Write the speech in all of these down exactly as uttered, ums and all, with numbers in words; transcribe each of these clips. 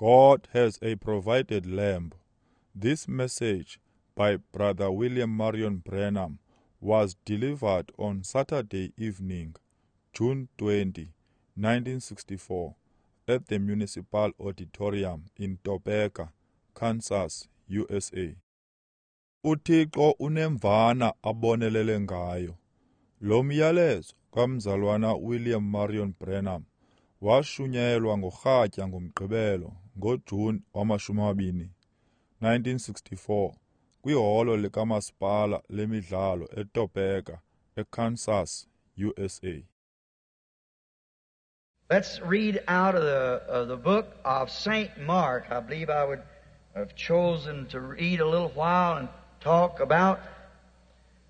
God has a provided lamb. This message by Brother William Marion Branham was delivered on Saturday evening, June twentieth, nineteen sixty-four, at the Municipal Auditorium in Topeka, Kansas, U S A. UThixo unemvana abonelele ngayo. Lo myalezo kaMzalwana William Marion Branham washunyayelwa ngorhatya ngoMgqibelo ngoJuni wamashumi amabini, nineteen sixty-four, kwiholo likamasipala lemidlalo eTopeka, eKansas, U S A. Let's read out of the, of the book of Saint Mark. I believe I would have chosen to read a little while and talk about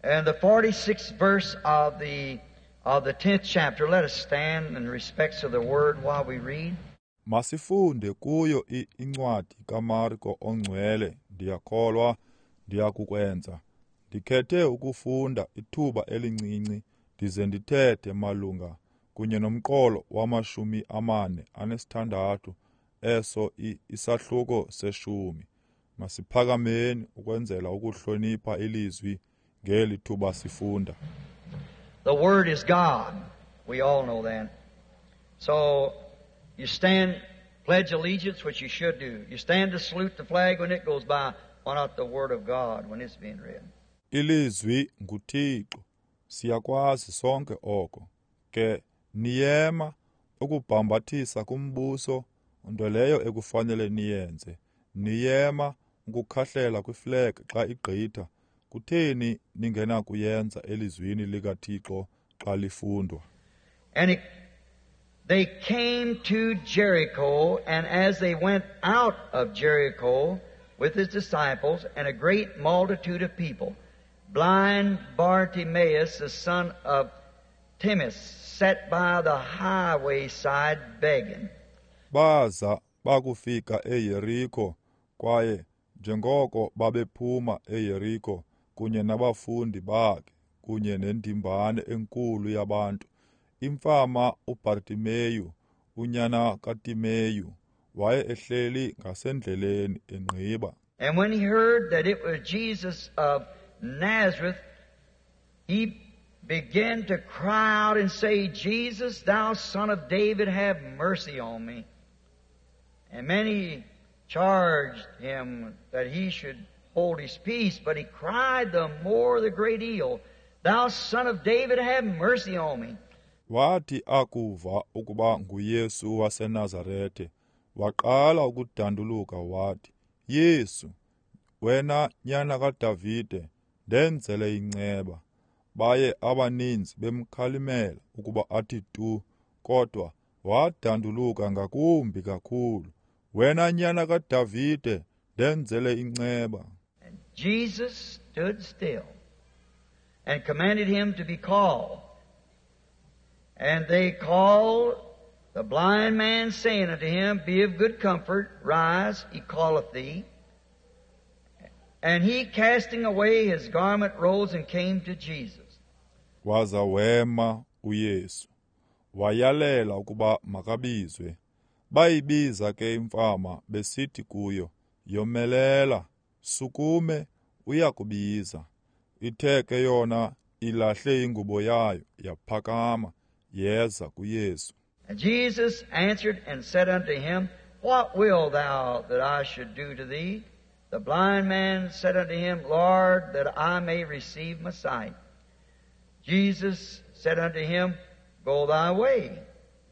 and the forty-sixth verse of the of the tenth chapter. Let us stand in respects of the word while we read. Masifunde kuyo incwadi kaMarko ongcwele. Ndiyakholwa ndiyakukwenza. Ndikhethe ukufunda ithuba elincinci ndize ndithethe malunga kunye nomqolo wamashumi amane anesithandathu eso isahluko seshumi. Masiphakameni ukwenzela ukuhlonipha ilizwi ngeli thuba sifunda. The Word is God. We all know that. So you stand, pledge allegiance, which you should do. You stand to salute the flag when it goes by. Why not the Word of God when it's being read? Ilizwi nguThixo. Siyakwazi sonke oko. Ke niyema ukubhambathisa kumbuso, nto leyo ekufanele niyenze. Niyema ukukhahlela kwiflag xa igqitha. Kutheni ningenakuyenza elizwini likaThixo xa lifundwa? And it, they came to Jericho, and as they went out of Jericho with his disciples and a great multitude of people, blind Bartimaeus, the son of Timaeus, sat by the highway side begging. Baza bakufika eYeriko, kwaye njengoko babephuma eYeriko kunye nabafundi bakhe kunye nendimbane enkulu yabantu, imfama uBartimeyu unyana kaTimeyu waye ehleli ngasendleleni engqiba. And when he heard that it was Jesus of Nazareth, he began to cry out and say, Jesus, thou son of David, have mercy on me. And many charged him that he should hold his peace, but he cried the more the great deal, Thou son of David, have mercy on me. Wathi akuva ukuba nguYesu waseNazarete, waqala ukudanduluka wathi, Yesu, wena nyana kaDavide, ndenzele inceba. Baye abaninzi bemkhalimela ukuba athi tu, kodwa wadanduluka ngakumbi kakhulu, Wena nyana kaDavide, ndenzele inceba. And Jesus stood still and commanded him to be called. And they called the blind man, saying unto him, Be of good comfort, rise, he calleth thee. And he, casting away his garment, rose and came to Jesus. Waza wema uYesu, wayalela ukuba makabizwe. Bayibiza ke imfama besithi kuyo, Yomelela, sukume, uyakubiza. Ithe ke yona ilahle ingubo yayo, yaphakama, yeza kuYesu. And Jesus answered and said unto him, What wilt thou that I should do to thee? The blind man said unto him, Lord, that I may receive my sight. Jesus said unto him, Go thy way,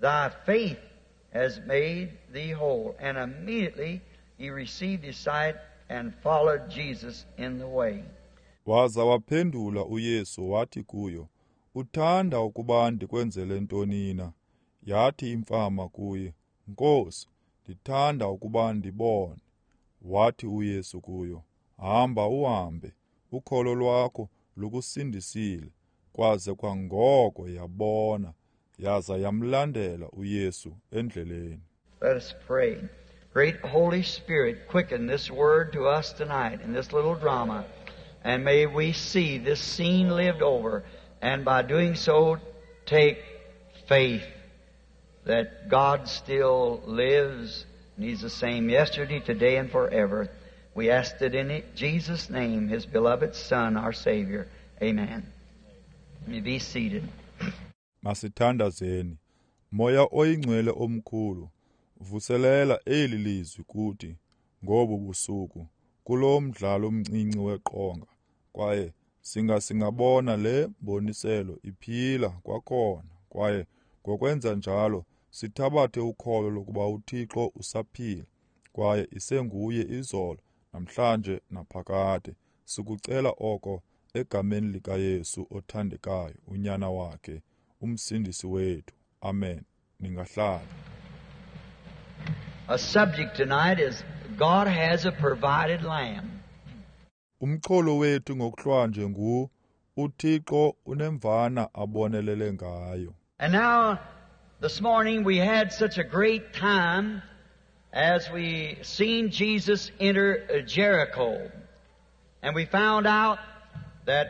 thy faith has made thee whole. And immediately he received his sight and followed Jesus in the way. Waza waphendula uYesu wathi kuyo, Uthanda ukuba ndikwenzele ntoni na? Yathi imfama kuye, Nkosi, ndithanda ukuba ndibone. Wathi uYesu kuyo, Hamba uhambe, ukholo lwakho lukusindisile. Kwaze kwangoko yabona, yaza yamlandela uYesu endleleni. Let us pray. Great Holy Spirit, quicken this word to us tonight in this little drama, and may we see this scene lived over, and by doing so take faith that God still lives And He's the same yesterday, today, and forever. We asked it in Jesus' name, His beloved Son, our Savior. Amen. You may be seated. Masithandazeni. Moya oyingcwele omkhulu, vuselela eli lizwi kuthi ngobu busuku kulo mdlalo omncinci weqonga, kwaye singa singabona le mboniselo iphila kwakhona, kwaye ngokwenza njalo sithabathe ukholo lokuba uThixo usaphila kwaye isenguye izolo, namhlanje naphakade. Sikucela oko egameni likaYesu othandekayo, unyana wakhe, umsindisi wethu. Amen. Ningahlala. A subject tonight is God has a provided lamb. Umxholo wethu ngokuhlwanje ngu uThixo unemvana abonelele ngayo. And now this morning we had such a great time as we seen Jesus enter Jericho. And we found out that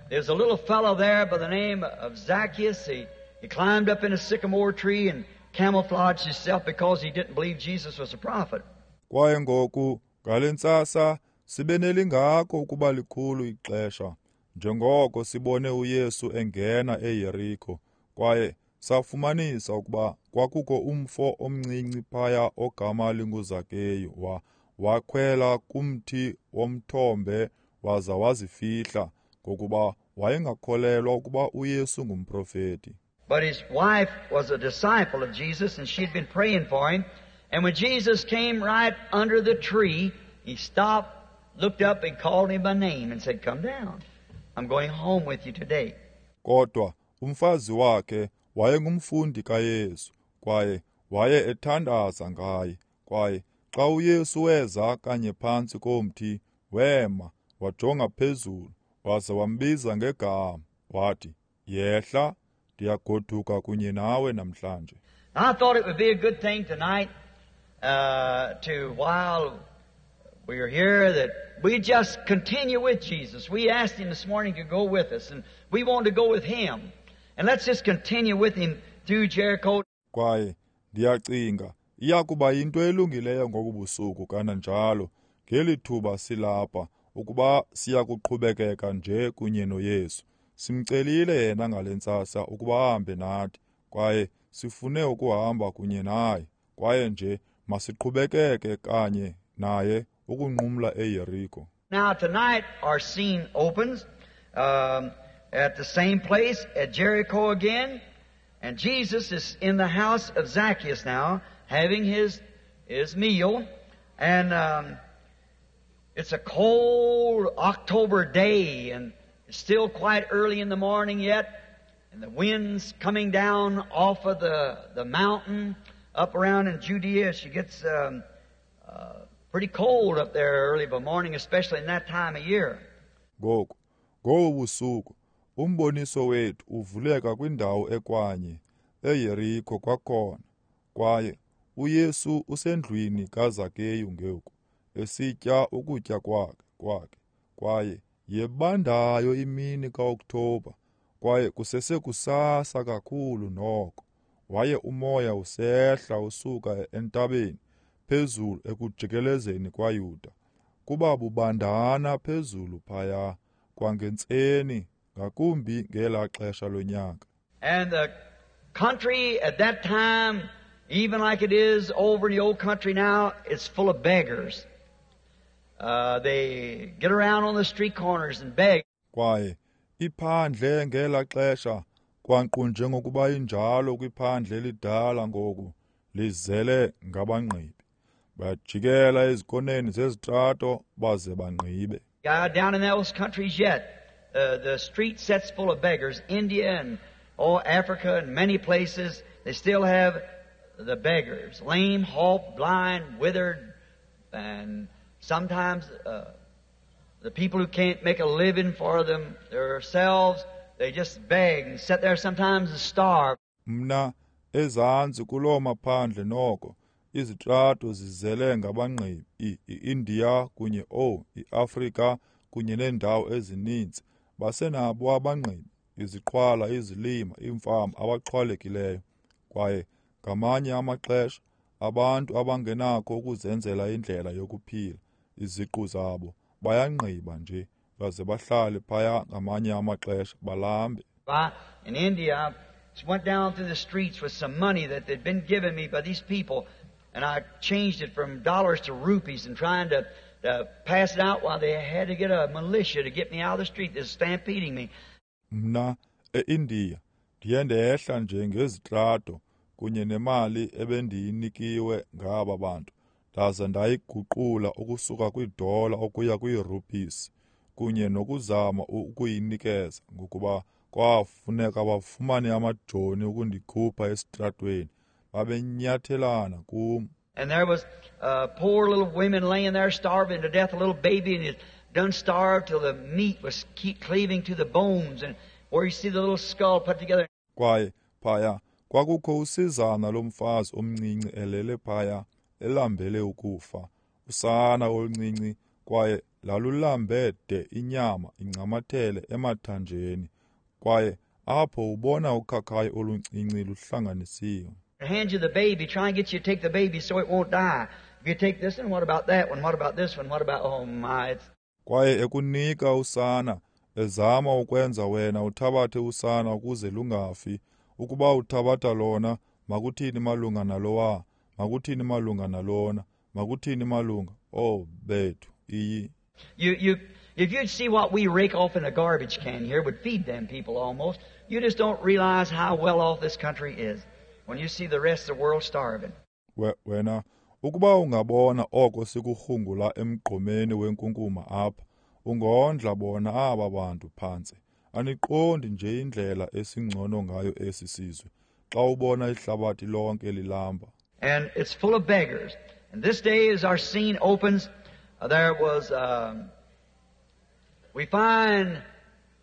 there's a little fellow there by the name of Zacchaeus. He, he climbed up in a sycamore tree and camouflaged himself because he didn't believe Jesus was a prophet. Kwaye ngoku ngale ntsasa sibe nelingako ukuba likhulu ixesha njengoko sibone uYesu engena eYeriko, kwaye safumanisa ukuba kwakukho umfo omncinci phaya ogama linguZakeyu wa wakhwela kumthi womthombe waza wazifihla ngokuba wayengakholelwa ukuba uYesu ngumprofeti. But his wife was a disciple of Jesus, and she'd been praying for him. And when Jesus came right under the tree, he stopped, looked up, and called him by name and said, "Come down. I'm going home with you today." Kodwa umfazi wakhe wayengumfundi kaYesu, kwaye waye ethandaza ngaye. Kwaye xa uYesu weza kanye phantsi komthi, wema, wajonga phezulu, waza wambiza ngegama, wathi, "Yehla, ndiyagoduka kunye nawe namhlanje." I thought it would be a good thing tonight uh, to, while we are here, that we just continue with Jesus. We asked Him this morning to go with us, and we want to go with Him. And let's just continue with Him through Jericho. Kwaye ndiyacinga iyakuba yinto elungileyo ngobu busuku kananjalo ngeli thuba silapha ukuba siyakuqhubekeka nje kunye noYesu. Simcelile yena ngale ntsasa ukuba ahambe nathi, kwaye sifune ukuhamba kunye naye, kwaye nje masiqhubekeke kanye naye ukunqumla eYeriko. Now tonight our scene opens um, at the same place at Jericho again, and Jesus is in the house of Zacchaeus now, having his his meal, and um, it's a cold October day, and it's still quite early in the morning yet, and the wind's coming down off of the, the mountain up around in Judea. She gets um, uh, pretty cold up there early in the morning, especially in that time of year. Ngoku, ngobu busuku, umboniso wethu uvuleka kwindawo ekwanye, eYeriko kwakhona, kwaye uYesu usendlwini kaZakeyu ngoku, esitya ukutya kwakhe kwakhe, kwaye yebandayo imini kaOktoba, kwaye kusesekusasa kakhulu noko. Waye umoya usehla usuka entabeni phezulu ekujikelezeni kwaYuda, kuba bubandana phezulu phaya kwangentseni, ngakumbi ngelaa xesha lonyaka. And the country at that time, even like it is over in the old country now, it's full of beggars. Uh, they get around on the street corners and beg. Kwaye iphandle ngelaa xesha, kwanqu njengokuba injalo kwiphandle elidala ngoku, lizele ngabangqibi. Bajikela ezikoneni zezitrato baze bangqibe. Uh, down in those countries yet, uh, the street sets full of beggars. India and oh, Africa and many places, they still have the beggars, lame, halt, blind, withered, and sometimes uh, the people who can't make a living for them themselves, they just beg and sit there sometimes and starve. Mna ezantsi kuloo maphandle noko izitrato zizele ngabangqibi, i-India kunye oh i-Afrika kunye neendawo ezininzi basenabo abangqibi, iziqhwala, izilima, iimfama abaxhwalekileyo. Kwaye ngamanye amaxesha Abantu abangenakho ukuzenzela indlela yokuphila iziqu zabo bayangqiba nje baze bahlale phaya ngamanye amaxesha balambe. I, in India, I went down through the streets with some money that they'd been giving me by these people, and I changed it from dollars to rupees and trying to, to pass it out while they had to get a militia to get me out of the street that's stampeding me. Mna eIndiya ndiye ndehla nje ngezitrato kunye nemali ebendiyinikiwe ngaba bantu ndaze ndayiguqula ukusuka kwiidola ukuya kwiirupisi kunye nokuzama ukuyinikeza ngokuba kwafuneka bafumane amajoni ukundikhupha esitratweni babenyathelana kum. And there was uh, poor little women laying there starving to death, a little baby, and it done starved till the meat was keep cleaving to the bones, and where you see the little skull put together. Kwaye phaya kwakukho usizana lomfazi omncinci elele phaya elambele ukufa, usana oluncinci, kwaye lalulambe de inyama incamathele emathanjeni, kwaye apho ubona ukhakhayi oluncinci luhlanganisiwe. Hand you the baby, try and get you to take the baby so it won't die. If you take this one, what about that one? What about this one? What about, oh my. It's... Kwaye ekunika usana, ezama ukwenza wena uthabathe usana ukuze lungafi. Ukuba uthabatha lona, makuthini malunga nalowa, makuthini malunga nalona, makuthini malunga, oh bethu, iyi. You, you, if you'd see what we rake off in a garbage can here, would feed them people almost. You just don't realize how well off this country is when you see the rest of the world starving. We, wena, ukuba ungabona oko sikurhungula emgqomeni wenkunkuma apha, ungondla bona aba bantu phantsi. Aniqondi nje indlela esingcono ngayo esi sizwe xa ubona ihlabathi lonke lilamba. And it's full of beggars. And this day as our scene opens, there was, um, we find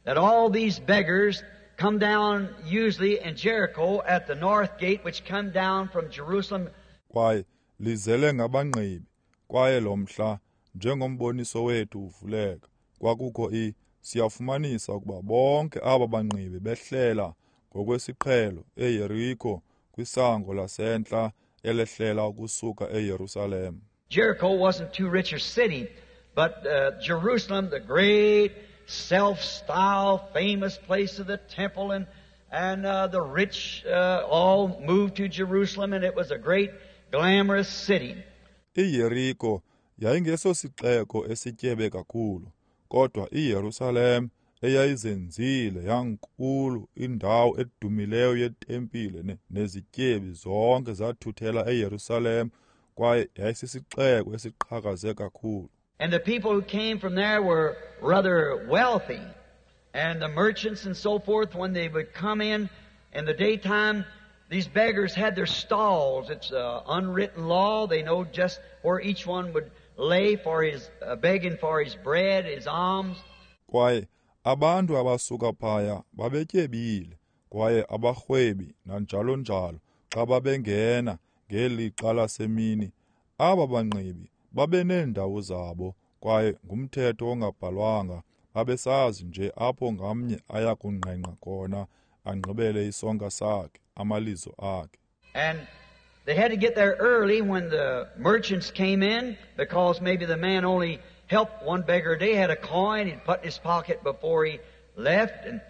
that all these beggars come down usually in Jericho at the north gate, which come down from Jerusalem. Kwaye lizele ngabangqibi, kwaye lo mhla njengomboniso wethu uvuleka, kwakukho i siyafumanisa ukuba bonke aba bangqibi behlela ngokwesiqhelo eYeriko kwisango lasentla elehlela ukusuka eYerusalem. Jericho wasn't too rich a city, but uh, Jerusalem, the great self-styled famous place of the temple, and and uh, the rich uh, all moved to Jerusalem, and it was a great glamorous city. IYeriko yayingesosixeko esityebe kakhulu, kodwa iYerusalem eyayizenzile yankulu indawo edumileyo yetempile nezityebi zonke zathuthela eYerusalem, kwaye yayisisixeko esiqhakaze kakhulu. And the people who came from there were rather wealthy. And the merchants and so forth, when they would come in in the daytime, these beggars had their stalls. It's an unwritten law. They know just where each one would lay for his uh, begging for his bread, his alms. Kwaye abantu abasuka phaya babetyebile, kwaye abarhwebi nanjalo njalo xa babengena ngelixa lasemini, aba bangqibi babeneendawo zabo, kwaye ngumthetho ongabhalwanga babesazi nje apho ngamnye aya kungqengqa khona angqibele isonka sakhe, amalizo akhe. And they had to get there early when the merchants came in, because maybe the man only helped one beggar a day, had a coin he'd put in his pocket before he left. And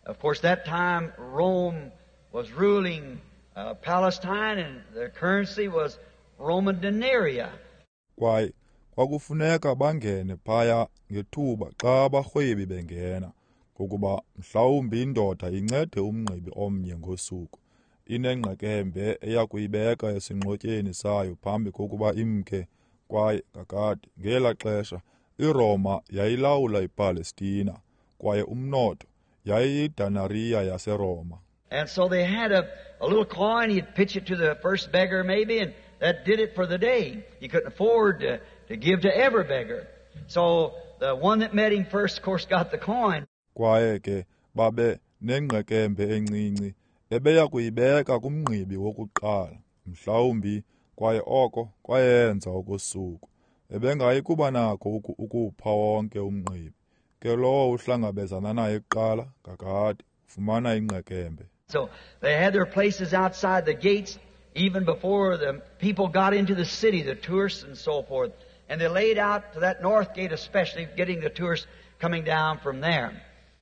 of course that time Rome was ruling uh, Palestine, and the currency was Roman denarii. Kwaye kwakufuneka bangene phaya ngethuba xa abarhwebi bengena, ngokuba mhlawumbi indoda incede umngqibi omnye ngosuku, inengqekembe eya kuyibeka esinqotyeni sayo phambi kokuba imke. Kwaye kakade ngela xesha iRoma yayilawula iPalestina, kwaye umnotho yayiyidenariya yaseRoma. And so they had a, a little coin. He'd pitch it to the first beggar maybe, and that did it for the day. He couldn't afford to, to give to every beggar. So the one that met him first, of course, got the coin. Kwaye ke babe nengqekembe encinci ebeya kuyibeka kumngqibi wokuqala, mhlawumbi, kwaye oko kwayenza okosuku. Ebengayi kuba nako ukupha wonke umngqibi. Ke lowo uhlangabezana naye kuqala, kakade, ufumana ingqekembe. So they had their places outside the gates, even before the people got into the city, the tourists and so forth. And they laid out to that north gate especially, getting the tourists coming down from there.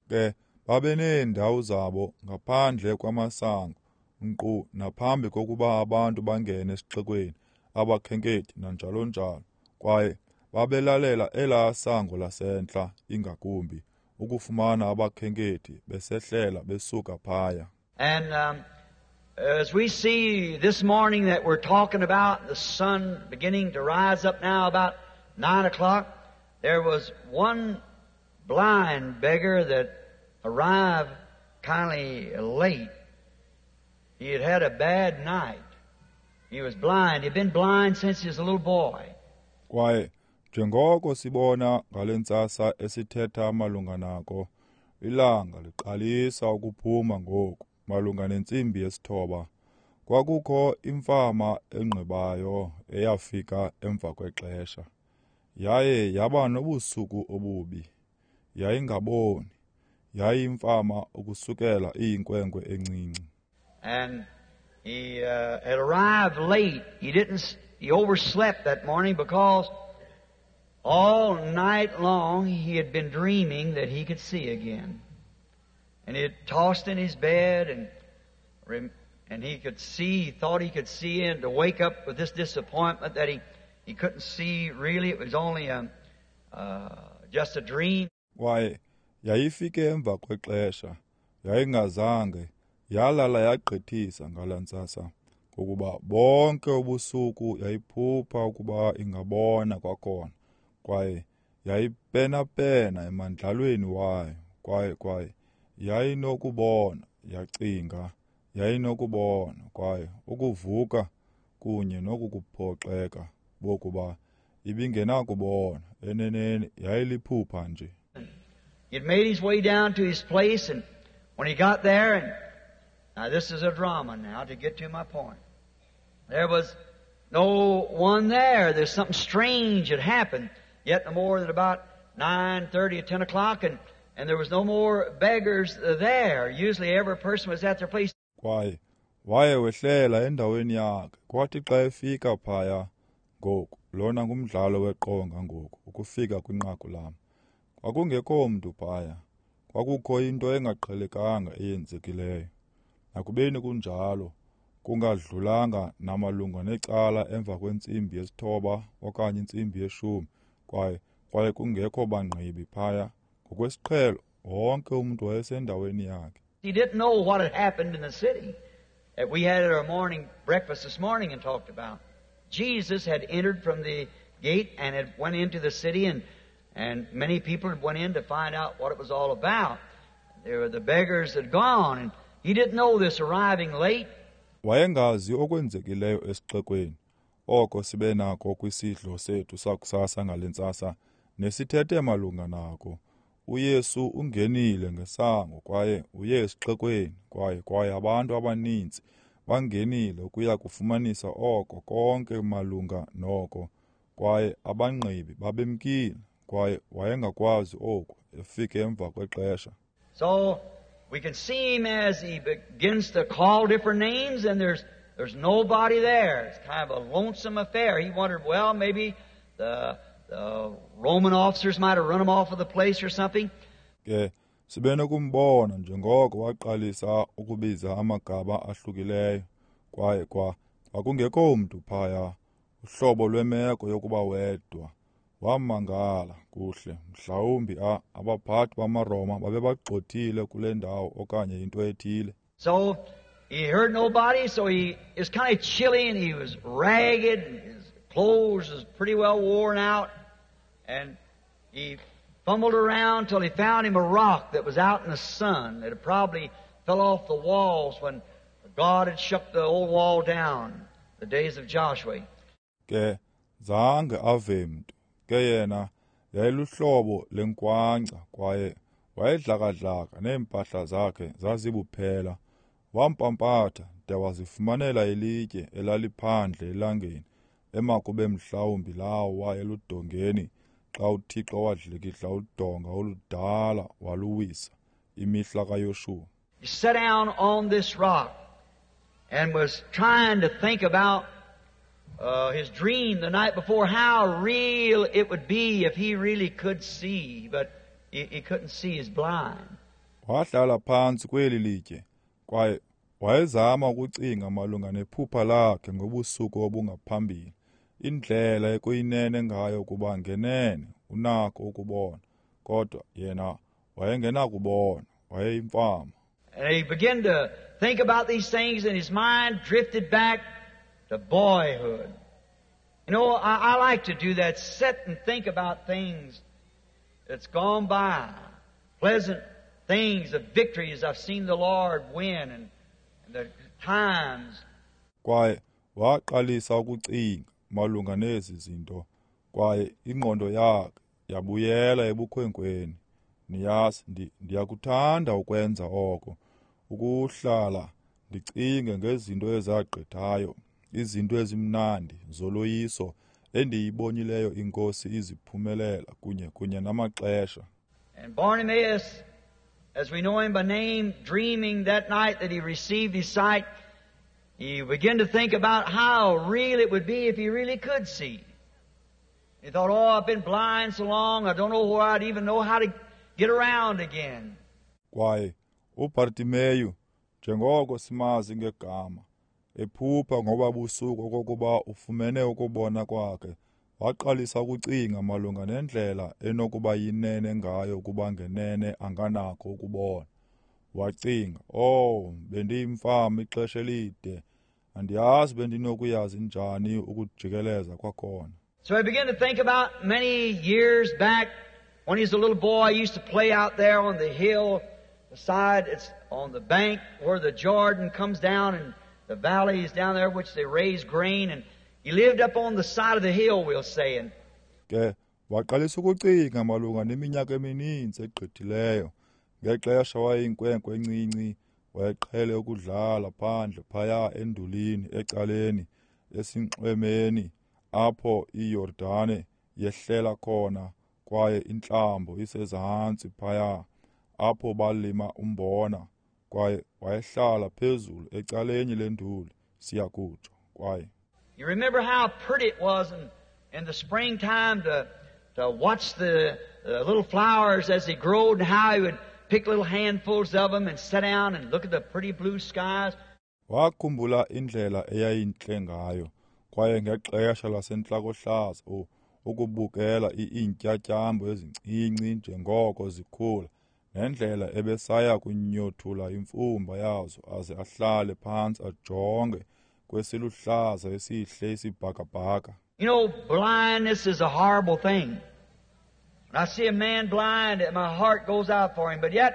Ke babeneendawo zabo ngaphandle kwamasango, nkqu naphambi kokuba abantu bangene esixekweni, abakhenkethi nanjalo njalo. Kwaye babelalela elaa sango lasentla ingakumbi ukufumana abakhenkethi besehlela besuka phaya. And um, as we see this morning that we're talking about the sun beginning to rise up now about nine o'clock, there was one blind beggar that arrived kindly late. He had had a bad night. He was blind. He'd been blind since he was a little boy. Kwaye njengoko sibona ngale ntsasa esithetha malunga nako, ilanga liqalisa ukuphuma ngoku malunga nentsimbi yesithoba. Kwakukho imfama engqibayo eyafika emva kwexesha. Yaye yaba nobusuku obubi. Yayingaboni. Yayimfama ukusukela iyinkwenkwe encinci. And he uh, had arrived late. He didn't. He overslept that morning because all night long he had been dreaming that he could see again. And he had tossed in his bed, and and he could see, he thought he could see, and to wake up with this disappointment that he, he couldn't see really. It was only a, uh, just a dream. Kwaye yayifike emva kwexesha, yayingazange yalala yagqithisa ngala ntsasa, ngokuba bonke ubusuku yayiphupha ukuba ingabona kwakhona. Kwaye yayipenapena emandlalweni wayo, kwaye kwaye yayinokubona, yacinga yayinokubona, kwaye ukuvuka kunye nokukuphoxeka bokuba ibingenakubona, eneneni yayiliphupha nje. He'd made his way down to his place, and when he got there, and now this is a drama now to get to my point. There was no one there. There's something strange had happened. Yet no more than about nine thirty or ten o'clock, and, and there was no more beggars there. Usually every person was at their place. Kwaye waye wehlela endaweni yakhe. Kwathi xa efika phaya ngoku, lona ngumdlalo weqonga ngoku, ukufika kwinqaku lam. Kwakungekho mntu phaya. Kwakukho into engaqhelekanga eyenzekileyo. Nakubeni kunjalo, kungadlulanga namalunga necala emva kwentsimbi yesithoba okanye intsimbi yeshumi, kwaye kwaye kungekho bangqibi phaya. Ngokwesiqhelo, wonke umntu wayesendaweni yakhe. He didn't know what had happened in the city that we had at our morning breakfast this morning and talked about. Jesus had entered from the gate and had went into the city, and, and many people had went in to find out what it was all about. There were the beggars had gone, and he didn't know this, arriving late. Wayengazi okwenzekileyo esixekweni, oko sibe nako kwisidlo sethu sakusasa ngale ntsasa, nesithethe malunga nako. uYesu ungenile ngesango kwaye uye esixekweni, kwaye kwaye abantu abaninzi bangenile ukuya kufumanisa oko konke malunga noko, kwaye abangqibi babemkile, kwaye wayengakwazi oku, efike emva kwexesha. So we can see him as he begins to call different names, and there's there's nobody there. It's kind of a lonesome affair. He wondered, well, maybe the, the Roman officers might have run him off of the place or something. Ke sibe nokumbona njengoko waqalisa ukubiza amagama ahlukileyo, kwaye kwa kwakungekho mntu phaya, uhlobo lwemeko yokuba wedwa. Wamangala kuhle, mhlawumbi a abaphathi bamaRoma babebagxothile kule ndawo okanye into ethile. So he heard nobody, so he is kind of chilly, and he was ragged, and his clothes was pretty well worn out, and he fumbled around till he found him a rock that was out in the sun that had probably fell off the walls when God had shook the old wall down, the days of Joshua. Ke zange ave mntu. Ke yena yayiluhlobo lenkwanca, kwaye wayedlakadlaka neempahla zakhe zazibuphela. Wampampatha de wazifumanela ilitye elaliphandle elangeni, emakube mhlawumbi lawa eludongeni xa uThixo wadlikidla udonga oludala waluwisa, imihla kaYoshuwa. He sat down on this rock, and was trying to think about uh, his dream the night before, how real it would be if he really could see, but he, he couldn't see, he's blind. Wahlala phantsi kweli litye kwaye wayezama ukucinga malunga nephupha lakhe ngobusuku obungaphambili, indlela ekuyinene ngayo ukuba ngenene unako ukubona, kodwa yena wayengenakubona, wayeyimfama. And he began to think about these things, and his mind drifted back to boyhood. You know, I, I like to do that, sit and think about things that's gone by, pleasant things of victories I've seen the Lord win, and, and the times. Kwaye waqalisa ukucinga malunga nezi zinto, kwaye ingqondo yakhe yabuyela ebukhwenkweni. Niyazi, ndiyakuthanda ukwenza oko, ukuhlala ndicinge ngezinto ezagqithayo, izinto ezimnandi zoloyiso endiyibonileyo iNkosi iziphumelela kunye kunye namaxesha. And Bartimaeus, as we know him by name, dreaming that night that he received his sight, he began to think about how real it would be if he really could see. He thought, oh, I've been blind so long, I don't know where I'd even know how to get around again. Kwaye uBartimeyu, njengoko simazi ngegama, ephupha ngoba busuku okokuba ufumene ukubona kwakhe, waqalisa ukucinga malunga nendlela enokuba yinene ngayo ukuba ngenene anganakho ukubona. Wacinga, oh, bendiyimfama ixesha elide, andiyazi bendinokuyazi njani ukujikeleza kwakhona. So he began to think about many years back when he was a little boy, he used to play out there on the hill beside, it's on the bank where the Jordan comes down and the valley is down there which they raise grain, and he lived up on the side of the hill, we'll say. And ke waqalisa ukucinga malunga neminyaka emininzi egqithileyo ngexesha wayeyinkwenkwe encinci, wayeqhele ukudlala phandle phaya endulini ecaleni esinxwemeni apho iYordane yehlela khona, kwaye intlambo isezantsi phaya apho balima umbona, kwaye wayehlala phezulu ecaleni lenduli, siyakutsho. Kwaye you remember how pretty it was in, in the springtime to, to watch the, the little flowers as they growed, and how he would pick little handfuls of them and sit down and look at the pretty blue skies. Wakhumbula indlela eyayintle ngayo, kwaye ngexesha lasentlakohlaza ukubukela iintyatyambo ezincinci njengoko zikhula, nendlela ebesaya kunyothula imfumba yazo aze ahlale phantsi ajonge kwesiluhlaza esihle isibhakabhaka. You know, blindness is a horrible thing. When I see a man blind, my heart goes out for him. But yet,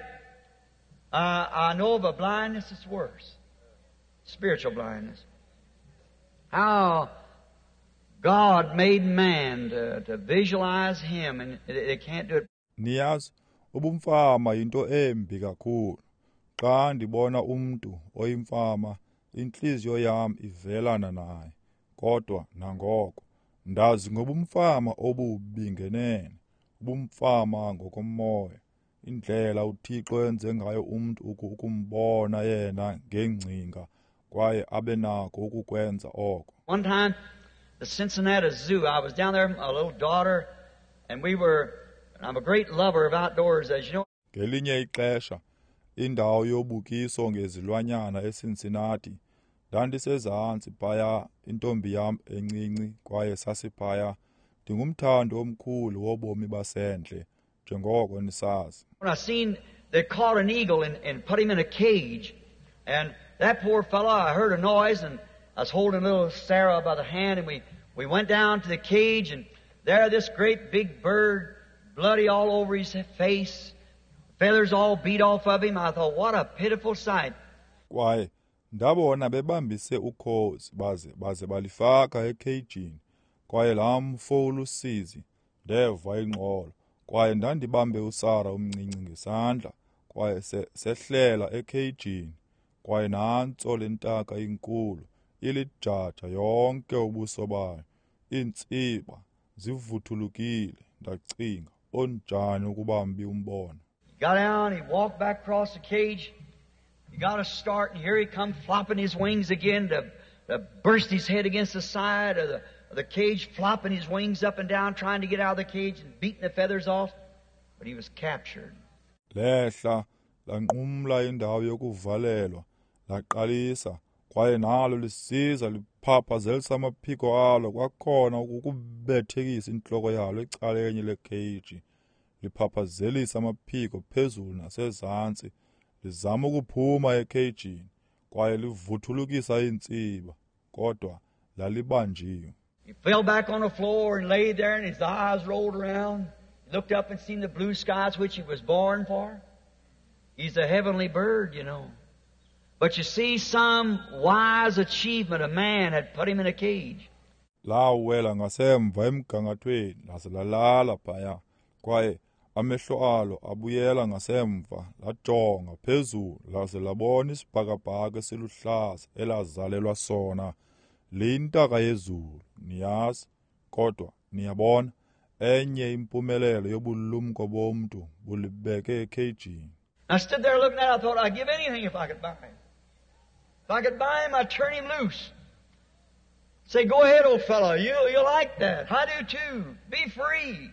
uh, I know of a blindness that's worse. Spiritual blindness. How God made man to, to visualize him, and they can't do it. Niyazi, ubumfama yinto embi kakhulu. Xa ndibona umntu oyimfama, intliziyo yam ivelana naye. Kodwa nangoko ndazi ngobumfama obubi ngenene, ubumfama ngokomoya, indlela uThixo enze ngayo umntu ukumbona yena ngengcinga kwaye abe nako ukukwenza oko. One time, the Cincinnati Zoo, I was down there with my little daughter, and we were, and I'm a great lover of outdoors, as you know. Ngelinye ixesha, indawo yobukiso ngezilwanyana eCincinnati, ndandisezantsi phaya, intombi yam encinci, kwaye sasiphaya. Ndingumthandi omkhulu wobomi basendle, njengoko nisazi. When I seen they caught an eagle and, and put him in a cage, and that poor fellow, I heard a noise, and I was holding little Sarah by the hand, and we, we went down to the cage, and there this great big bird, bloody all over his face, feathers all beat off of him. I thought, what a pitiful sight. Kwaye ndabona bebambise ukhozi baze baze balifaka ekheyijini, kwaye laa mfo ulusizi, ndeva ingxolo, kwaye ndandibambe uSara umncinci ngesandla, kwaye sehlela ekheyijini, kwaye nantso le ntaka inkulu ilijaja yonke ubuso bayo, iintsiba zivuthulukile. Ndacinga, onjani ukuba mbi umbono. He got down, he walked back across the cage, He got a start, and here he come flopping his wings again to, to burst his head against the side of the, of the cage, flopping his wings up and down, trying to get out of the cage and beating the feathers off. But he was captured. Lehla lanqumla indawo yokuvalelwa, laqalisa, kwaye nalo lisiza liphaphazelisa amaphiko alo kwakhona ukubethekisa intloko yalo ecaleni lekheyiji, liphaphazelisa amaphiko phezulu nasezantsi, lizama ukuphuma ekheyijini, kwaye livuthulukisa iintsiba, kodwa lalibanjiwe. He fell back on the floor and lay there, and his eyes rolled around. He looked up and seen the blue skies which he was born for. He's a heavenly bird, you know. But you see, some wise achievement of man had put him in a cage. Lawela ngasemva emgangathweni laze lalala phaya, kwaye amehlo alo abuyela ngasemva, lajonga phezulu laze labona isibhakabhaka esiluhlaza elazalelwa sona. Liyintaka yezulu, niyazi, kodwa niyabona, enye impumelelo yobulumko bomntu bulibeke ekheyijini. I stood there looking at it, I thought, I'd give anything if I could buy him. If I could buy him, I'd turn him loose. Say, go ahead, old fellow, you, you like that. I do too. Be free.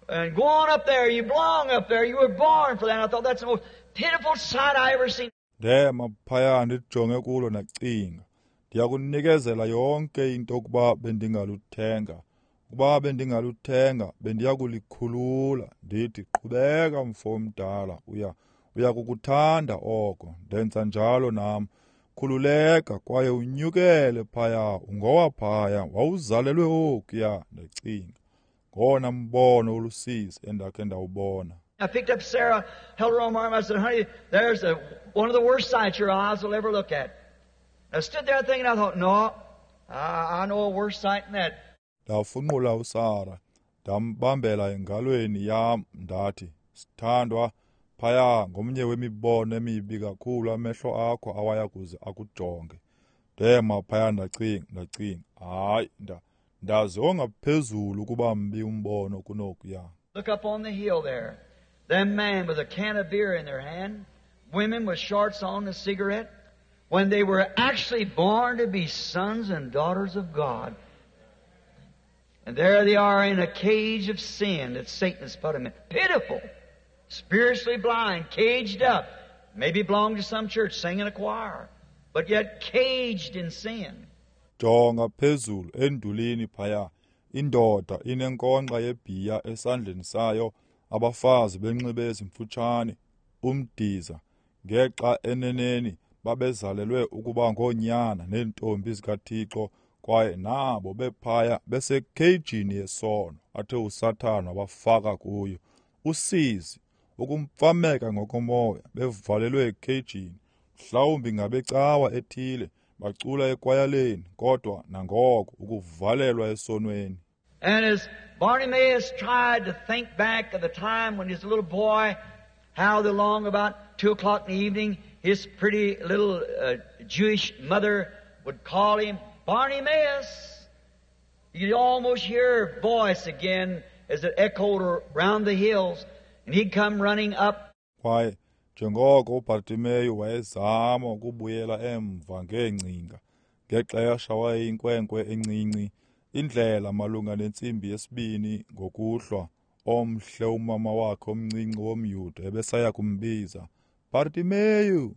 And go on up there. You belong up there. You were born for that. I thought that's the most pitiful sight I ever seen. Ndema phaya ndijonge kulo ndacinga, ndiyakunikezela yonke into ukuba bendingaluthenga. Ukuba bendingaluthenga, bendiyakulikhulula. Ndithi, qhubeka mfo omdala, uya uyakukuthanda oko. Ndenza njalo nam. Khululeka kwaye unyukele phaya, ungowaphaya, wawuzalelwe okuya. Ndacinga, ngowona mbono olusizi endakhe ndawubona. I picked up Sarah, held her on my arm. I said, honey, there's a, one of the worst sights your eyes will ever look at. I stood there thinking, I thought, no, I, I know a worse sight than that. Ndafunqula uSara, ndambambela engalweni yam, ndathi, sithandwa, phaya ngomnye wemibono emibi kakhulu amehlo akho awaya kuze akujonge. Ndema phaya ndacinga, ndacinga, hayi, nda ndazi ongaphezulu ukuba mbi umbono kunokuya. Look up on the hill there. Them men with a can of beer in their hand, women with shorts on and a cigarette, when they were actually born to be sons and daughters of God. And there they are in a cage of sin that Satan has put them in. Pitiful. Spiritually blind, caged up. Maybe belong to some church, singing a choir, but yet caged in sin. Jonga phezulu endulini phaya, indoda inenkonxa yebhiya esandleni sayo, abafazi benxibe ezimfutshane, umdiza, ngexa eneneni babezalelwe ukuba ngoonyana neentombi zikaThixo, kwaye nabo bephaya besekheyijini yesono athe uSathana wabafaka kuyo. Usizi, ukumfameka ngokomoya, bevalelwe ekheyijini, mhlawumbi ngabecawa ethile, bacula ekwayaleni, kodwa nangoko ukuvalelwa esonweni. And as Bartimaeus tried to think back of the time when he was a little boy, how the long about two o'clock in the evening, his pretty little uh, Jewish mother would call him, Bartimaeus. You'd almost hear her voice again as it echoed around the hills, and he'd come running up. Kwaye njengoko uBartimeyu wayezama ukubuyela emva ngeengcinga, ngexesha wayeyinkwenkwe encinci, indlela malunga nentsimbi yesibini ngokuhlwa, omhle umama wakhe omncinci womYuda ebesaya kumbiza, Bartimeyu.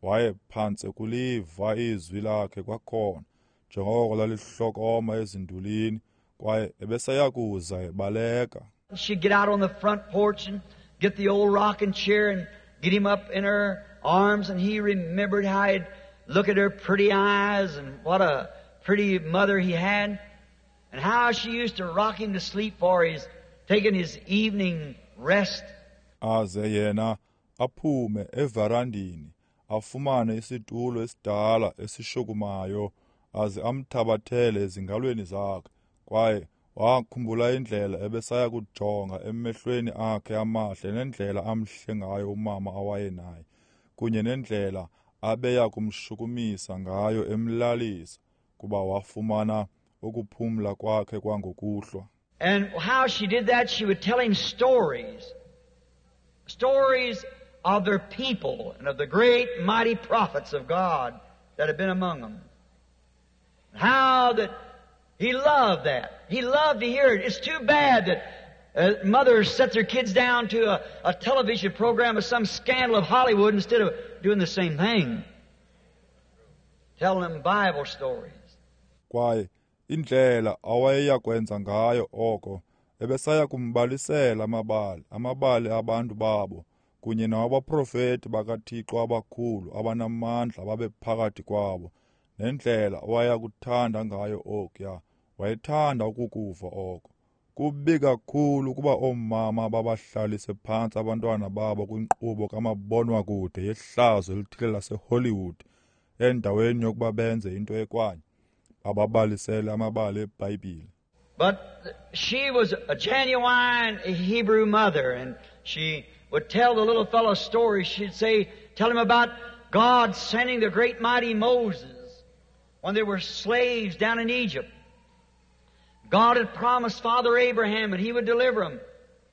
Wayephantse kuliva izwi lakhe kwakhona, njengoko lalihlokoma ezindulini, kwaye ebesaya kuza ebaleka. She'd get out on the front porch and get the old rocking chair and get him up in her arms, and he remembered how he'd look at her pretty eyes and what a pretty mother he had, and how she used to rock him to sleep for his taking his evening rest. Aze yena aphume evarandini, afumane isitulo esidala esishukumayo, aze amthabathele ezingalweni zakhe, kwaye wakhumbula indlela ebesaya kujonga emehlweni akhe amahle nendlela amhle ngayo umama awayenaye, kunye nendlela abeya kumshukumisa ngayo emlalisa, kuba wafumana ukuphumla kwakhe kwangokuhlwa. And how she did that, she would tell him stories. Stories of their people and of the great mighty prophets of God that had been among them. How that he loved that. He loved to hear it. It's too bad that uh, mothers set their kids down to a, a television program of some scandal of Hollywood instead of doing the same thing. Telling them Bible stories. Kwaye indlela awayeya kwenza ngayo oko ebesaya kumbalisela amabali, amabali abantu babo kunye nawabaprofeti bakaThixo abakhulu abanamandla babephakathi kwabo, nendlela awayeyakuthanda ngayo okuya, wayethanda ukukuva oko. Kubi kakhulu ukuba oomama babahlalise phantsi abantwana babo kwinkqubo kamabonwakude yehlazo elithile laseHollywood endaweni yokuba benze into ekwanye, bababalisele amabali eBhayibhile. But she was a genuine Hebrew mother, and she would tell the little fellow stories. She'd say, tell him about God sending the great mighty Moses when they were slaves down in Egypt. God had promised Father Abraham and he would deliver them.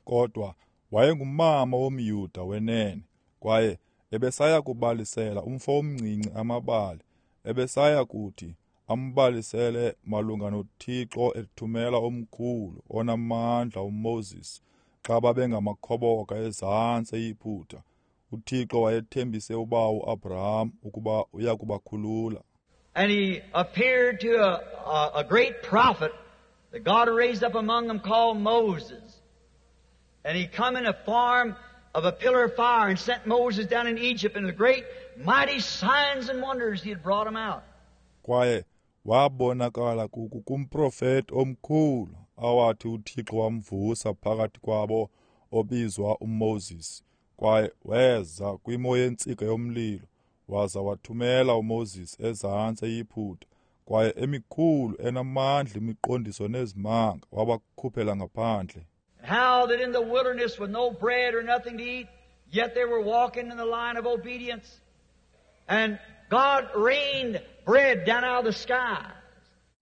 Kodwa wayengumama womYuda wenene, kwaye ebesaya kubalisela umfo omncinci amabali, ebesaya kuthi ambalisele malunga noThixo ethumela omkhulu onamandla uMoses xa babengamakhoboka ezantsi eYiputa. UThixo wayethembise ubawo uAbraham ukuba uya kubakhulula. And he appeared to a, a, a great prophet that God raised up among them called Moses. And he come in a form of a pillar of fire and sent Moses down in Egypt, and the great mighty signs and wonders he had brought him out. Kwaye wabonakala kumprofeti omkhulu awathi uThixo wamvusa phakathi kwabo obizwa uMoses. Kwaye weza kwimo yentsika yomlilo waza wathumela uMoses ezantsi eYiputa, kwaye emikhulu enamandla imiqondiso nezimanga wabakhuphela ngaphandle. How that in the wilderness with no bread or nothing to eat, yet they were walking in the line of obedience. And God rained bread down out of the skies.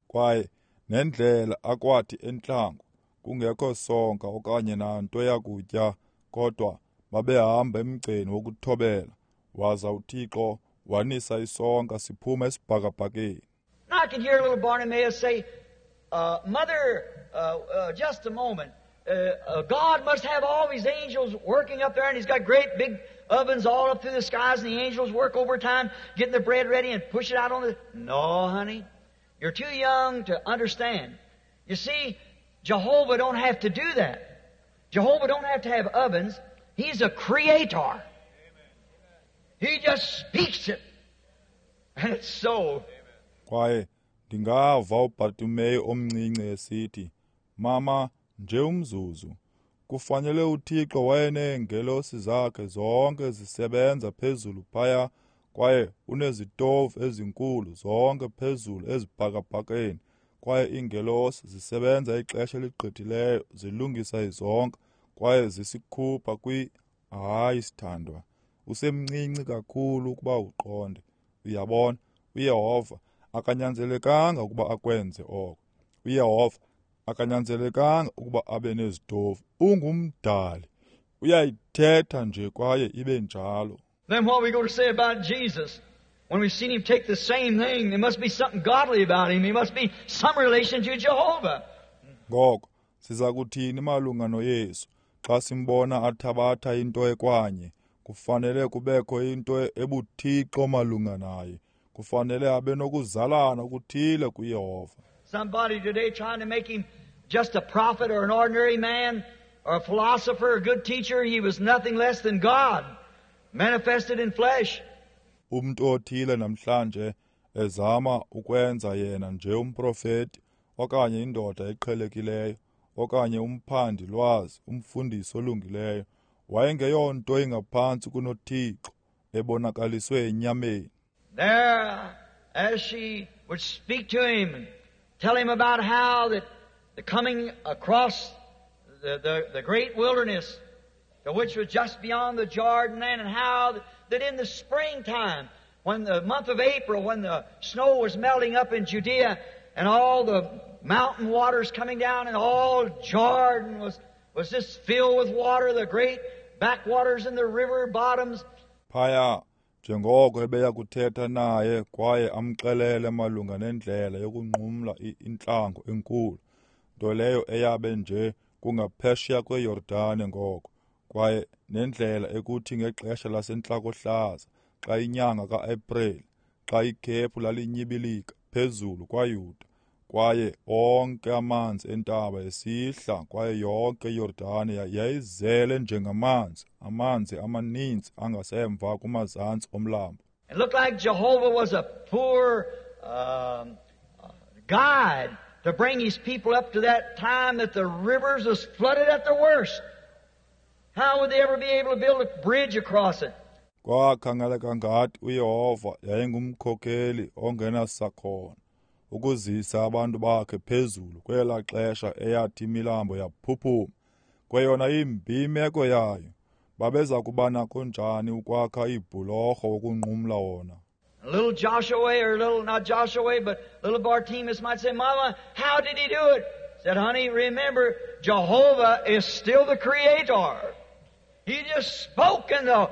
Kwaye nendlela akwathi entlango kungekho sonka okanye nanto yakutya, kodwa babehamba emgceni wokuthobela, waza uThixo wanisa isonka siphuma esibhakabhakeni. I can hear little Bartimaeus say, uh, Mother, uh, uh, just a moment. Uh, uh, God must have all his angels working up there, and he's got great big ovens all up through the skies, and the angels work overtime getting the bread ready and push it out on the... No, honey, you're too young to understand. You see, Jehovah don't have to do that. Jehovah don't have to have ovens. He's a creator. He just speaks it, and it's so. Kwaye ndingava uBartimeyu omncinci esithi, Mama, nje umzuzu, kufanele uThixo wayeneengelosi zakhe zonke zisebenza phezulu phaya, kwaye unezitovu ezinkulu zonke phezulu ezibhakabhakeni, kwaye iingelosi zisebenza ixesha eligqithileyo zilungisa izonka kwaye zisikhupha kwi... Hayi, sithandwa, usemncinci kakhulu ukuba uqonde. Uyabona, uYehova akanyanzelekanga ukuba akwenze oko. uYehova akanyanzelekanga ukuba abe nezitofu. Ungumdali, uyayithetha nje kwaye ibe njalo. Then what are we going to say about Jesus? When we've seen him take the same thing, there must be something godly about him. He must be some relation to Jehovah. Ngoko siza kuthini malunga noYesu xa simbona athabatha into ekwanye? Kufanele kubekho into ebuthixo malunga naye. Kufanele abe nokuzalana okuthile kuYehova. Somebody today trying to make him just a prophet or an ordinary man or a philosopher or a good teacher. He was nothing less than God manifested in flesh. Umntu othile namhlanje ezama ukwenza yena nje umprofeti okanye indoda eqhelekileyo okanye umphandi lwazi, umfundisi olungileyo, wayengeyonto ingaphantsi kunoThixo ebonakaliswe enyameni. There, as she would speak to him and tell him about how that the coming across the, the, the great wilderness, the which was just beyond the Jordan land, and how that in the springtime, when the month of April, when the snow was melting up in Judea and all the mountain waters coming down and all Jordan was, was just filled with water, the great backwaters and the river bottoms. Phaya njengoko ebeya kuthetha naye kwaye amxelele malunga nendlela yokunqumla intlango enkulu, nto leyo eyabe nje kungaphesheya kweYordane ngoko, kwaye nendlela ekuthi ngexesha lasentlakohlaza xa inyanga kaAprili, xa ikhephu lalinyibilika phezulu kwaYuda, kwaye onke amanzi entaba esihla, kwaye yonke iYordane yayizele njengamanzi, amanzi amaninzi angasemva kumazantsi omlambo. It looked like Jehovah was a poor um, guide to bring his people up to that time that the rivers was flooded at the worst. How would they ever be able to build a bridge across it? Kwakhangeleka ngathi uYehova yayingumkhokeli ongenasakhono ukuzisa abantu bakhe phezulu kwelaa xesha eyathi imilambo yaphuphuma kweyona imbi imeko yayo. Babeza kuba nako njani ukwakha iibhulorho ukunqumla wona? Little Joshua, or little, not Joshua, but little Bartimaeus might say, Mama, how did he do it? Said, honey, remember, Jehovah is still the Creator. He just spoke, and the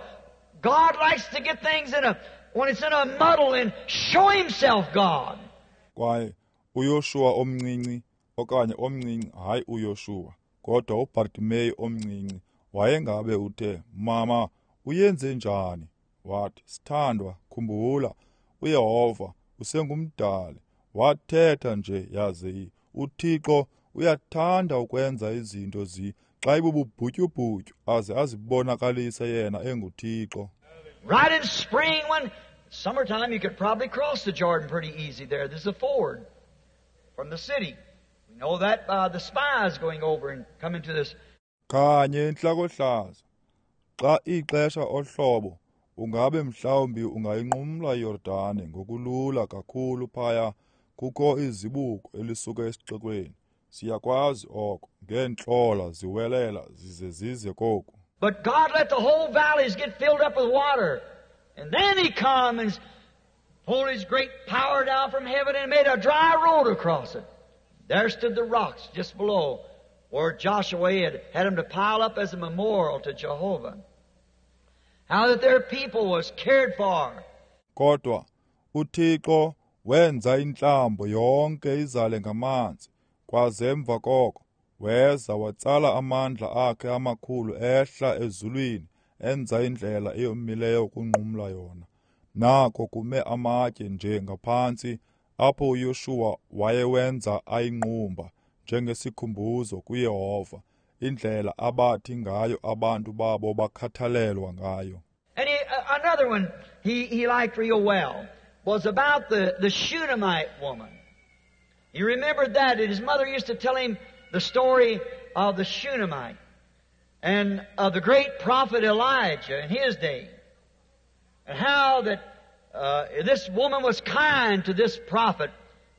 God likes to get things in a, when it's in a muddle, and show himself God. Kwaye uYoshua omncinci, okanye omncinci, hayi uYoshua, kodwa uBartimeyu omncinci wayengabe uthe, Mama, uyenze njani? Wathi, sithandwa, khumbula, uYehova usengumdali. Wathetha nje yaze uThixo uyathanda ukwenza izinto zi xa ibububhutyubhutyu aze azibonakalise yena enguThixo. Right in spring, when summertime, you could probably cross the Jordan pretty easy there. There's a ford from the city. We know that by the spies going over and coming to this. Kanye entlakohlaza, xa ixesha ohlobo, ungabe mhlawumbi ungayinqumla iYordane ngokulula kakhulu phaya. Kukho izibuko elisuka esixekweni. Siyakwazi oko ngeentlola ziwelela zize zize koku. But God let the whole valleys get filled up with water. And then he come and pulled his great power down from heaven and made a dry road across it. There stood the rocks just below where Joshua had had them to pile up as a memorial to Jehovah. How that their people was cared for. Kodwa uThixo wenza intlambo yonke izale ngamanzi, kwaze emva koko weza watsala amandla akhe amakhulu ehla ezulwini, enza indlela eyomileyo ukunqumla yona. Nako kume amatye nje ngaphantsi apho uYoshua wayewenza ayinqumba njengesikhumbuzo kuYehova, indlela abathi ngayo abantu babo bakhathalelwa ngayo. And he, uh, another one he, he liked real well was about the, the Shunammite woman. He remembered that, and his mother used to tell him the story of the Shunammite and of the great prophet Elijah in his day, and how that uh, this woman was kind to this prophet,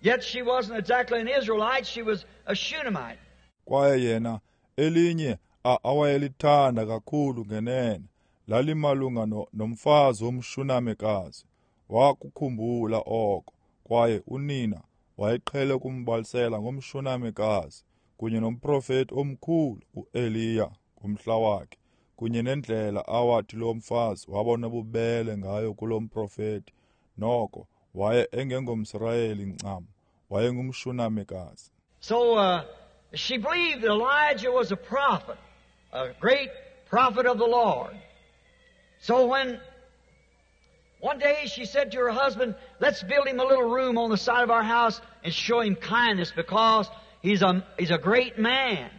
yet she wasn't exactly an Israelite, she was a Shunammite. Kwaye yena elinye awayelithanda kakhulu ngenene lalimalunga nomfazi womShunamekazi. Wakukhumbula oko, kwaye unina wayeqhele ukumbalisela ngomShunamekazi kunye nomprofeti omkhulu uEliya ngomhla wakhe, kunye nendlela awathi lo mfazi wabona bubele ngayo kulo mprofeti. Noko waye engengomSirayeli ncam, wayengumShunamekazi. So uh, she believed that Elijah was a prophet, a great prophet of the Lord. So when one day she said to her husband, let's build him a little room on the side of our house and show him kindness because he's a, he's a great man.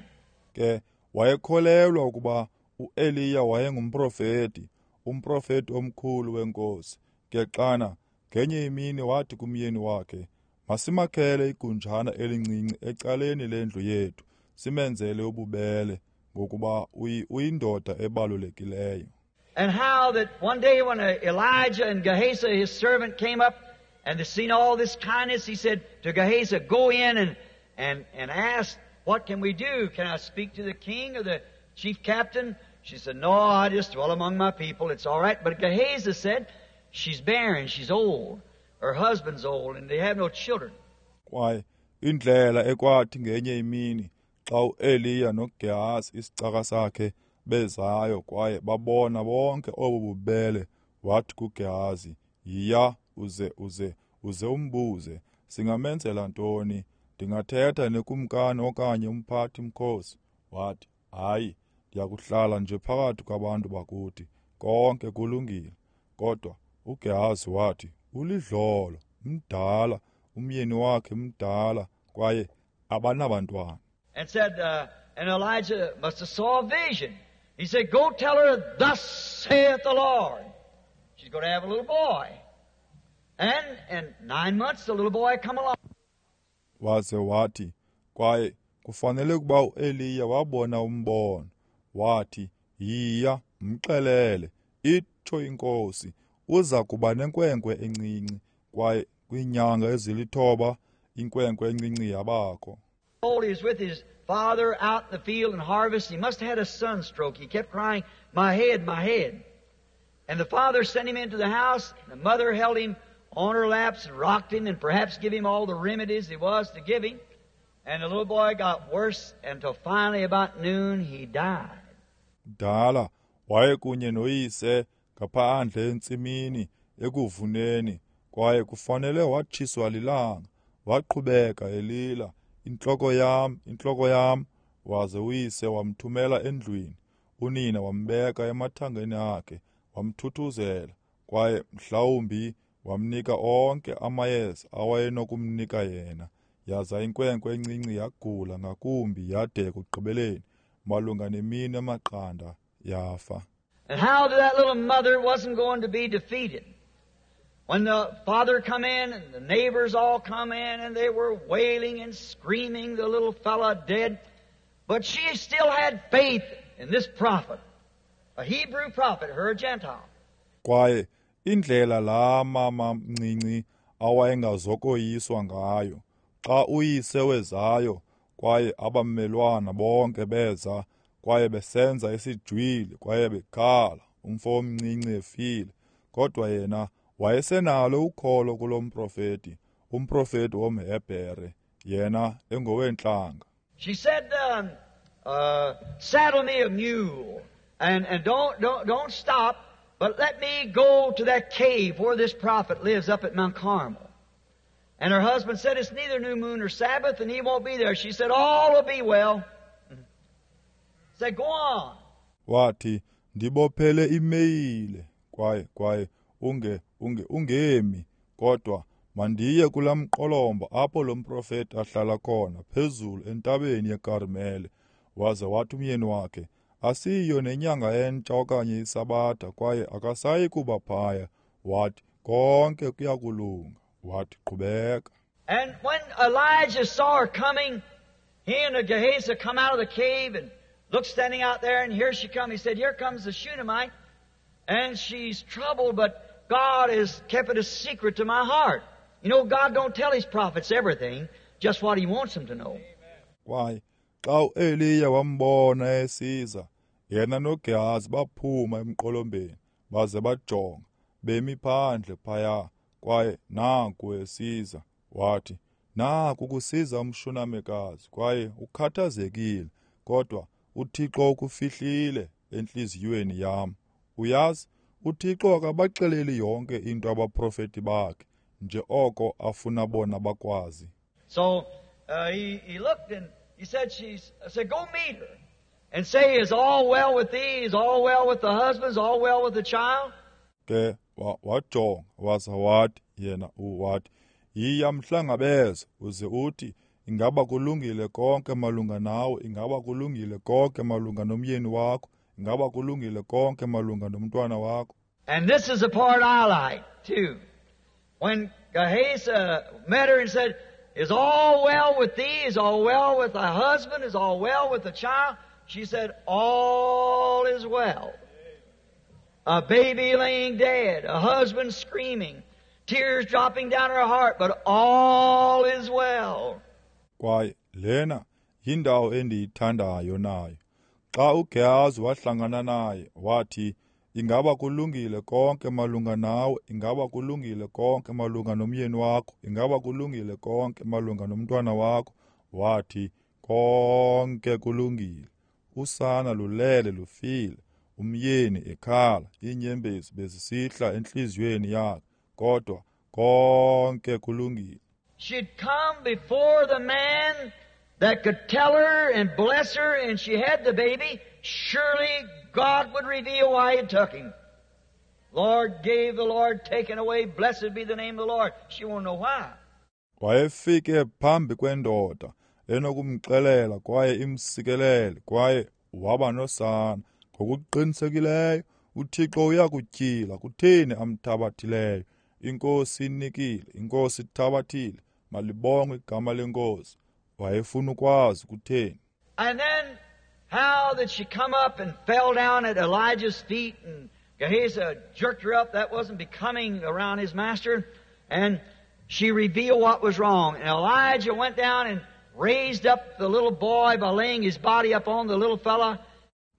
Ke wayekholelwa ukuba uEliya wayengumprofeti, umprofeti omkhulu wenkosi. Ke xana ngenye imini wathi kumyeni wakhe, masimakhele igunjana elincinci ecaleni lendlu yethu, simenzele ububele ngokuba uyindoda ebalulekileyo. And how that one day when Elijah and Gehazi, his servant, came up and they seen all this kindness, he said to Gehazi, go in and, and, and ask, what can we do? Can I speak to the king or the chief captain? She said, no, I just dwell among my people. It's all right. But Gehazi said, she's barren, she's old. Her husband's old, and they have no children. Kwaye indlela ekwathi ngenye imini xa uEliya noGehazi isicaka sakhe bezayo kwaye babona bonke obu bubele, wathi kuGehazi, yiya uze uze uze umbuze, singamenzela ntoni? Ndingathetha nekumkani okanye umphathi mkhosi? Wathi, hayi, ndiyakuhlala nje phakathi kwabantu bakuthi, konke kulungile. Kodwa uGehazi wathi, ulidlolo, mdala, umyeni wakhe mdala, kwaye abanabantwana. And said, uh, and Elijah must have saw a vision. He said, go tell her, thus saith the Lord. She's going to have a little boy. And in nine months, the little boy come along. Waze wathi, kwaye kufanele ukuba uEliya wabona umbono. Wathi, yiya, mxelele, itsho inkosi, uza kuba nenkwenkwe encinci, kwaye kwiinyanga ezilithoba inkwenkwe encinci yabakho. He was with his father out in the field and harvest. He must have had a sunstroke. He kept crying, my head, my head. And the father sent him into the house. The mother held him on her laps and rocked him and perhaps give him all the remedies he was to give him. And the little boy got worse until finally about noon he died. Dala wayekunye noyise ngaphandle entsimini ekuvuneni, kwaye kufanele watshiswa lilanga. Waqhubeka elila, intloko yam, intloko yam. Waze uyise wamthumela endlwini. Unina wambeka emathangeni akhe, wamthuthuzela, kwaye mhlawumbi wamnika onke amayeza awayenokumnika yena. Yaza inkwenkwe encinci yagula ngakumbi yade ekugqibeleni malunga nemini emaqanda yafa. And how that little mother wasn't going to be defeated. When the father come in and the neighbors all come in and they were wailing and screaming, the little fella dead. But she still had faith in this prophet, a Hebrew prophet, her a Gentile. Kwaye indlela la mama mncinci awayengazokoyiswa ngayo, xa uyise wezayo kwaye abamelwana bonke beza kwaye besenza isijwili kwaye bekhala, umfo omncinci efile, kodwa yena wayesenalo ukholo kulo mprofeti, umprofeti womHebhere, yena engoweentlanga. She said, um, uh, saddle me a mule and, and don't, don't, don't stop, but let me go to that cave where this prophet lives up at Mount Carmel. And her husband said, it's neither new moon nor Sabbath, and he won't be there. She said, all will be well. Said, go on. Wathi, ndibophele imeyile, kwaye, kwaye, unge, unge, ungemi, kodwa mandiye kulaa mqolomba apho lo mprofeti ahlala khona, phezulu entabeni yeKarmele. Waze wathi umyeni wakhe, asiyo nenyanga entsha okanye isabatha, kwaye akasayi kuba phaya. Wathi, konke kuyakulunga. Wathi, qhubeka. And when Elijah saw her coming, he and Gehazi come out of the cave and looked standing out there, and here she come. He said, here comes the Shunammite, and she's troubled, but God has kept it a secret to my heart. You know, God don't tell His prophets everything, just what He wants them to know. Why? Xa uEliya wambona esiza, yena noGehazi baphuma emqolombeni, baze bajonga, bemi phandle phaya, kwaye nanku esiza. Wathi, naku kusiza umShunamekazi, kwaye ukhathazekile, kodwa uThixo ukufihlile entliziyweni yam. Uyazi, uThixo akabaxeleli yonke into abaprofeti bakhe, nje oko afuna bona bakwazi. So uh, he, he looked and he said, she's, I said, go meet her and say, is all well with thee? Is all well with the husband? Is all well with the child? Ke wajonga waza wathi yena uwathi, yiya mhlangabeze uze uthi, ingaba kulungile konke malunga nawe, ingaba kulungile konke malunga nomyeni wakho, ingaba kulungile konke malunga nomntwana wakho. And this is the part I like too. When Gehazi met her and said, is all well with thee? Is all well with thy husband? Is all well with the child? She said, all is well. A baby laying dead, a husband screaming, tears dropping down her heart, but all is well. Kwaye lena yindawo endiyithandayo nayo. Xa uGehazi wahlangana naye, wathi, ingaba kulungile konke malunga nawe, ingaba kulungile konke malunga nomyeni wakho, ingaba kulungile konke malunga nomntwana wakho. Wathi, konke kulungile. Usana lulele lufile, umyeni ekhala, iinyembezi bezisihla entliziyweni yakhe, kodwa konke kulungile. She'd come before the man that could tell her and bless her, and she had the baby. Surely God would reveal why He took him. Lord gave, the Lord taken away, blessed be the name of the Lord. She won't know why. Wayefike phambi kwendoda enokumxelela kwaye imsikelele, kwaye waba nosana. Ngokuqinisekileyo uThixo uyakutyhila kutheni amthabathileyo. INkosi inikile, iNkosi ithabathile, malibongwe igama leNkosi. Wayefuna ukwazi kutheni. And then how did she come up and fell down at Elijah's feet, and Gehazi jerked her up. That wasn't becoming around his master. And she revealed what was wrong. And Elijah went down and raised up the little boy by laying his body up on the little fella.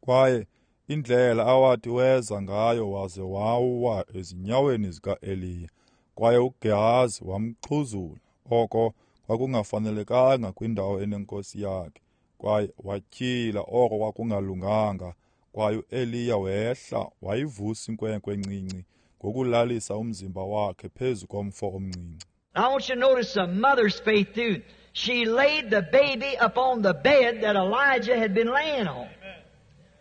Kwaye indlela awathi weza ngayo waze wawa ezinyaweni zikaEliya. Kwaye uGehazi wamxhuzula. Oko kwakungafanelekanga kwindawo enenkosi yakhe. Kwaye watyhila oko kwakungalunganga. Kwaye uEliya wehla wayivusa inkwenkwe encinci ngokulalisa umzimba wakhe phezu komfo omncinci. I want you to notice the mother's faith too. She laid the baby upon the bed that Elijah had been laying on.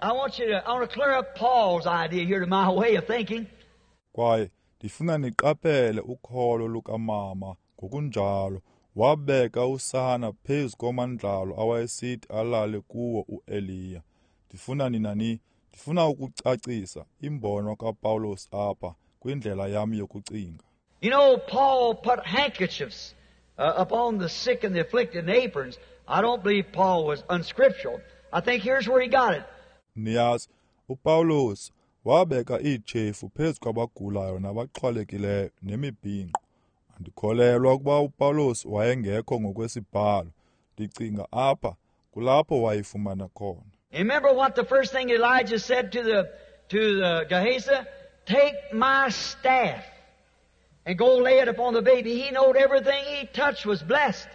I want you to, I want to clear up Paul's idea here to my way of thinking. Kwaye ndifuna niqaphele ukholo lukamama ngokunjalo. Wabeka usana phezu komandlalo awayesithi alale kuwo uEliya. Ndifuna nina ni ndifuna ukucacisa imbono kaPawulos apha kwindlela yam yokucinga. You know, Paul put handkerchiefs uh, upon the sick and the afflicted and aprons. I don't believe Paul was unscriptural. I think here's where he got it. Niyazi, uPawulos wabeka iitshefu phezu kwabagulayo nabaxhwalekileyo nemibhinqo. Andikholelwa ukuba uPawulos wayengekho ngokwesibhalo. Ndicinga apha kulapho wayifumana khona. Remember what the first thing Elijah said to the to the Gehazi? Take my staff and go lay it upon the baby. He knowed everything he touched was blessed.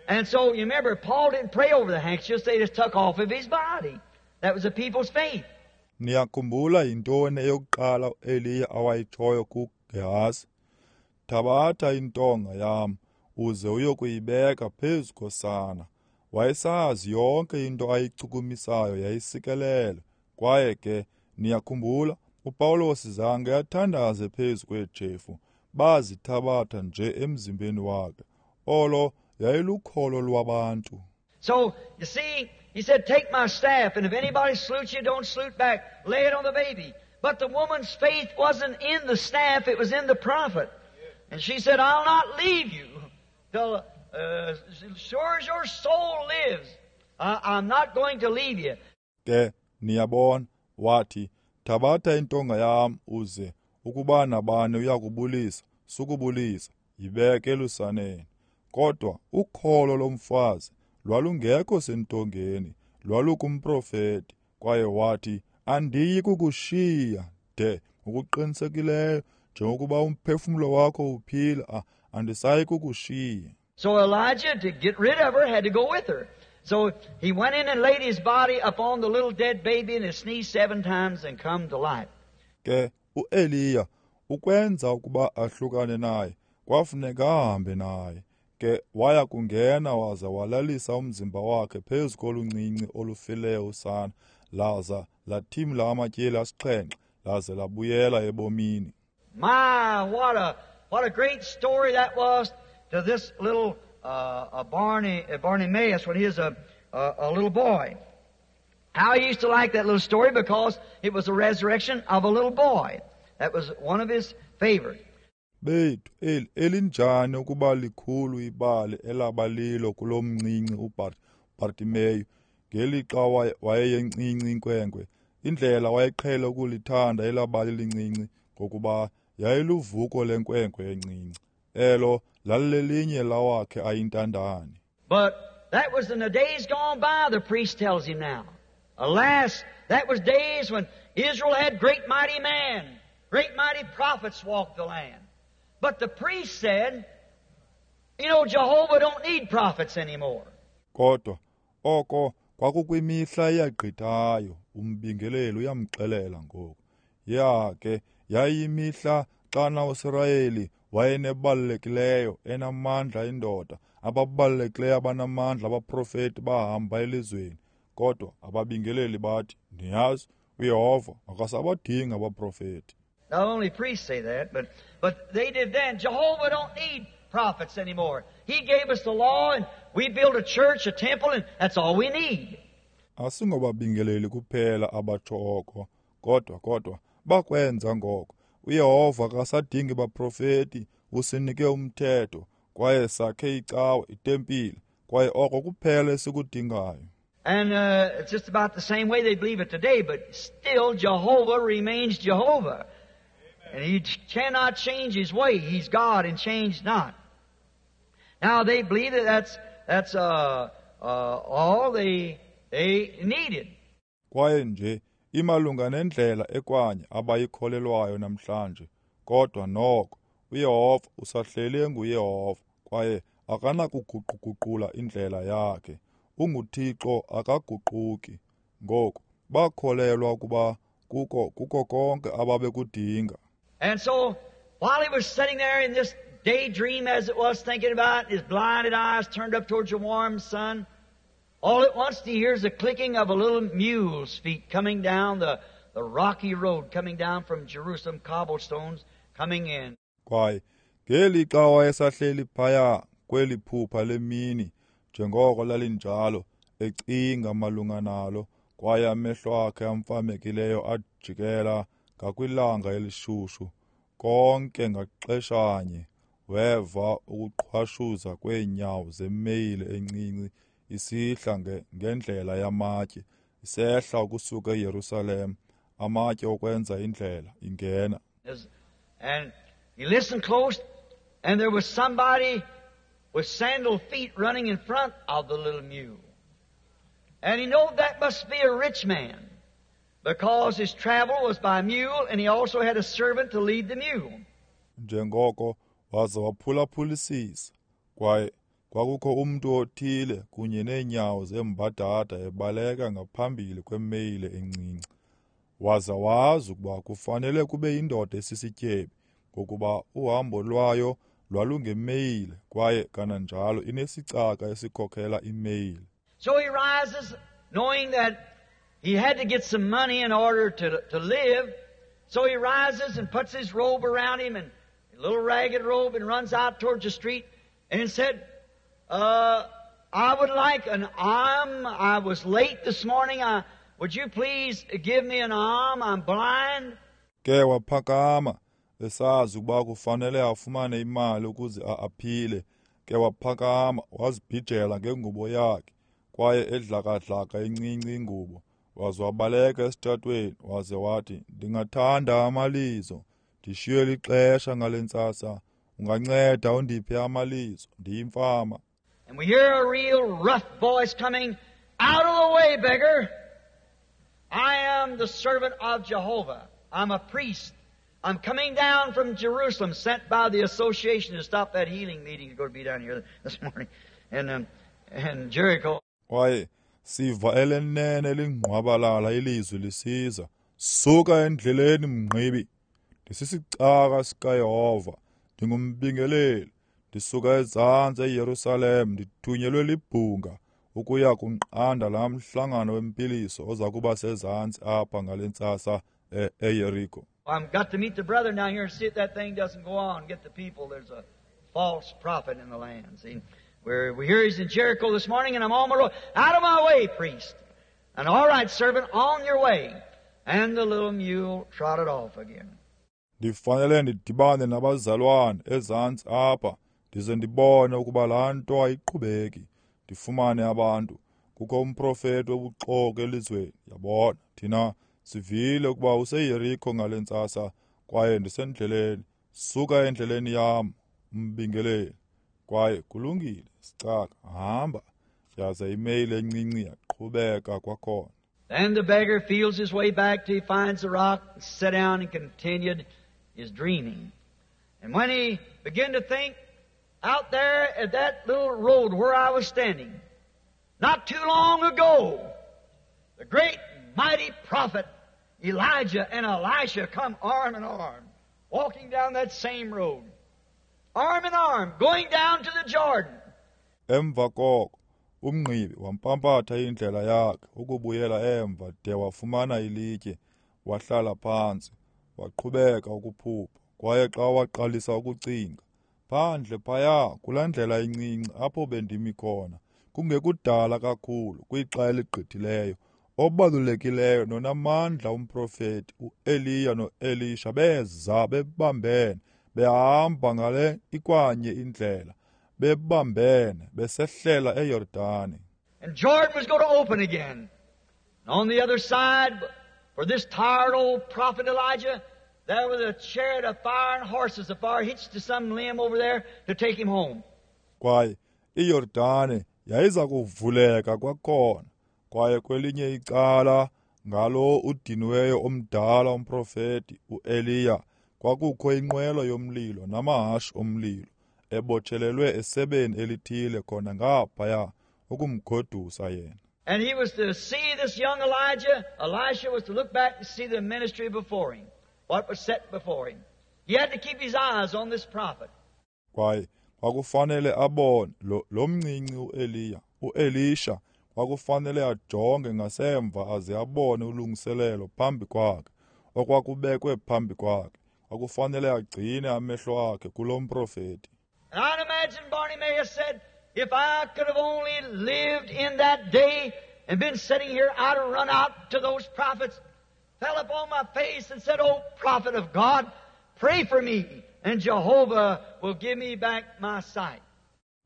And so, you remember, Paul didn't pray over the handkerchiefs. They just took off of his body. That was the people's faith. Niyakhumbula yintoni eyokuqala uEliya awayitshoyo kuGehazi? Thabatha intonga yam uze uyokuyibeka phezu kosana. Wayesazi yonke into ayichukumisayo yayisikelele. Kwaye ke niyakhumbula uPawulos zange athandaze phezu kweetshefu, bazithabatha nje emzimbeni wakhe. Olo yayilukholo lwabantu. So, you see, he said, take my staff, and if anybody salutes you, don't salute back. Lay it on the baby. But the woman's faith wasn't in the staff, it was in the prophet. And she said, I'll not leave you till, uh, sure as your soul lives, I, I'm not going to leave you. Ke, niyabona, wathi, thabatha intonga yam uze, ukuba nabani uyakubulisa, sukubulisa, yibeke elusaneni. Kodwa ukholo lomfazi lwalungekho sentongeni, lwalukumprofeti. Kwaye wathi, andiyi kukushiya de ngokuqinisekileyo njengokuba umphefumlo wakho uphila, andisayi kukushiya. So Elijah, to get rid of her, had to go with her. So he went in and laid his body upon the little dead baby, and it sneezed seven times and come to life. Ke uEliya ukwenza ukuba ahlukane naye, kwafuneka ahambe naye. Ke waya kungena waza walalisa umzimba wakhe phezu koluncinci olufileyo usana, laza lathimla amatyeli asixhenxe, laze labuyela ebomini. My, what a what a great story that was to this little uh, uh, Barney, uh, Bartimaeus when he was a, a, a little boy. How he used to like that little story because it was the resurrection of a little boy. That was one of his favorite. Bethu, eli elinjani ukuba likhulu ibali elabalilo kulomncinci uBartimeyu ngelixa wayeyencinci inkwenkwe. Indlela wayeqhele ukulithanda elabali lincinci ngokuba yayiluvuko lenkwenkwe encinci. Elo lalilelinye lawakhe ayintandane. But that was in the days gone by, the priest tells him now. Alas, that was days when Israel had great mighty men, great mighty prophets walked the land. But the priest said, you know, Jehovah don't need prophets anymore. Kodwa oko Kwakukwimihla eyagqithayo, umbingeleli uyamxelela ngoku. Ya ke yayimihla xana uSirayeli wayenebalulekileyo enamandla indoda, ababalulekileyo abanamandla abaprofeti bahamba elizweni. Kodwa ababingeleli bathi, niyazi, uYehova akasabadingi abaprofeti. Not only priests say that, but, but they did then. Jehovah don't need prophets anymore. He gave us the law and we built a church, a temple, and that's all we need. Asingobabingeleli kuphela abatsho oko, kodwa kodwa bakwenza ngoko. uYehova akasadingi baprofeti, usinike umthetho, kwaye sakhe icawe, itempile, kwaye oko kuphela esikudingayo. And uh, it's just about the same way they believe it today, but still Jehovah remains Jehovah. And he cannot change his way. He's God and change not. Now they believe that that's, that's uh, uh, all they, they needed. Kwaye nje imalunga nendlela ekwanye abayikholelwayo namhlanje, kodwa noko uYehova usahleli enguYehova kwaye akanakuguquguqula indlela yakhe. UnguThixo akaguquki. Ngoku bakholelwa ukuba kuko kuko konke ababekudinga. And so while he was sitting there in this daydream, as it was, thinking about it, his blinded eyes turned up towards the warm sun, all at once he hears the clicking of a little mule's feet coming down the, the rocky road, coming down from Jerusalem, cobblestones coming in. Kwaye ngelixa wayesahleli phaya kweli phupha lemini, njengoko lalinjalo, ecinga malunga nalo, kwaye amehlo akhe amfamekileyo ajikela ngakwilanga elishushu. Konke ngaxeshanye weva ukuqhwashuza kweenyawo zemeyile encinci isihla ngendlela yamatye, isehla ukusuka eYerusalem, amatye okwenza indlela ingena. And he listened close, and there was somebody with sandal feet running in front of the little mule. And he knew that must be a rich man, because his travel was by mule, and he also had a servant to lead the mule. Njengoko waza waphulaphulisisa, kwaye kwakukho umntu othile kunye neenyawo zembadada ebaleka ngaphambili kwemeyile encinci. Waza wazi ukuba kufanele kube yindoda esisityebi, ngokuba uhambo lwayo lwalungemeyile kwaye kananjalo inesicaka esikhokela imeyile. So he rises, knowing that he had to get some money in order to, to live. So he rises and puts his robe around him, and a little ragged robe, and runs out towards the street and said, uh, I would like an alm. I was late this morning. I, would you please give me an alm? I'm blind. Ke waphakama esazi ukuba kufanele afumane imali ukuze aphile. Ke waphakama wazibhijela ngengubo yakhe, kwaye edlakadlaka encinci ingubo, waze wabaleka esitratweni, waze wathi, ndingathanda amalizo, ndishiywe lixesha ngale ntsasa, unganceda undiphe amalizo, ndiyimfama. And we hear a real rough voice coming, out of the way, beggar. I am the servant of Jehovah. I'm a priest. I'm coming down from Jerusalem, sent by the association to stop that healing meeting that's going to be down here this morning in, um, in Jericho. Kwaye siva elenene lingqwabalala ilizwi lisiza, suka endleleni mngqibi, ndisisicaka sikaYehova, ndingumbingeleli, ndisuka ezantsi eYerusalem, ndithunyelwe libhunga ukuya kunqanda laa mhlangano wempiliso oza kuba sezantsi apha ngale ntsasa eYeriko. I've got to meet the brother down here and see if that thing doesn't go on. Get the people. There's a false prophet in the land. See, we're, we hear he's in Jericho this morning, and I'm on my road. Out of my way, priest. And all right, servant, on your way. And the little mule trotted off again. Ndifanele ndidibane nabazalwane ezantsi apha, ndize ndibone ukuba laa nto ayiqhubeki. Ndifumane abantu. Kukho umprofeti wobuxoki elizweni. Yabona, thina sivile ukuba useYeriko ngale ntsasa, kwaye ndisendleleni. Suka endleleni yam, umbingeleli. Kwaye kulungile, sicaka, hamba. Yaze imeyile encinci yaqhubeka kwakhona. Then the beggar feels his way back till he finds the rock, sat down and continued his dreaming. And when he began to think, out there at that little road where I was standing, Not too long ago, the great mighty prophet Elijah and Elisha come arm in arm, walking down that same road. Arm in arm, going down to the Jordan. Emva koko, umngqibi wampampatha indlela yakhe ukubuyela emva de wafumana ilitye, wahlala phantsi, waqhubeka ukuphupha. Kwaye xa waqalisa ukucinga, phandle phaya kulaa ndlela incinci apho bendimi khona, kungekudala kakhulu kwixa eligqithileyo, obalulekileyo nonamandla umprofeti uEliya noElisha beza bebambene, behamba ngale ikwanye indlela, bebambene besehlela eYordane. And Jordan was going to open again. And on the other side, for this tired old prophet Elijah, there was a chariot of fire and horses of fire hitched to some limb over there to take him home. Kwaye iYordane yayiza kuvuleka kwakhona. Kwaye kwelinye icala ngalo udiniweyo omdala umprofeti uEliya kwakukho inqwelo yomlilo namahashe omlilo ebotshelelwe esebeni elithile khona ngaphaya ukumgodusa yena. And he was to see this young Elijah. Elisha was to look back and see the ministry before him, what was set before him. He had to keep his eyes on this prophet. Kwaye kwakufanele abone lo, lo mncinci uEliya, uElisha kwakufanele ajonge ngasemva aze abone ulungiselelo phambi kwakhe, okwakubekwe phambi kwakhe. Kwakufanele agcine amehlo akhe kulo mprofeti. And I'd imagine Bartimaeus said, if I could have only lived in that day and been sitting here, I'd have run out to those prophets, fell upon my face and said, Oh, prophet of God, pray for me, and Jehovah will give me back my sight.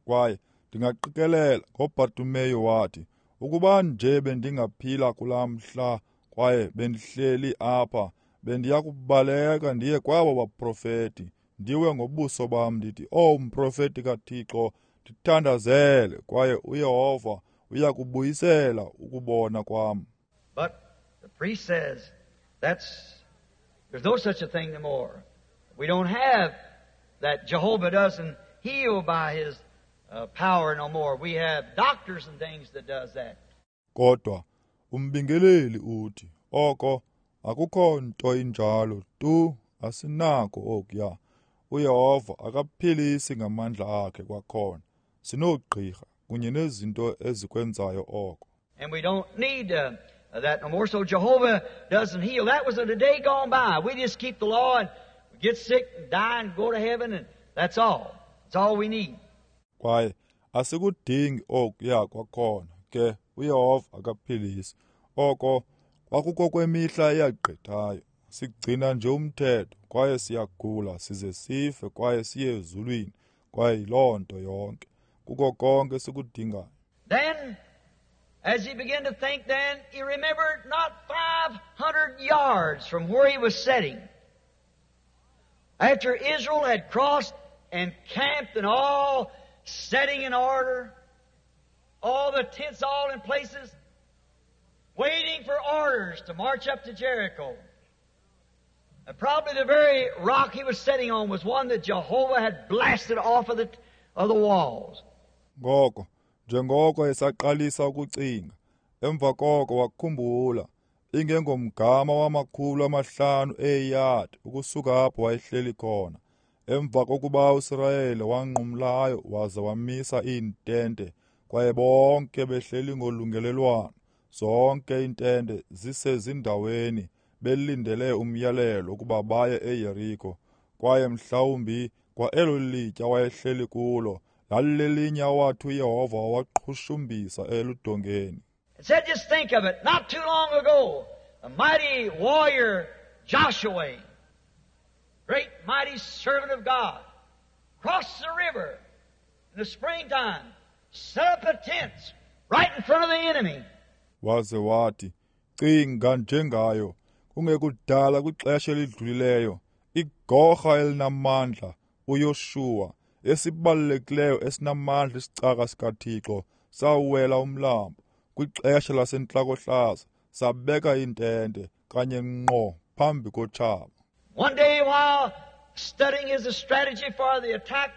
Kwaye ndingaqikelela ngoBartimeyu wathi, ukuba nje bendingaphila kulaa mhla kwaye bendihleli apha, bendiya kubaleka ndiye kwabo baprofeti, ndiwe ngobuso bam ndithi, Oh, mprofeti kaThixo, ndithandazele, kwaye uYehova uya kubuyisela ukubona kwam. But the priest says, that's, there's no such a thing no more. We don't have that. Jehovah doesn't heal by his uh, power no more. We have doctors and things that does that. Kodwa umbingeleli uthi, oko akukho nto injalo tu, asinako okuya. uYehova akaphilisi ngamandla akhe kwakhona. Sinoogqirha kunye nezinto ezikwenzayo oko. And we don't need uh, that no more. So Jehovah doesn't heal. That was a day gone by. We just keep the law and get sick and die and go to heaven, and that's all. That's all we need. Kwaye asikudingi okuya kwakhona ke uYehova akaphilisi. Oko kwakukokwemihla eyagqithayo. Sigcina nje umthetho kwaye siyagula size sife kwaye siye ezulwini, kwaye yiloo nto yonke. Kuko konke sikudingayo. Then, as he began to think then, he remembered not five hundred yards from where he was sitting. After Israel had crossed and camped and all setting in order, all the tents all in places, waiting for orders to march up to Jericho. And probably the very rock he was sitting on was one that Jehovah had blasted off of the, of the walls. Ngoko, njengoko esaqalisa ukucinga, emva koko wakhumbula, ingengomgama wamakhulu amahlanu eeyadi ukusuka apho wayehleli khona. Emva kokuba uSirayeli wanqumlayo waze wamisa iintente, kwaye bonke behleli ngolungelelwano, zonke iintente zisezindaweni, belindele umyalelo ukuba baye eYeriko. Kwaye mhlawumbi kwa elo litya wayehleli kulo lalilelinye awathi uYehova waqhushumbisa eludongeni. It said, just think of it, not too long ago, a mighty warrior Joshua, great mighty servant of God, crossed the river in the springtime, set up a tent right in front of the enemy. Waze wathi, cinga njengayo, kungekudala kwixesha elidlulileyo, igorha elinamandla uYoshuwa, esibalulekileyo esinamandla isicaka sikaThixo, sawela umlambo kwixesha lasentlakohlaza, sabeka iintente kanye ngqo phambi kotshaba. One day while studying his strategy for the attack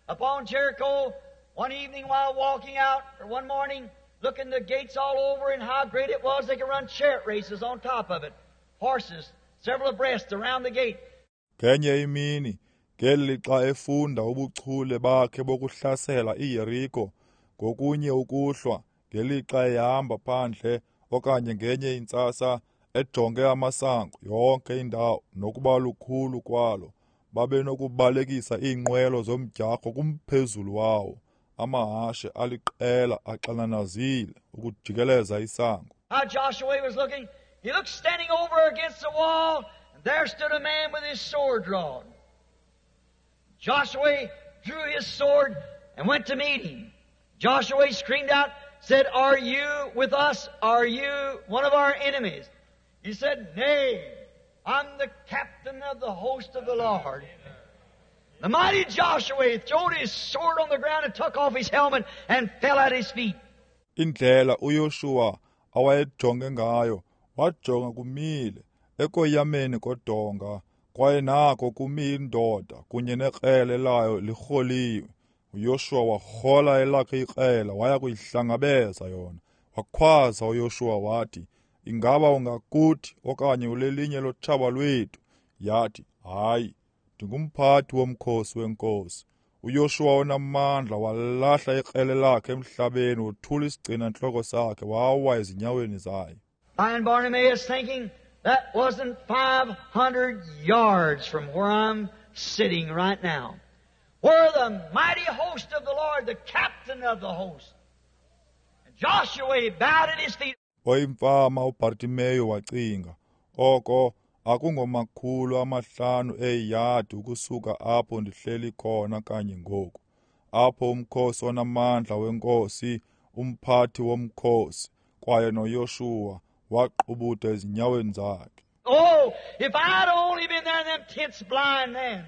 upon Jericho, one evening while walking out, or one morning, looking the gates all over and how great it was, they could run chariot races on top of it. Horses, several abreast around the gate. Ngenye imini, ngelixa efunda ubuchule bakhe bokuhlasela iYeriko, ngokunye ukuhlwa, ngelixa ehamba phandle okanye ngenye intsasa ejonge amasango yonke indawo nokuba lukhulu kwalo, babenokubalekisa iinqwelo zomdyarho kumphezulu wawo, amahashe aliqela axananazile ukujikeleza isango. How Joshua was looking, he looked standing over against the wall, and there stood a man with his sword drawn. Joshua drew his sword and went to meet him. Joshua screamed out, said, "Are you with us? Are you one of our enemies?" He said, "Nay, I'm the captain of the host of the Lord." The mighty Joshua threw his sword on the ground and took off his helmet and fell at his feet. Indlela uYoshua awayejonge ngayo, wajonga kumile ekoyameni kodonga, kwaye nako kumi indoda kunye nekrele layo lirholiwe. uYoshua warhola elakhe ikrele waya kuyihlangabeza yona. Wakhwaza uYoshua wathi, "Ingaba ungakuthi okanye ulelinye lotshaba lwethu?" Yathi, "Hayi, ndingumphathi womkhosi wenkosi." uYoshua onamandla walahla ikrele lakhe emhlabeni, wothula isigcina-ntloko sakhe, wawa ezinyaweni zayo. Blind Bartimaeus thinking that wasn't five hundred yards from where I'm sitting right now, where the mighty host of the Lord, the captain of the host, and Joshua bowed at his feet. Oyimfama uBartimeyu wacinga, oko akungomakhulu amahlanu eeyadi ukusuka apho ndihleli khona kanye ngoku, apho umkhosi onamandla wenkosi, umphathi womkhosi, kwaye noYoshuwa waqubuda ezinyaweni zakhe. Oh, if I'd only been there in them tents blind then,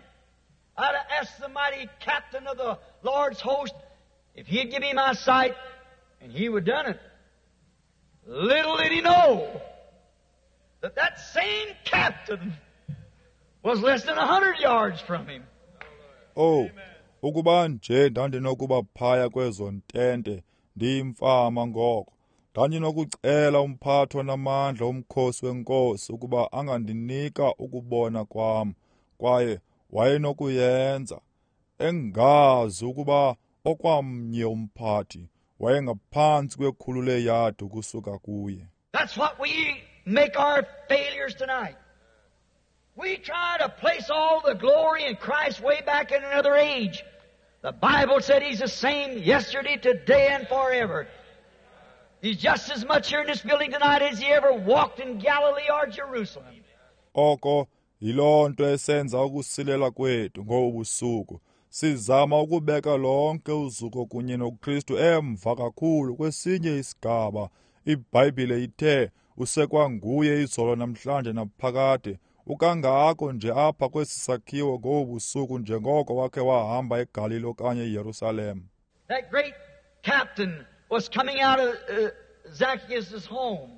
I'd have asked the mighty captain of the Lord's host if he'd give me my sight, and he would have done it. Little did he know that that same captain was less than a hundred yards from him. Oh, ukuba nje ndandinokuba phaya kwezo ntente ndiyimfama ngoko, ndandinokucela umphathi onamandla womkhosi wenkosi ukuba angandinika ukubona kwam, kwaye wayenokuyenza, engazi ukuba okwamnye umphathi wayengaphantsi kwekhulu leeyadi ukusuka kuye. That's what we make our failures tonight. We try to place all the glory in Christ way back in another age. The Bible said He's the same yesterday, today, and forever. He's just as much here in this building tonight as He ever walked in Galilee or Jerusalem. Oko yiloo nto esenza ukusilela kwethu ngobu busuku. Sizama ukubeka lonke uzuko kunye noKristu emva kakhulu kwesinye isigaba. IBhayibhile ithe usekwanguye izolo namhlanje naphakade. Ukangako nje apha kwesi sakhiwo ngobu busuku njengoko wakhe wahamba eGalili okanye eYerusalem. That great captain was coming out of uh, Zacchaeus' home.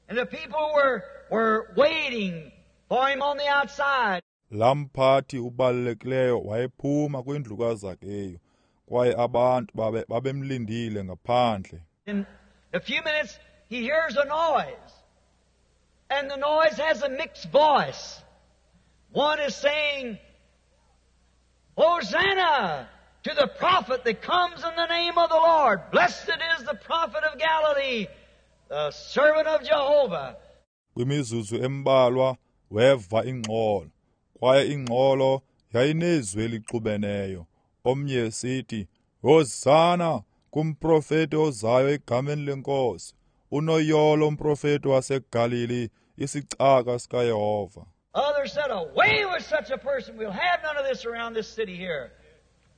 And the people were, were waiting for him on the outside. Laa mphathi ubalulekileyo wayephuma kwindlu kaZakeyu, kwaye abantu babe babemlindile ngaphandle. In a few minutes he hears a noise. And the noise has a mixed voice. One is saying, "Hosanna to the prophet that comes in the name of the Lord. Blessed is the prophet of Galilee, the servant of Jehovah." Kwimizuzu embalwa weva ingxolo, kwaye ingxolo yayinezwi elixubeneyo. Omnye esithi, "Hosana kumprofeti ozayo egameni lenkosi. Unoyolo umprofeti waseGalili, isicaka sikaYehova." Others said, "Away with such a person. We'll have none of this around this city here."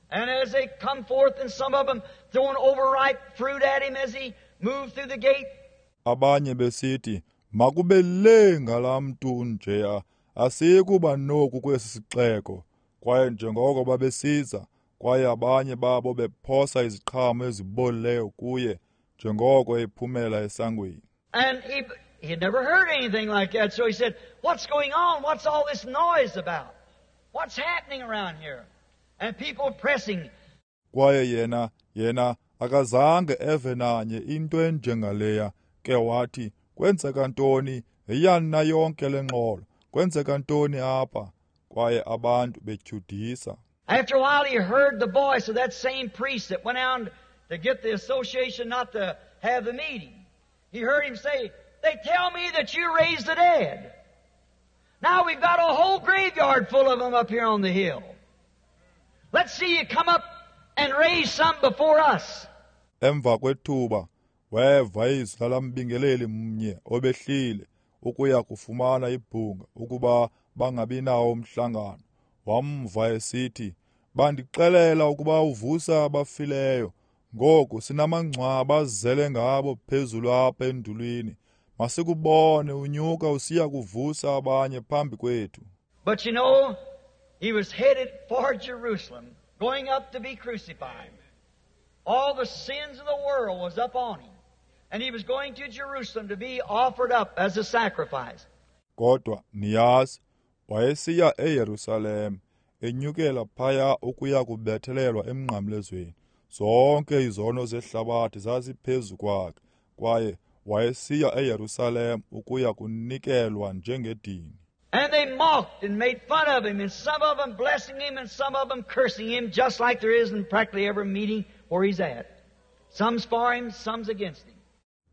And as they come forth, and some of them throwing overripe fruit at him as he moved through the gate. Abanye besithi, "Makube le ngalaa mntu njeya, asiyikuba noku kwesi sixeko." Kwaye njengoko babesiza, kwaye abanye babo bephosa iziqhamo ezibolileyo kuye njengoko ephumela esangweni. And he, he had never heard anything like that, so he said, "What's going on? What's all this noise about? What's happening around here?" And people pressing. Kwaye yena yena Akazange eve nanye into enjengaleya. Ke wathi, kwenzeka ntoni? Yiyani na yonke le ngxolo? Kwenzeka ntoni apha? Kwaye abantu betyhudisa. After a while he heard the voice of that same priest that went out to get the association not to have the meeting. He heard him say, they tell me that you raised the dead. Now we've got a whole graveyard full of them up here on the hill. Let's see you come up and raise some before us. Emva kwethuba weva izwi lalambingeleli mnye obehlile ukuya kufumana ibhunga ukuba bangabi nawo umhlangano. Wamva esithi, bandixelela ukuba uvusa abafileyo. Ngoku sinamangcwaba azele ngabo phezulu apha endulwini. Masikubone unyuka usiya kuvusa abanye phambi kwethu. But you know, he was headed for Jerusalem, going up to be crucified. All the sins of the world was up on him. And he was going to Jerusalem to be offered up as a sacrifice. Kodwa niyazi, wayesiya eYerusalem, enyukela phaya ukuya kubethelelwa emnqamlezweni. Zonke izono zehlabathi zaziphezu kwakhe, kwaye wayesiya eYerusalem ukuya kunikelwa njengedini. And they mocked and made fun of him, and some of them blessing him and some of them cursing him, just like there is in practically every meeting where he's at. Some's for him, some's against him.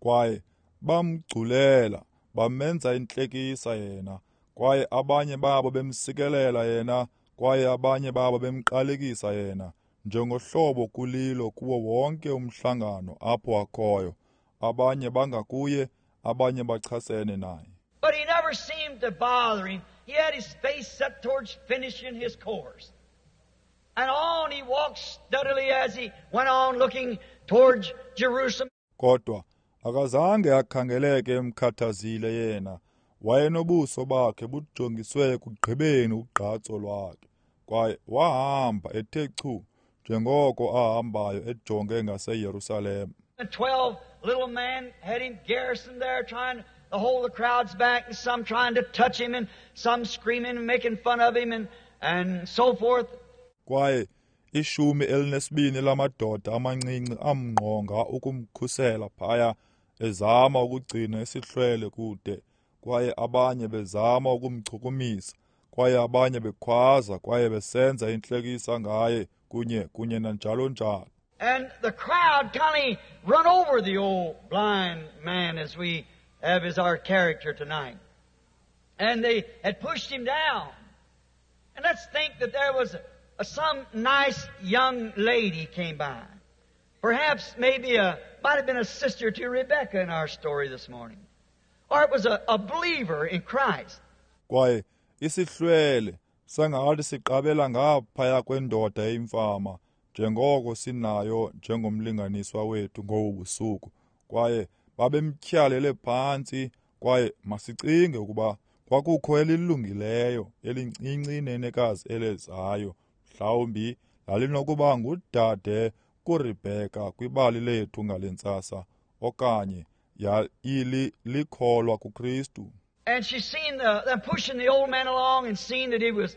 Kwaye bamgculela, bamenza intlekisa yena, kwaye abanye babo bemsikelela yena, kwaye abanye babo bemqalekisa yena, njengohlobo kulilo kuwo wonke umhlangano apho akhoyo. Abanye bangakuye, abanye bachasene naye. But he never seemed to bother him. He had his face set towards finishing his course. And on he walked steadily as he went on looking towards Jerusalem. Kodwa akazange akhangeleke emkhathazile yena. Wayenobuso bakhe bujongiswe ekugqibeni ugqatso lwakhe. Kwaye wahamba ethe chu njengoko ahambayo ejonge ngaseYerusalem. And twelve little men had him garrisoned there trying to hold the crowds back, and some trying to touch him, and some screaming and making fun of him, and, and so forth. Kwaye ishumi elinesibini lamadoda amancinci amngqonga ukumkhusela phaya, ezama ukugcina isihlwele kude, kwaye abanye bezama ukumchukumisa, kwaye abanye bekhwaza kwaye besenza intlekisa ngaye kunye kunye nanjalo njalo. And the crowd kind of run over the old blind man as we have as our character tonight. And they had pushed him down. And let's think that there was a, some nice young lady came by. Perhaps maybe a, might have been a sister to Rebecca in our story this morning. Or it was a, a believer in Christ. Kwaye isihlwele sangathi siqabela ngaphaya kwendoda eyimfama njengoko sinayo njengomlinganiswa wethu ngobu busuku. Kwaye babemtyhalele phantsi, kwaye masicinge ukuba kwakukho elilungileyo elincinci inenekazi elezayo, mhlawumbi lalinokuba ngudade kuRebheka kwibali lethu ngale ntsasa, okanye yayilikholwa kuKristu. And she seen the, them pushing the old man along and seen that he was,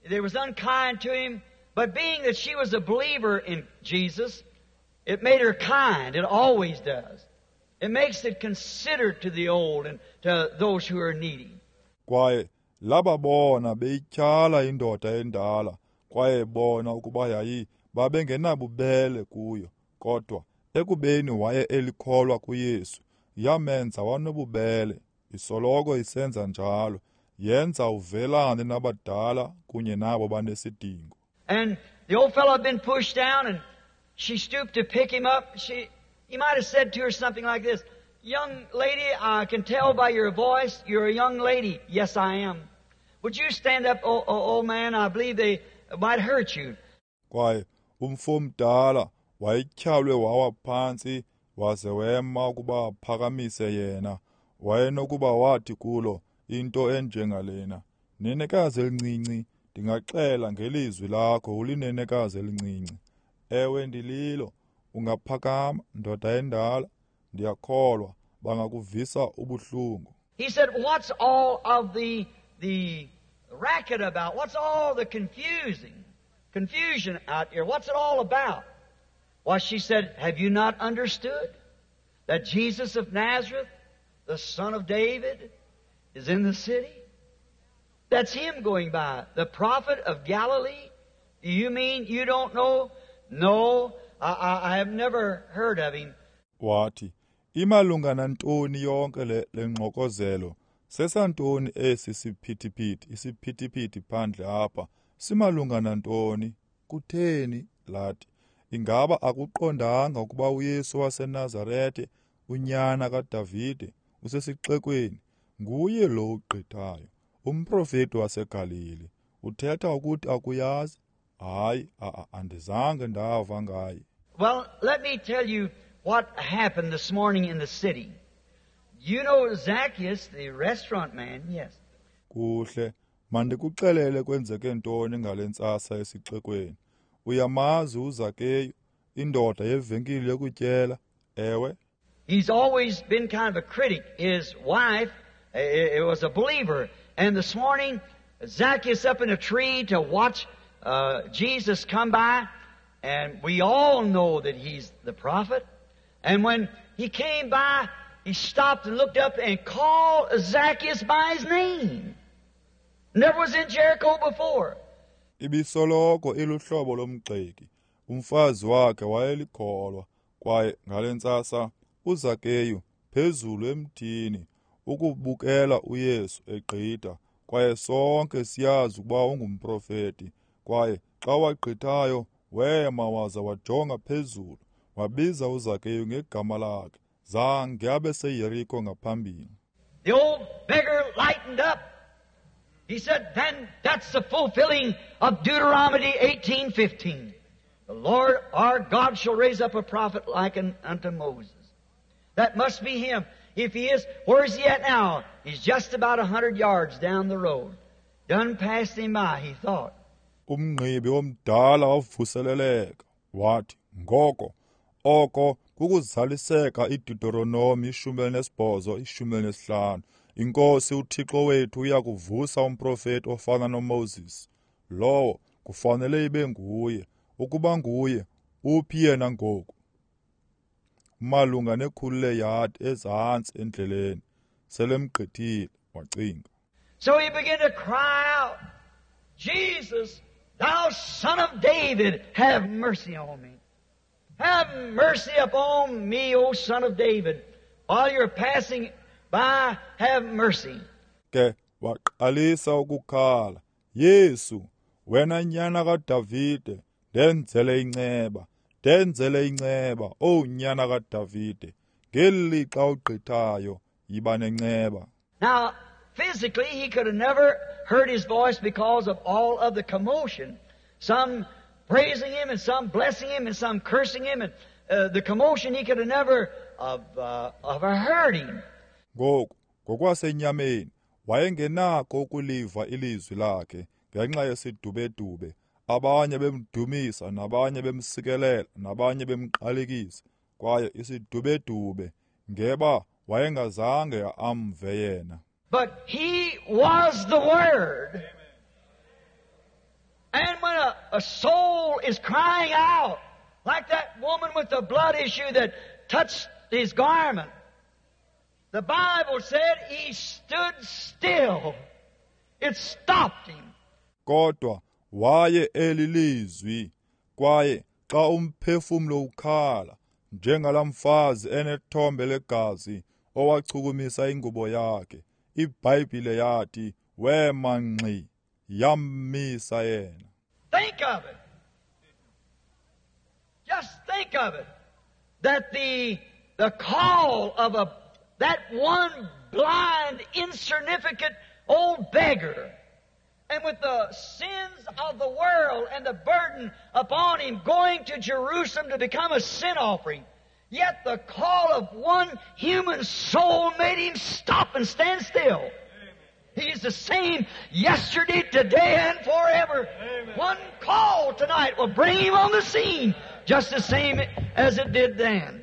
they was unkind to him. But being that she was a believer in Jesus, it made her kind. It always does. It makes it considerate to the old and to those who are needy. Kwaye lababona beyityhala indoda endala, kwaye bona ukuba yayi babengenabubele kuyo, kodwa ekubeni waye elikholwa kuYesu, yamenza wanobubele. Isoloko isenza njalo, yenza uvelane nabadala kunye nabo banesidingo. And the old fellow had been pushed down, and she stooped to pick him up. She, he might have said to her something like this, "Young lady, I can tell by your voice you're a young lady." "Yes, I am." "Would you stand up, oh, oh, old man? I believe they might hurt you." Kwaye umfo omdala wayetyhalwe wawa phantsi, waze wema ukuba aphakamise yena. Wayenokuba wathi kulo into enjengalena, "Nenekazi elincinci, ndingaxela ngelizwi lakho ulinenekazi elincinci. Ewe, ndililo. Ungaphakama, ndoda endala. Ndiyakholwa bangakuvisa ubuhlungu." He said, "What's all of the the racket about? What's all the confusing confusion out here? What's it all about?" Why, she said, have you not understood that Jesus of Nazareth, the son of David, is in the city? That's him going by, the prophet of Galilee. Do you mean you don't know? No, I, I, I have never heard of him. Wathi, imalunga nantoni yonke le lengxokozelo? Sesantoni esi siphithiphithi, isiphithiphithi phandle apha? Simalunga nantoni? Kutheni? Lathi, ingaba akuqondanga ukuba uYesu waseNazarete, unyana kaDavide, usesixekweni? Nguye lo ugqithayo, umprofeti waseGalili. Uthetha ukuthi akuyazi? Hayi, andizange ndava ngaye. Well, let me tell you what happened this morning in the city. You know Zacchaeus, the restaurant man, yes. Kuhle, mandikuxelele kwenzeke ntoni ngale ntsasa esixekweni. Uyamazi uZakeyu, indoda yevenkile yokutyela, ewe? He's always been kind of a critic. His wife it was a believer. And this morning, Zacchaeus up in a tree to watch uh, Jesus come by. And we all know that he's the prophet. And when he came by, he stopped and looked up and called Zacchaeus by his name. Never was in Jericho before. Ibisoloko iluhlobo lomgxeki. Umfazi wakhe wayelikholwa, kwaye ngale ntsasa uZakeyu phezulu emthini ukubukela uYesu egqitha, kwaye sonke siyazi ukuba ungumprofeti. Kwaye xa wagqithayo wema waza wajonga phezulu, wabiza uZakeyu ngegama lakhe. Zange abe seYeriko ngaphambili. The old beggar lightened up. He said, then that's the fulfilling of Deuteronomy eighteen fifteen. The Lord our God shall raise up a prophet like unto Moses. That must be him. If he is, where is he at now? He's just about a hundred yards down the road. Done passed him by, he thought. Umngqibi omdala wavuseleleka wathi, ngoko oko kukuzaliseka iDeuteronomy ishumi elinesibhozo ishumi elinesihlanu. Inkosi uThixo wethu uyakuvusa umprofeti ofana noMoses. Lowo kufanele ibe nguye. Ukuba nguye, uphi yena ngoku? Malunga nekhulu leyadi ezantsi endleleni, selemgqithile, wacinga. So he began to cry out, Jesus, thou son of David, have mercy on me. Have mercy upon me, O son of David. While you're passing by, have mercy. Ke waqalisa ukukhala, Yesu, wena nyana kaDavide, ndenzele inceba, ndenzele inceba, O nyana kaDavide, ngelixa ugqithayo, yiba nenceba. Now, physically, he could have never heard his voice because of all of the commotion. Some praising him and some blessing him and some cursing him, and uh, the commotion, he could have never have, uh, have heard him. Ngoku, ngokwasenyameni, wayengenako ukuliva ilizwi lakhe ngenxa yesidubedube. Abanye bemdumisa, nabanye bemsikelela, nabanye bemqalekisa. Kwaye isidubedube ngeba wayengazange amve yena. But he was the Word. And when a, a soul is crying out, like that woman with the blood issue that touched his garment, the Bible said he stood still. It stopped him. Kodwa waye elilizwi, kwaye xa umphefumlo ukhala njengalamfazi enethombe legazi owachukumisa ingubo yakhe, iBhayibhile yathi wema ngxi, yammisa yena. Think of it. Just think of it. That the the call of a that one blind, insignificant old beggar, and with the sins of the world and the burden upon him going to Jerusalem to become a sin offering, yet the call of one human soul made him stop and stand still. Amen. He's the same yesterday, today, and forever. Amen. One call tonight will bring him on the scene just the same as it did then.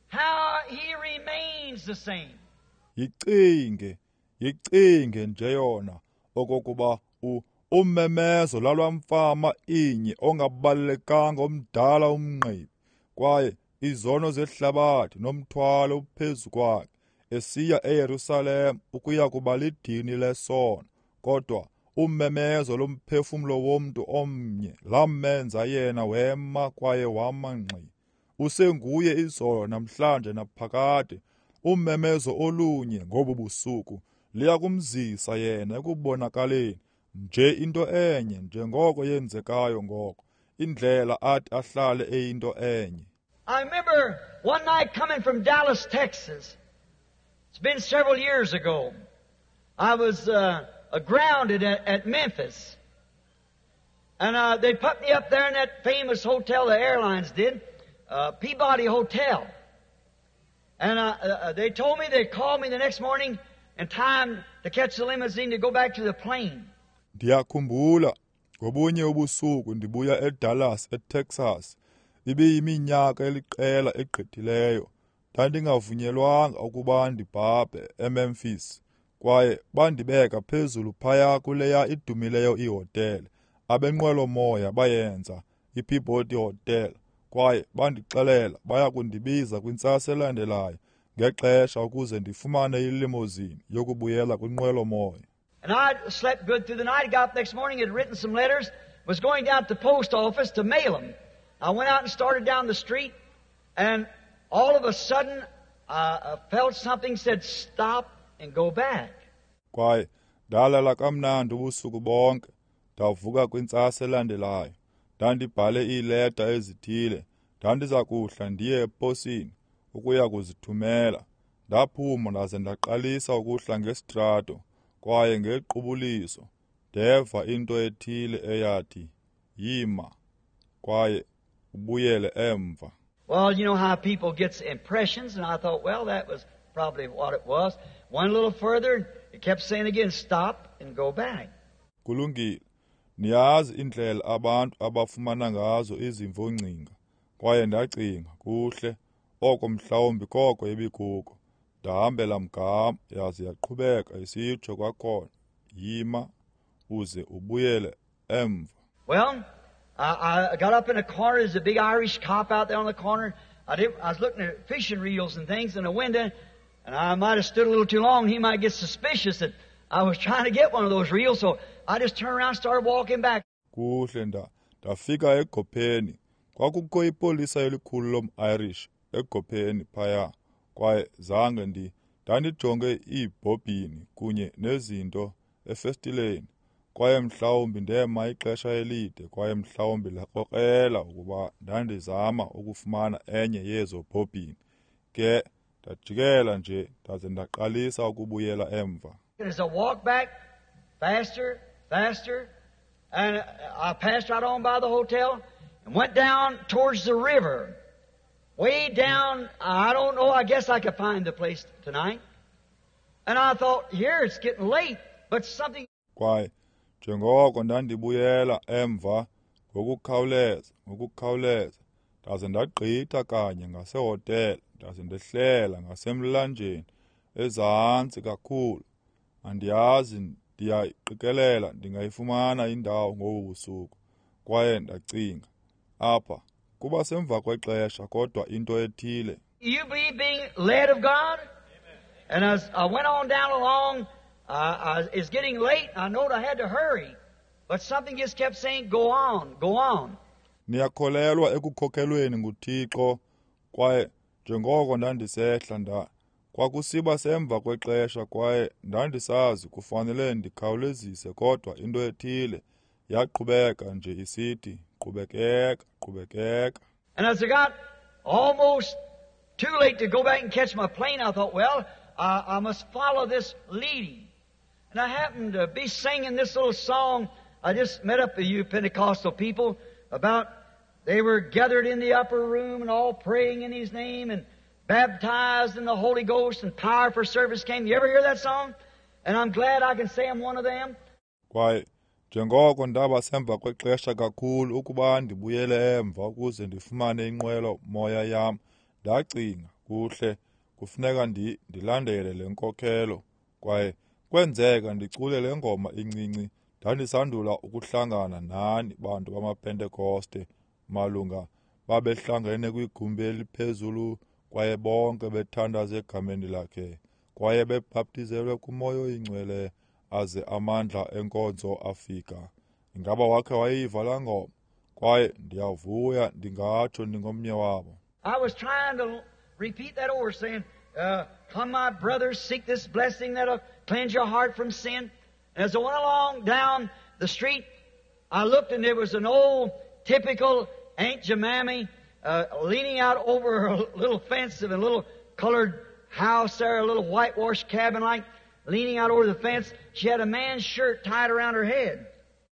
How he remains the same. Yicinge, yicinge nje yona okokuba u Ummemezo lalwamfama inye ongabalulekanga omdala umngqibi, kwaye izono zehlabathi nomthwalo uphezu kwakhe, esiya eYerusalem ukuya kuba lidini lesono. Kodwa ummemezo lomphefumlo womntu omnye lamenza yena wema kwaye wama ngxi. Usenguye izolo namhlanje naphakade. Ummemezo olunye ngobu busuku liya kumzisa yena ekubonakaleni nje into enye njengoko yenzekayo ngoko, indlela athi ahlale eyinto enye. I remember one night coming from Dallas, Texas. It's been several years ago. I was uh, grounded at, at Memphis. And uh, they put me up there in that famous hotel the airlines did, uh, Peabody Hotel. And uh, uh, they told me they'd call me the next morning in time to catch the limousine to go back to the plane. Ndiyakhumbula ngobunye ubusuku ndibuya eDallas, eTexas. Ibiyiminyaka eliqela egqithileyo. Ndandingavunyelwanga ukuba ndibhabhe eMemphis, kwaye bandibeka phezulu phaya kuleya idumileyo ihotele abenqwelo-moya bayenza, iPeabody Hotel, kwaye bandixelela baya kundibiza kwintsasa elandelayo ngexesha ukuze ndifumane ilimousine yokubuyela kwinqwelo-moya. And I slept good through the night. Got up next morning, had written some letters, was going down to the post office to mail them. I went out and started down the street, and all of a sudden, I felt something said, stop and go back. Kwaye ndalala kamnandi ubusuku bonke. Ndavuka kwintsasa elandelayo. Ndandibhale iileta ezithile. Ndandiza kuhla ndiye eposini ukuya kuzithumela. Ndaphuma ndaze ndaqalisa ukuhla ngesitrato, kwaye ngequbuliso ndeva into ethile eyathi, yima, kwaye ubuyele emva. Well, you know how people gets impressions, and I thought, well, that was probably what it was. Went a little further, it kept saying again, stop and go back. Kulungile. Niyazi indlela abantu abafumana ngazo izimvo-ngcinga. Kwaye ndacinga, kuhle, oko mhlawumbi koko ebikuko. Ndahambela mgama, yaze yaqhubeka isitsho kwakhona, yima uze ubuyele emva. Well, I, I got up in a corner. There's a big Irish cop out there on the corner. I, did, I was looking at fishing reels and things in the window, and I might have stood a little too long. He might get suspicious that I was trying to get one of those reels, so I just turned around and started walking back. Kuhle, nda ndafika egopheni. Kwakukho ipolisa elikhulu lom-Irish egopheni phaya, kwaye zange ndi ndandijonge iibhobhini kunye nezinto efestileni, kwaye mhlawumbi ndema ixesha elide, kwaye mhlawumbi lakrokrela ukuba ndandizama ukufumana enye yezo bhobhini. Ke ndajikela nje ndaze ndaqalisa ukubuyela emva. As I walked back faster, faster, and I passed right on by the hotel and went down towards the river. Way down, I don't know, I guess I could find the place tonight. And I thought, here it's getting late, but something... Kwaye njengoko ndandibuyela emva ngokukhawuleza, ngokukhawuleza, ndaze ndagqitha kanye ngasehotele, ndaze ndehlela ngasemlanjeni ezantsi kakhulu. Andiyazi, ndiyayiqikelela ndingayifumana indawo ngobu busuku. Kwaye ndacinga, apha kuba semva kwexesha, kodwa into ethile. You believe being led of God? And as I went on down along, uh, I, it's getting late, and I knowed I had to hurry. But something just kept saying, go on, go on. Niyakholelwa ekukhokhelweni nguThixo, kwaye njengoko ndandisehla nda kwakusiba semva kwexesha, kwaye ndandisazi kufanele ndikhawulezise, kodwa into ethile yaqhubeka nje isithi, qhubekeka, qhubekeka. And as I got almost too late to go back and catch my plane, I thought, well, I, I must follow this leading. And I happened to be singing this little song. I just met up with you Pentecostal people about they were gathered in the upper room and all praying in His name and baptized in the Holy Ghost and power for service came. You ever hear that song? And I'm glad I can say I'm one of them. Kwaye njengoko ndaba semva kwexesha kakhulu ukuba ndibuyele emva ukuze ndifumane inqwelo moya yam, ndacinga, kuhle, kufuneka ndi ndilandele le nkokhelo. Kwaye kwenzeka ndicule le ngoma incinci Ndandisandula ukuhlangana nani bantu bamaPentekoste malunga babehlangene kwigumbi eliphezulu kwaye bonke bethandaza egameni lakhe kwaye bebhaptizelwe kuMoya oyiNgcwele aze amandla enkonzo afika. Ingaba wakhe wayiva laa ngoma? Kwaye ndiyavuya ndingatsho ndingomnye wabo. I was trying to repeat that over, saying, uh, come my brothers, seek this blessing that'll cleanse your heart from sin. And as I went along down the street, I looked and there was an old typical Aunt Jemima uh, leaning out over a little fence of a little colored house there, a little whitewashed cabin like, leaning out over the fence. She had a man's shirt tied around her head.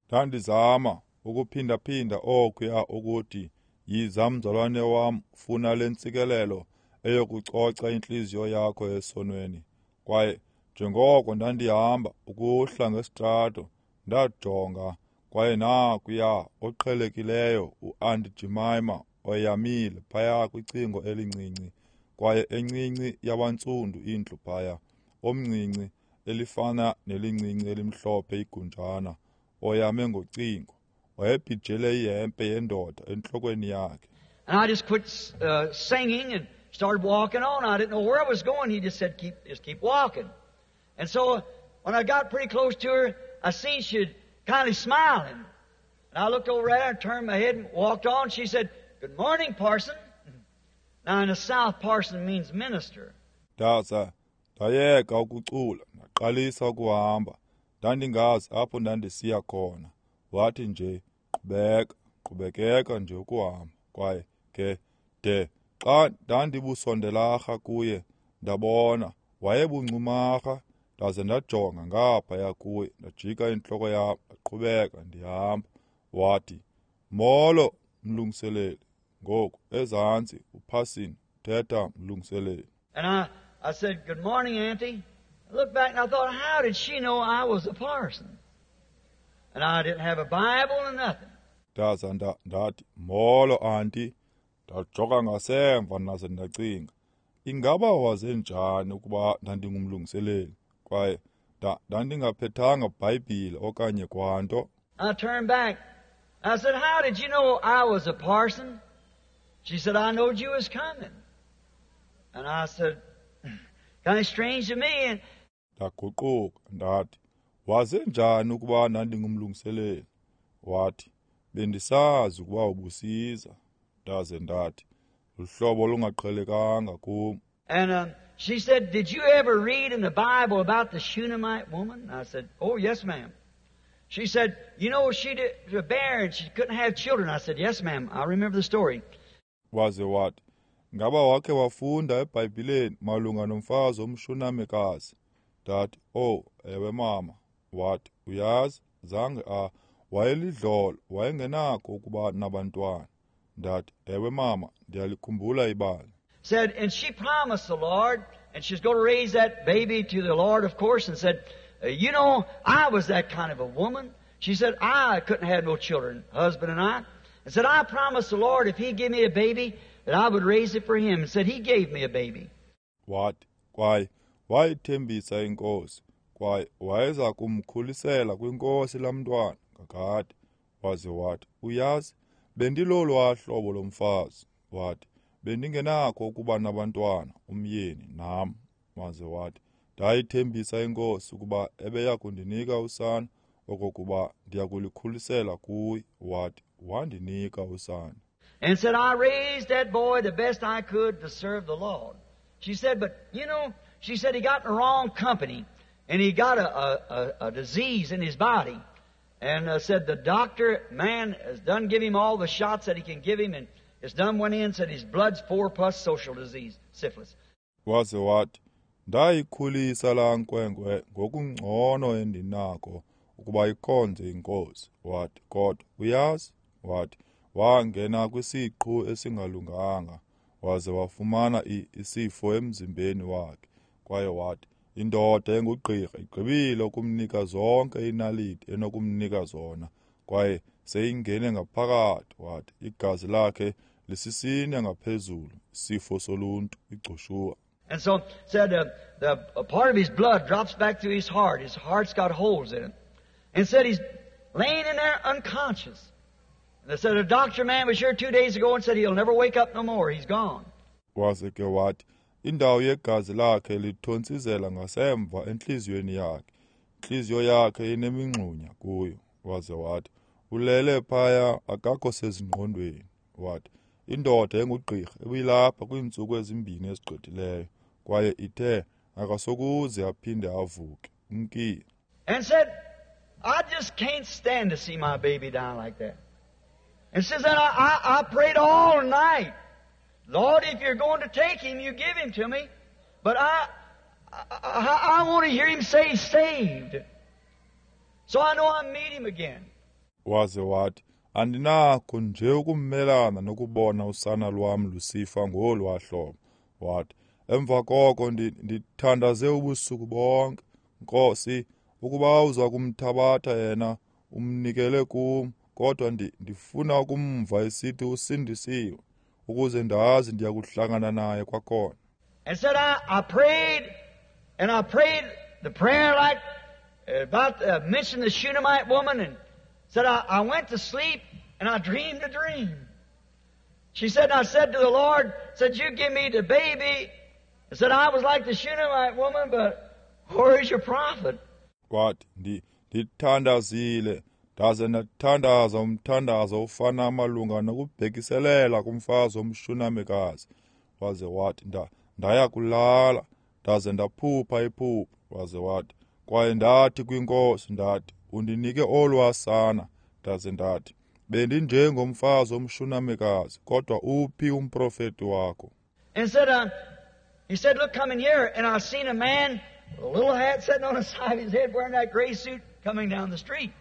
Ndandizama ukuphindaphinda okuya ukuthi yiza mzalwane wam, funa le ntsikelelo eyokucoca intliziyo yakho esonweni. Kwaye njengoko ndandihamba ukuhla ngesitrato, ndajonga kwaye nakuya oqhelekileyo uAunt Jemima oyamile phaya kwicingo elincinci, kwaye encinci yabantsundu indlu phaya, omncinci elifana nelincinci elimhlophe igunjana, oyame ngocingo, wayebhijele ihempe yendoda entlokweni yakhe. And I just quit uh, singing and started walking on. I didn't know where I was going. He just said, keep, just keep walking. And so when I got pretty close to her, I seen she'd kind of smiling. And I looked over at her and turned my head and walked on. She said, good morning, parson. Now in the South, parson means minister. Ndaza ndayeka ukucula, ndaqalisa ukuhamba. Ndandingazi apho ndandisiya khona. Wathi nje, qhubeka, qhubekeka nje ukuhamba. Kwaye ke de xa ndandibusondelarha kuye, ndabona wayebuncumarha. Ndaze ndajonga ngaphaya kuye, ndajika intloko yam, ndaqhubeka ndihamba. Wathi, molo mlungiseleli. Ngoku ezantsi uphasini uthetha mlungiseleli. And I, I said, good morning, Auntie. I looked back and I thought, how did she know I was a parson? And I didn't have a Bible or nothing. Ndaza ndathi, molo auntie. Ndajonga ngasemva ndaze ndacinga, ingaba waze njani ukuba ndandingumlungiseleli? Kwaye ndandingaphethanga Bhayibhile okanye kwanto. I turned back. I said, how did you know I was a parson? She said, I knowed you was coming. And I said, kind of strange to me. And ndaguquka ndathi, waze njani ukuba ndandingumlungiseleli? Wathi, bendisazi ukuba ubusiza. Ndaze ndathi, luhlobo olungaqhelekanga kum. And um, she said, did you ever read in the Bible about the Shunammite woman? I said, oh, yes, ma'am. She said, you know, she did, was barren. She couldn't have children. I said, yes, ma'am. I remember the story. Waze wathi, ngaba wakhe wafunda eBhayibhileni malunga nomfazi omshunamekazi? Ndathi, oh, ewe mama. Wathi, uyazi, zange a wayelidlolo, wayengenakho ukuba nabantwana. Ndathi, ewe mama, ndiyalikhumbula ibali. Said, and she promised the Lord, and she's going to raise that baby to the Lord, of course, and said, you know, I was that kind of a woman. She said, I couldn't have no children, husband and I. And said, I promised the Lord if He'd give me a baby, that I would raise it for him. And said, He gave me a baby. Wathi, kwaye wayithembisa inkosi, kwaye wayeza kumkhulisela kwinkosi lamntwana kakade. Waze wathi, uyazi, bendilolwa hlobo lomfazi. Wathi, bendingenakho ukuba nabantwana, umyeni nam. Waze wathi, ndayithembisa inkosi ukuba ebeya kundinika usana, okokuba ndiyakulikhulisela kuye. Wathi, wandinika usana. And said, I raised that boy the best I could to serve the Lord. She said, but you know, she said he got in the wrong company, and he got a, a, a, a disease in his body. And uh, said the doctor, man, has done give him all the shots that he can give him, and it's done went in, said his blood's four plus social disease, syphilis. Waze wathi, ndayikhulisa laa nkwenkwe ngokungcono endinako ukuba ikhonze inkosi. Wathi, kodwa uyazi, wathi, wangena kwisiqhu esingalunganga, waze wafumana isifo emzimbeni wakhe. Kwaye wathi, indoda engugqirha igqibile ukumnika zonke inaliti enokumnika zona, kwaye seyingene ngaphakathi. Wathi, igazi lakhe lisisine ngaphezulu, isifo soluntu, igcushuwa. And so said uh, the a part of his blood drops back through his heart. His heart's got holes in it. And said he's Laying in there unconscious. And they said a doctor man was here two days ago and said he'll never wake up no more. He's gone. Waze ke wathi indawo yegazi lakhe lithontsizela ngasemva entliziyweni yakhe. Intliziyo yakhe inemingxunya kuyo. Waze wathi ulele phaya akakho sezingqondweni. Wathi indoda engugqirha ebilapha kwiintsuku ezimbini ezigqithileyo kwaye ithe akasokuze aphinde avuke. Umkile. And said, I just can't stand to see my baby die like that. And since then, I, I, I prayed all night. Lord, if you're going to take him, you give him to me. But I, I, I want to hear him say saved. So I know I meet him again. Waze wathi, andinakho nje ukumelana nokubona usana lwam lusifa ngolwa hlobo. Wathi, emva koko ndithandaze ubusuku bonke. Nkosi, ukuba uza kumthabatha yena umnikele kum, kodwa ndifuna ukumva esithi usindisiwe, ukuze ndazi ndiyakuhlangana naye kwakhona. And said I, I prayed, and I prayed the prayer like about uh, mentioned the Shunammite woman, and said I, I went to sleep and I dreamed a dream. She said, and I said to the Lord, said, you give me the baby. I said I was like the Shunammite woman, but where is your prophet? Wathi ndithandazile ndaze ndathandaza umthandazo ofana malunga nokubhekiselela kumfazi omshunamekazi. Waze wathi nda ndaya kulala ndaze ndaphupha iphupha. Waze wathi kwaye ndathi kwinkosi ndathi undinike olwasana. Ndaze ndathi bendinjengomfazi omshunamekazi, kodwa uphi umprofeti wakho? And said, uh, he said, look, come in here, and I seen a man with a little hat sitting on the side of his head wearing that gray suit coming down the street.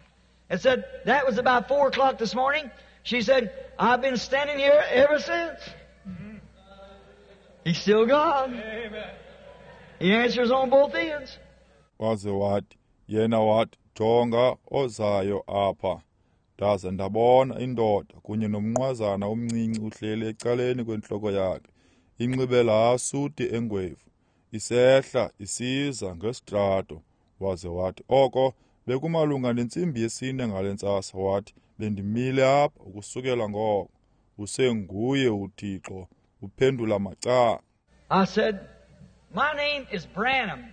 And said, that was about four o'clock this morning. She said, I've been standing here ever since. Mm-hmm. He's still God. Amen. He answers on both ends. Waze wathi, yena wathi, jonga ozayo apha. Ndaze ndabona indoda kunye nomnqwazana omncinci uhleli ecaleni kwentloko yakhe. Inxibe laa suti engwevu, isehla isiza ngesitrato. Waze wathi, oko bekumalunga nentsimbi yesine ngale ntsasa. Wathi bendimile apha ukusukela ngoko. Usenguye uThixo, uphendula macala. I said, my name is Branham.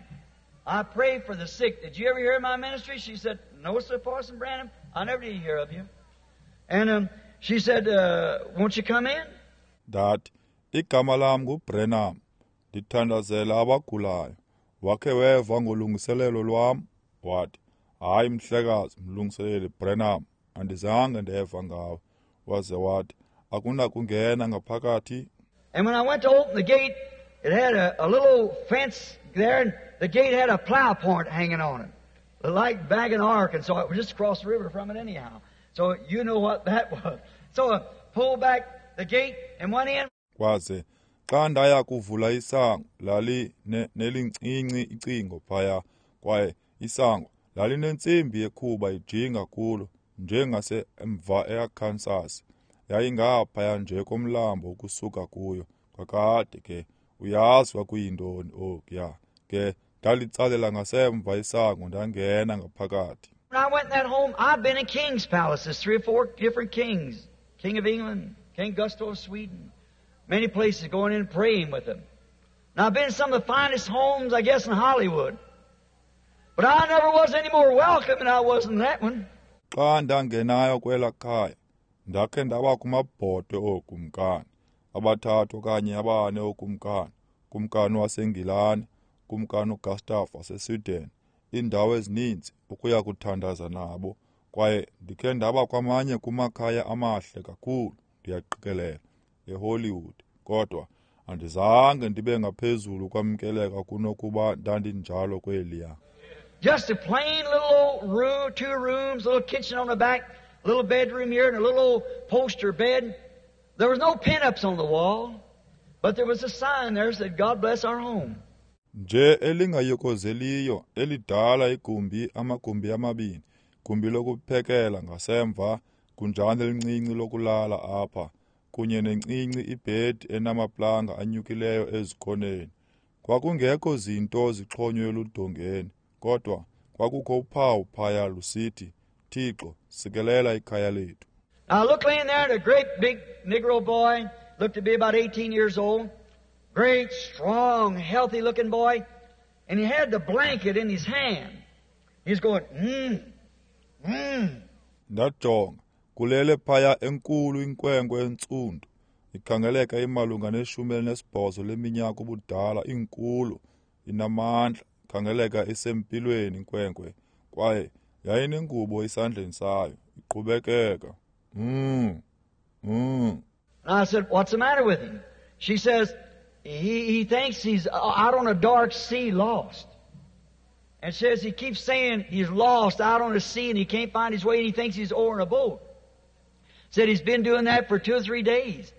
I pray for the sick. Did you ever hear of my ministry? She said, no, Sir Parson Branham, I never did hear of you. And um, she said, uh, won't you come in? Ndathi, igama lam nguBranham. Ndithandazela abagulayo. Wakhe weva ngolungiselelo lwam? Wathi, hayi mhlekazi, mlungiseleli Branham, andizange ndeva ngawe. Waze wathi, akunakungena ngaphakathi. And when I went to open the gate, it had a, a little fence there, and the gate had a plow point hanging on it, like back in Arkansas. It was just across the river from it anyhow. So you know what that was. So I pulled back the gate and went in. Kwaze xa ndaya kuvula isango, lali nelincinci icingo phaya, kwaye isango lalinentsimbi yekhuba ijinga kulo njengasemva eArkansas. Yayingaphaya nje komlambo ukusuka kuyo. Kakade ke uyazi kwakuyintoni okuya. Ke ndalitsalela ngasemva isango ndangena ngaphakathi. When I went in that home, I've been in kings' palaces, three or four different kings. King of England, King Gustav of Sweden. Many places going in and praying with them. And I've been in some of the finest homes, I guess, in Hollywood. But I never was any more welcome than I was in that one. Xa ndangenayo kwela khaya, ndakhe ndaba kumabhotwe ookumkani, abathathu okanye abane ookumkani, kumkani waseNgilani, kumkani uGustav waseSweden, iindawo ezininzi ukuya kuthandaza nabo. Kwaye ndikhe ndaba kwamanye kumakhaya amahle kakhulu, ndiyaqikelela, eHollywood. Kodwa andizange ndibe ngaphezulu kwamkeleka kunokuba ndandinjalo kweliya. Just a plain little old room, two rooms, a little kitchen on the back, a little bedroom here, and a little old poster bed. There was no pin-ups on the wall, but there was a sign there that said, God bless our home. Nje elingayokozeliyo elidala igumbi, amagumbi amabini, gumbi lokuphekela ngasemva, gunjana elincinci lokulala apha, kunye nencinci ibhedi enamaplanga anyukileyo ezikoneni. Kwakungekho zinto zixhonywe eludongeni, kodwa kwakukho uphawu phaya lusithi, Thixo, sikelela ikhaya lethu. I looked laying there at a great big Negro boy, looked to be about eighteen years old, great, strong, healthy-looking boy, and he had the blanket in his hand. He's going, mm, mm. Ndajonga, kulele phaya enkulu inkwenkwe entsundu, ikhangeleka imalunga neshumi elinesibhozo leminyaka ubudala, inkulu, inamandla, ikhangeleka isempilweni inkwenkwe, kwaye yayinengubo esandleni sayo, iqhubekeka. Mm, mm. And I said, what's the matter with him? She says, he, he thinks he's out on a dark sea lost. And says he keeps saying he's lost out on the sea and he can't find his way and he thinks he's over in a boat. Said he's been doing that for two or three days.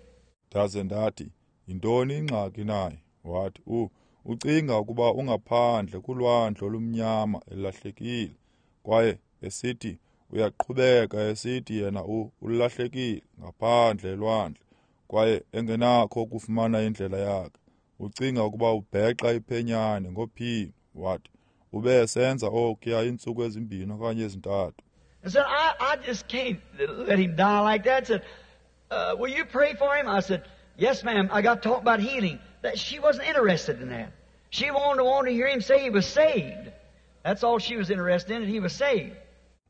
Ndaze ndathi, yintoni ingxaki naye? Wathi, u ucinga ukuba ungaphandle kulwandle olumnyama elahlekile. Kwaye esithi uyaqhubeka esithi yena u ulahlekile ngaphandle elwandle kwaye engenakho ukufumana indlela yakhe. Ucinga ukuba ubheqa iphenyane ngophini. Wathi ube esenza okuya iintsuku ezimbini okanye ezintathu. I said, I, I just can't let him die like that. I said, uh, will you pray for him? I said, yes, ma'am. I got talking about healing. That she wasn't interested in that. She wanted to want to hear him say he was saved. That's all she was interested in, that he was saved.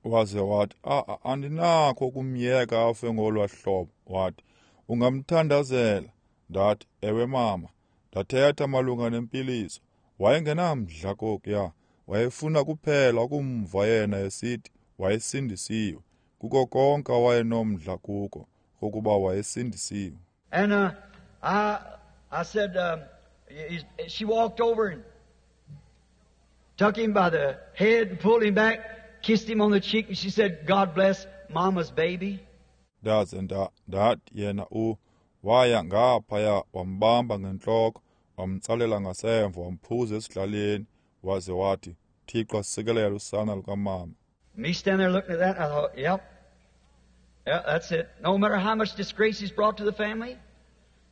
Waze wathi, ah, andinakho ukumyeka afe ngolwa hlobo. Wathi, ungamthandazela. Ndathi, ewe mama. Ndathetha malunga nempiliso. Wayengenamdla kokuya. Wayefuna kuphela ukumva yena esithi wayesindisiwe. Kuko konke awayenomdla kuko, kokuba wayesindisiwe. And uh, I, I said, um, he's, she walked over and took him by the head and pulled him back, kissed him on the cheek, and she said, God bless Mama's baby. Ndaze nda ndathi yena u waya ngaphaya wambamba ngentloko, wamtsalela ngasemva, wamphuza esidlaleni, waze wathi, Thixo asikelele usana lukamama. Me standing there looking at that, I thought, yep, yeah, that's it. No matter how much disgrace he's brought to the family,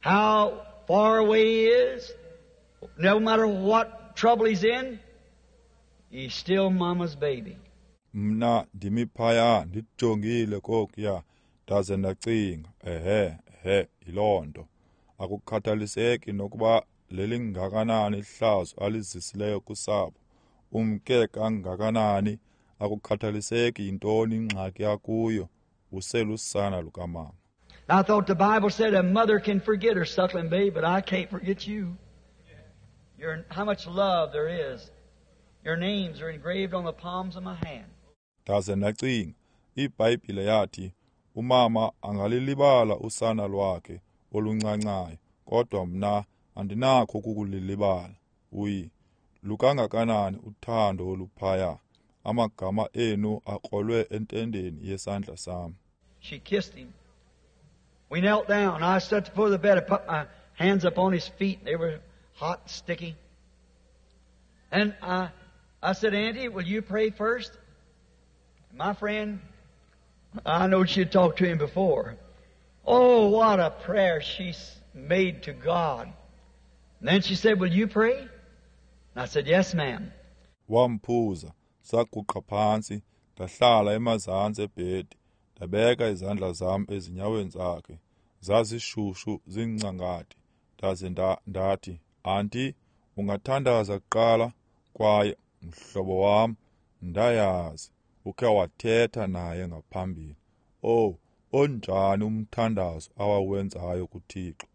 how far away he is, no matter what trouble he's in, he's still Mama's baby. Mna ndimi phaya ndijongile kokuya, ndaze ndacinga, ehe, ehe, yiloo nto. Akukhathaliseki nokuba lelingakanani ihlazo alizisileyo kusapho, umke kangakanani, akukhathaliseki yintoni ingxaki akuyo, uselusana lukamama. I thought the Bible said a mother can forget her suckling babe, but I can't forget you. Your, how much love there is. Your names are engraved on the palms of my hand. Ndaze ndacinga, iBhayibhile yathi umama angalilibala usana lwakhe oluncancayo, kodwa mna andinakho ukukulilibala. Uyi lukangakanani uthando oluphaya, amagama enu akrolwe entendeni yesandla sam. She kissed him. We knelt down. I sat at the foot of the bed. I put my hands up on his feet. They were hot and sticky. And I, I said, Auntie, will you pray first? My friend, I know she'd talked to him before. Oh, what a prayer she made to God. And then she said, will you pray? And I said, yes, ma'am. Wamphuza, saguqa phantsi, ndahlala emazantsi ebhedi, ndabeka izandla zam ezinyaweni zakhe. Zazishushu zincangati. Ndaze ndathi, Auntie, ungathandaza kuqala? Kwaye mhlobo wam, ndayazi ukhe wathetha naye ngaphambili. Oh, onjani umthandazo awawenzayo kuThixo.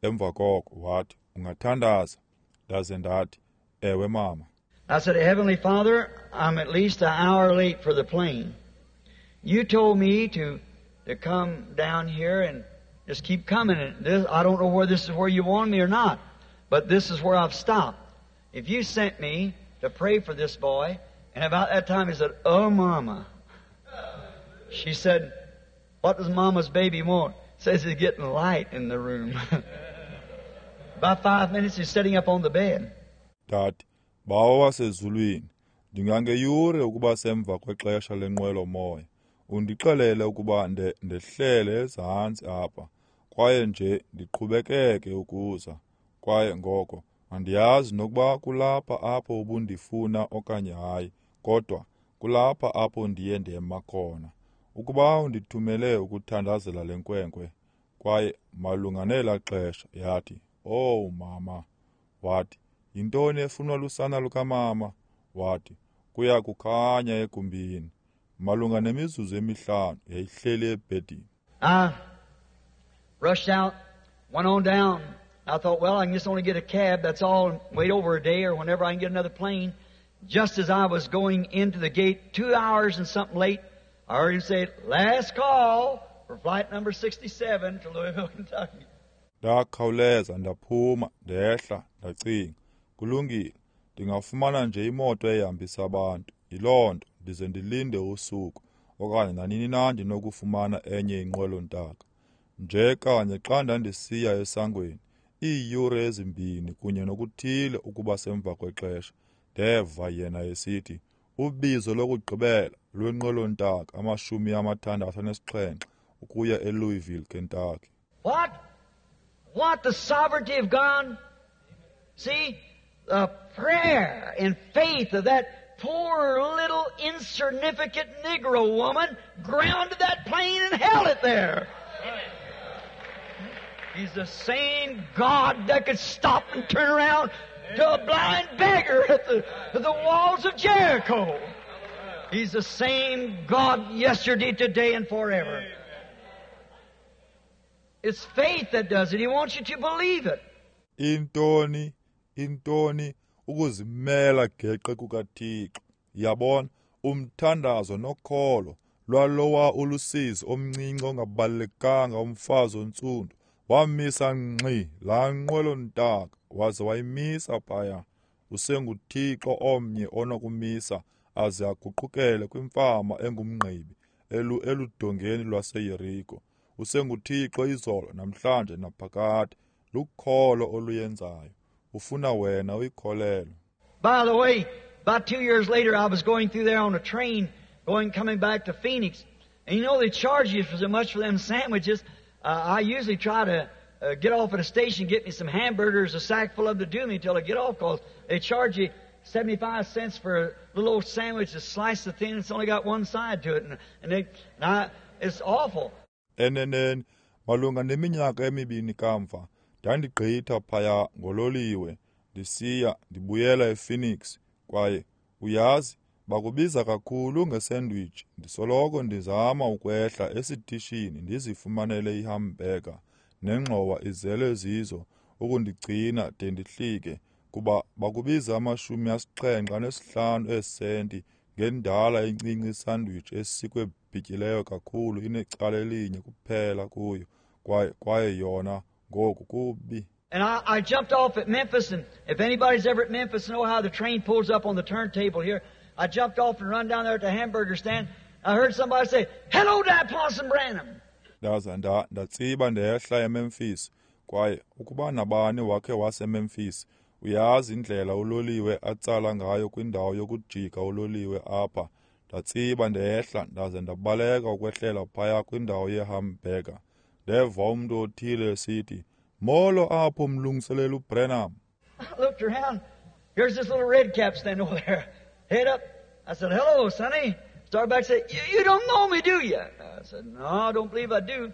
Emva koko wathi, ungathandaza? Ndaze ndathi, ewe mama. I said, Heavenly Father, I'm at least an hour late for the plane. You told me to to come down here and just keep coming. And this, I don't know whether this is where you want me or not, but this is where I've stopped. If you sent me to pray for this boy, and about that time he said, oh, Mama. She said, what does Mama's baby want? Says it's getting light in the room. About five minutes he's sitting up on the bed. Dad, Bawo wasezulwini, ndingangeyure ukuba semva kwexesha lenqwelo-moya. Undixelele ukuba ndehlele ezantsi apha, kwaye nje ndiqhubekeke ukuza. Kwaye ngoko andiyazi nokuba kulapha apho ubundifuna okanye hayi, kodwa Kulapha apho ndiye ndema khona. Ukuba undithumele ukuthandazela le nkwenkwe, kwaye malunga nelaa xesha yathi, "Owu mama," wathi, "yintoni efunwa lusana lukamama?" Wathi, "Kuya kukhanya egumbini." Malunga nemizuzu emihlanu yayihleli ebhedini. I rushed out, went on down. I thought, well, I can just only get a cab, that's all, and wait over a day or whenever I can get another plane. Just as I was going into the gate, two hours and something late, I heard him say, "Last call for flight number sixty-seven to Louisville, Kentucky." Ndakhawuleza ndaphuma ndehla ndacinga, kulungile, ndingafumana nje imoto ehambisa abantu. Yiloo nto ndize ndilinde usuku okanye nanini na ndinokufumana enye inqwelo-ntaka. Nje kanye xa ndandisiya esangweni, iiyure ezimbini kunye nokuthile ukuba semva kwexesha, ndeva yena esithi, "Ubizo lokugqibela lwenqwelo-ntaka amashumi amathandathu anesixhenxe ukuya eLouisville, Kentucky." What? What the sovereignty of God? See, the prayer and faith of that poor little insignificant Negro woman grounded that plane and held it there. He's the same God that could stop and turn around to a blind beggar at the, at the walls of Jericho. He's the same God yesterday, today, and forever. It's faith that does it. He wants you to believe it. Intoni, intoni, ukuzimela geqe kukaThixo. Yabona, umthandazo nokholo lwalowa ulusizi omncinci ongabalulekanga umfazi ontsundu wamisa ngxi laa nqwelo-ntaka waze wayimisa phaya. UsenguThixo omnye onokumisa aze aguqukele kwimfama engumngqibi elu eludongeni lwaseYeriko. UsenguThixo izolo namhlanje naphakade. Lukholo oluyenzayo. Ufuna wena uyikholelwe. By the way, about two years later I was going through there on a train going coming back to Phoenix. And you know they charge you for so much for them sandwiches. Uh, I usually try to uh, get off at a station, get me some hamburgers, a sack full of them to do me till I get off, because they charge you seventy-five cents for a little old sandwich that's sliced thin. It's only got one side to it, and, and, they, and I, it's awful. Eneneni, malunga neminyaka emibini kamva, ndandigqitha phaya ngololiwe ndisiya ndibuyela ePhoenix, kwaye uyazi bakubiza kakhulu ngesandwich. Ndisoloko ndizama ukwehla esitishini ndizifumanele ihamburger nengxowa izele zizo ukundigcina de ndihlike, kuba bakubiza amashumi asixhenxe anesihlanu eesenti ngendala encinci isandwich esikwe bhityileyo kakhulu inecala elinye kuphela kuyo, kwaye kwaye yona ngoku kubi. And I, I jumped off at Memphis, and if anybody's ever at Memphis know how the train pulls up on the turntable here. I jumped off and run down there at the hamburger stand. I heard somebody say, "Hello there, Parson Branham." Ndaza nda ndatsiba ndehla eMemphis, kwaye ukuba nabani wakhe waseMemphis, uyazi indlela uloliwe atsala ngayo kwindawo yokujika uloliwe apha. Ndatsiba ndehla ndaze ndabaleka ukwehlela phaya kwindawo yehamburger. Ndeva umntu othile esithi, "Molo apho mlungiseleli uBranham." I looked around. Here's this little red cap standing over there. Head up. I said, "Hello, Sonny." Started back and said, you, you don't know me, do you? I said, "No, I don't believe I do."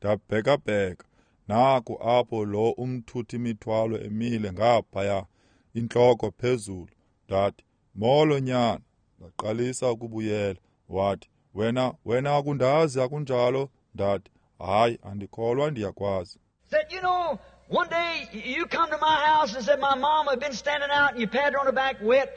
Ndabhekabheka. Naku apho lo umthuthi imithwalo emile ngaphaya, intloko phezulu. Ndathi, "Molo nyana." Ndaqalisa ukubuyela. Wathi, "Wena, wena akundazi akunjalo?" Ndathi, "Hayi, andikholwa ndiyakwazi." Said, "You know, one day you come to my house and said my mom had been standing out and you patted her on the back wet."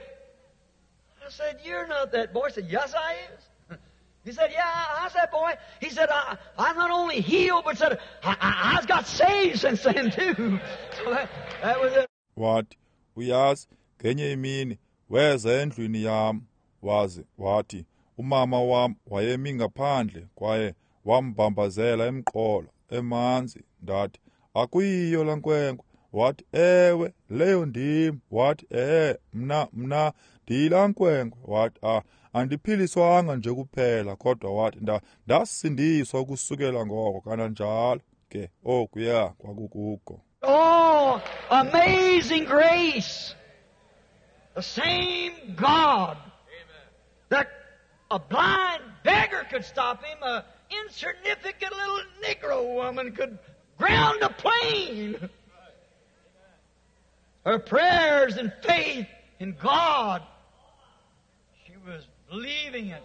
I said, "You're not that boy." I said, "Yes, I is." He said, "Yeah, I, I was that boy." He said, I, I'm not only healed, but said, I, I, I've got saved since then too. So that, that was it. Wathi, uyazi, ngenye imini, weza endlwini yam, waze, wathi, umama wam wayemi ngaphandle, kwaye wambambazela emqolo, emanzi. Ndathi, akuyiyo laa nkwenkwe. Wathi, ewe, leyo ndim. Wathi, eh, mna, mna, ndiyilaa nkwenkwe. Wathi, ah, andiphiliswanga nje kuphela, kodwa wathi, nda, ndasindiswa ukusukela ngoko, kananjalo ke okuya kwakukuko. Oh, amazing grace! The same God that A blind beggar could stop him. A insignificant little Negro woman could ground a plane. Her prayers and faith in God, she was believing it.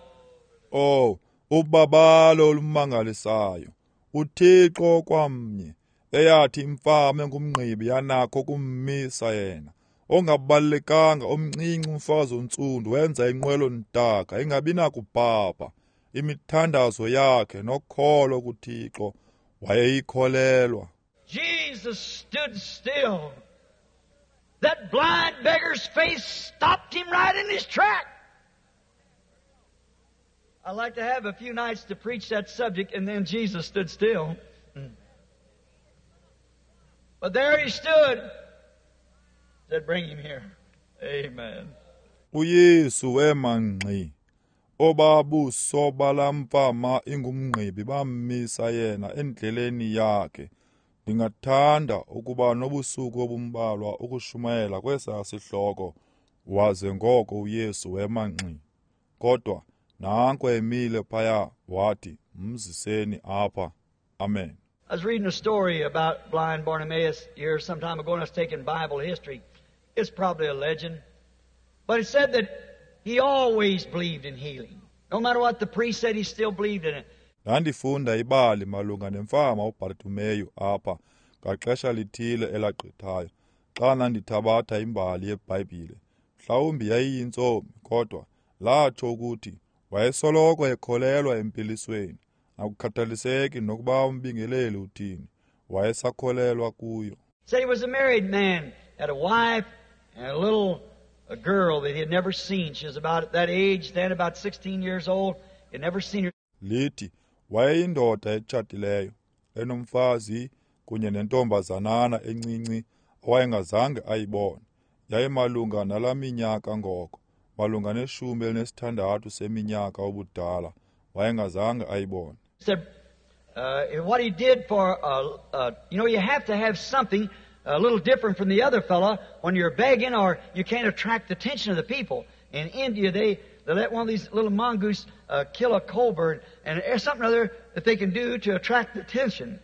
Oh, ubabalo olumangalisayo. UThixo kwamnye eyathi imfama engumngqibi yanakho kummisa yena. Ongabalekanga omncinci umfazi ontsundu wenza inqwelo ntaka ingabi nakubhabha. Imithandazo yakhe nokholo kuThixo wayeyikholelwa. Jesus stood still. That blind beggar's face stopped him right in his track. I'd like to have a few nights to preach that subject, and then Jesus stood still. But there he stood. Said, bring him here. Amen. uYesu wema ngxi. Obabuso balamfama ingumngqibi bammisa yena endleleni yakhe. Ndingathanda ukuba nobusuku obumbalwa ukushumayela kwesa sihloko, waze ngoko uYesu wema ngxi. Kodwa nanko emile phaya wathi, mziseni apha. Amen. I was reading a story about blind Bartimaeus here some time ago, and I was taking Bible history. It's probably a legend. But it said that he always believed in healing. No matter what the priest said, he still believed in it. Ndandifunda ibali malunga nemfama uBartimeyu apha ngaxesha lithile elagqithayo, xa ndandithabatha imbali yeBhayibhile. Mhlawumbi yayiyintsomi, kodwa latsho ukuthi wayesoloko ekholelwa empilisweni. Akukhathaliseki nokuba umbingeleli uthini, wayesakholelwa kuyo. Said he was a married man, had a wife and a little a girl that he had never seen. She was about that age then, about sixteen years old. He had never seen her. Lithi wayeyindoda etshatileyo, enomfazi kunye nentombazanana encinci awayengazange ayibone. Yayimalunga nalaa minyaka ngoko, malunga neshumi elinesithandathu seminyaka ubudala, wayengazange ayibone. Said, uh, what he did for, uh, uh, you know, you have to have something a little different from the other fella when you're begging, or you can't attract the attention of the people. In India, they, they let one of these little mongoose, uh, kill a cowbird, and there's something other that they can do to attract the attention.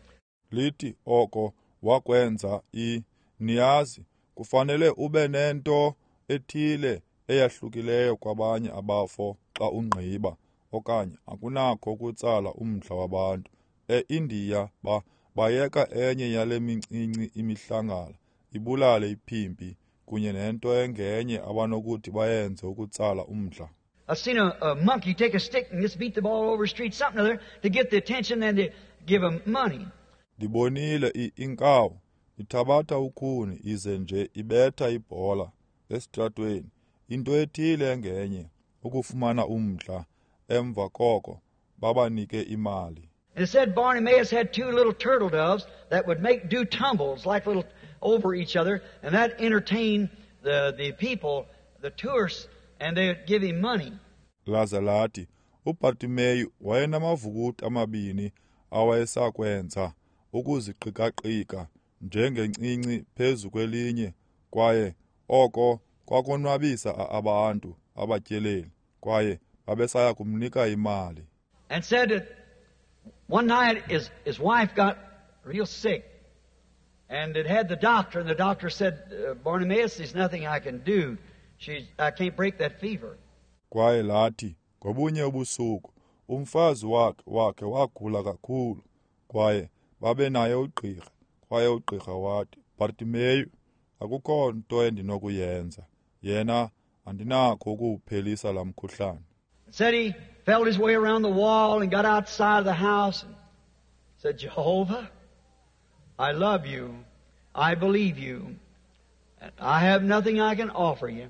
Lithi oko wakwenza i niyazi kufanele ube nento ethile eyahlukileyo kwabanye abafo xa ungqiba, okanye akunakho ukutsala umdla wabantu. E-India ba bayeka enye yale mincinci imihlangala ibulale iphimpi kunye nento engenye abanokuthi bayenze ukutsala umdla. I've seen a, a monkey take a stick and just beat the ball over the street, something or other, to get the attention and to give him money. Ndibonile inkawu ithabatha ukhuni ize nje ibetha ibhola esitratweni, into ethile engenye ukufumana umdla, emva koko babanike imali. And it said Bartimaeus had two little turtle doves that would make do tumbles like little over each other, and that entertained the, the people, the tourists, and they would give him money. Laza lathi uBartimeyu wayenamavukuti amabini awayesakwenza ukuziqikaqika njengencinci phezu kwelinye, kwaye oko kwakonwabisa abantu abatyeleli, kwaye babesaya kumnika imali. And said that one night his, his wife got real sick, and it had the doctor, and the doctor said, uh, Bartimaeus, there's nothing I can do. She's, I can't break that fever. Kwaye lathi ngobunye ubusuku umfazi wakhe wakhe wagula kakhulu, kwaye babenaye ugqirha, kwaye ugqirha wathi, Bartimeyu, akukho nto endinokuyenza, yena andinakho ukuwuphelisa laa mkhuhlane. Said he felt his way around the wall and got outside of the house and said, Jehovah, I love you. I believe you. And I have nothing I can offer you.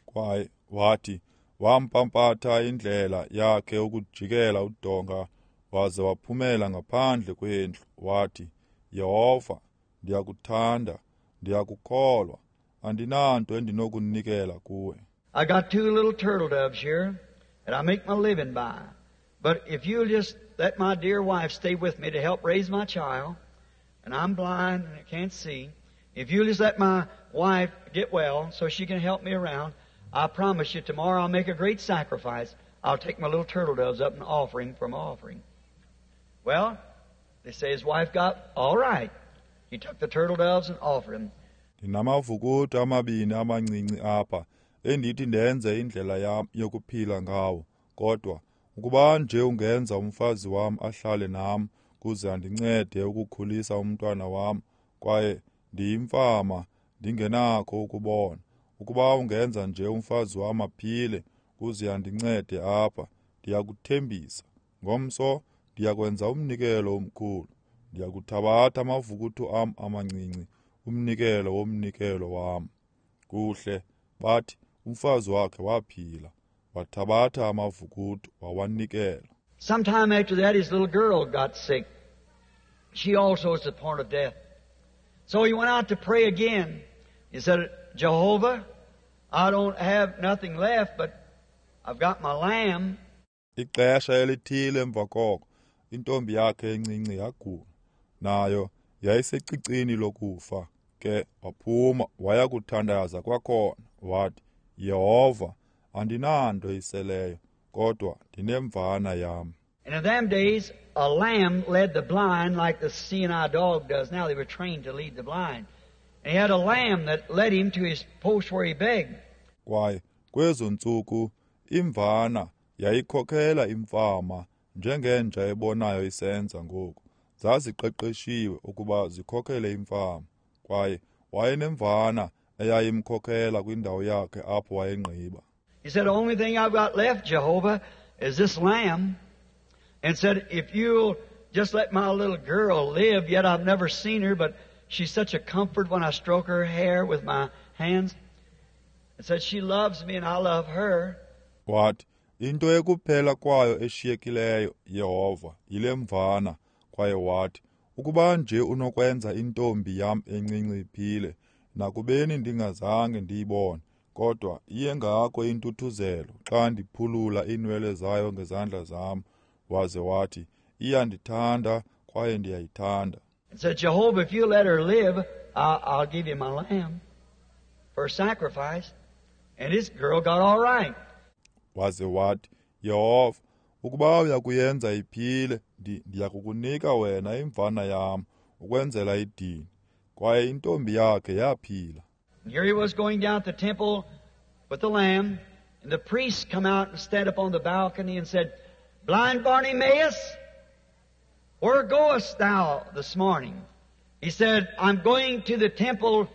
Kwaye wathi wampampatha indlela yakhe ukujikela udonga waze waphumela ngaphandle kwendlu, wathi, Yehova, ndiyakuthanda, ndiyakukholwa, andinanto endinokunikela kuwe. I got two little turtle doves here that I make my living by. But if you'll just let my dear wife stay with me to help raise my child, and I'm blind and I can't see, if you'll just let my wife get well so she can help me around, I promise you tomorrow I'll make a great sacrifice. I'll take my little turtle doves up and offer him for my offering. Well, they say his wife got all right. He took the turtle doves and offered them. Ndinamavukuto amabini amancinci apha endithi ndenze indlela yam yokuphila ngawo, kodwa ukuba nje ungenza umfazi wam ahlale nam kuze andincede ukukhulisa umntwana wam, kwaye ndiyimfama ndingenakho ukubona, ukuba ungenza nje umfazi wam aphile kuze andincede apha, ndiyakuthembisa ngomso ndiyakwenza umnikelo omkhulu, ndiyakuthabatha amavukuto am amancinci, umnikelo womnikelo wam. Kuhle, bathi umfazi wakhe waphila, wathabatha amavukuto wawanikela. Sometime after that, his little girl got sick. She also was at the point of death. So he went out to pray again. He said, Jehovah, I don't have nothing left, but I've got my lamb. Ixesha elithile emva koko, intombi yakhe encinci yagula. Nayo yayisecicini lokufa. Ke waphuma waya kuthandaza kwakhona, wathi, Yehova, andinanto iseleyo, kodwa ndinemvana yam. And in them days, a lamb led the blind like the C and I dog does now. They were trained to lead the blind. And he had a lamb that led him to his post where he begged. Kwaye kwezo ntsuku imvana yayikhokhela imfama njengenja ebonayo isenza ngoku. Zaziqeqeshiwe ukuba zikhokhele imfama. Kwaye wayenemvana eyayimkhokhela kwindawo yakhe apho wayengqiba. He said, the only thing I've got left, Jehovah, is this lamb. And said, if you'll just let my little girl live, yet I've never seen her, but she's such a comfort when I stroke her hair with my hands. And said, she loves me and I love her. Wathi, into ekuphela kwayo eshiyekileyo, Yehova, yile mvana. Kwaye wathi, ukuba nje unokwenza intombi yam encinci iphile, nakubeni ndingazange ndiyibone, kodwa iyengako intuthuzelo xa ndiphulula iinwele zayo ngezandla zam. Waze wathi, iyandithanda kwaye ndiyayithanda. And said, Jehovah, if you let her live, I'll, I'll give you my lamb for sacrifice. And this girl got all right. Waze wathi, Yehova, ukuba uyakuyenza iphile, ndiyakukunika wena imvana yam ukwenzela idini. Kwaye intombi yakhe yaphila. Here he was going down to the temple with the lamb, and the priests come out and stand up on the balcony and said, Blind Bartimaeus, where goest thou this morning? He said, I'm going to the temple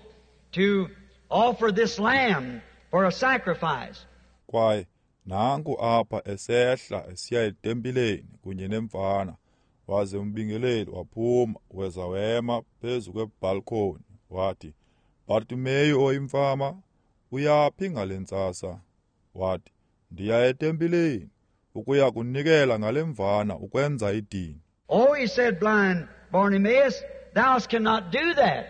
to offer this lamb for a sacrifice. Kwaye nanku apha esehla esiya etempileni kunye nemvana. Waze umbingeleli waphuma weza wema phezu kwebalkoni wathi, Bartimeyu oyimfama, uyaphi ngale ntsasa? Wathi, ndiya etempileni ukuya kunikela ngale mvana ukwenza idini. Oh, he said, blind Bartimaeus, thou cannot do that.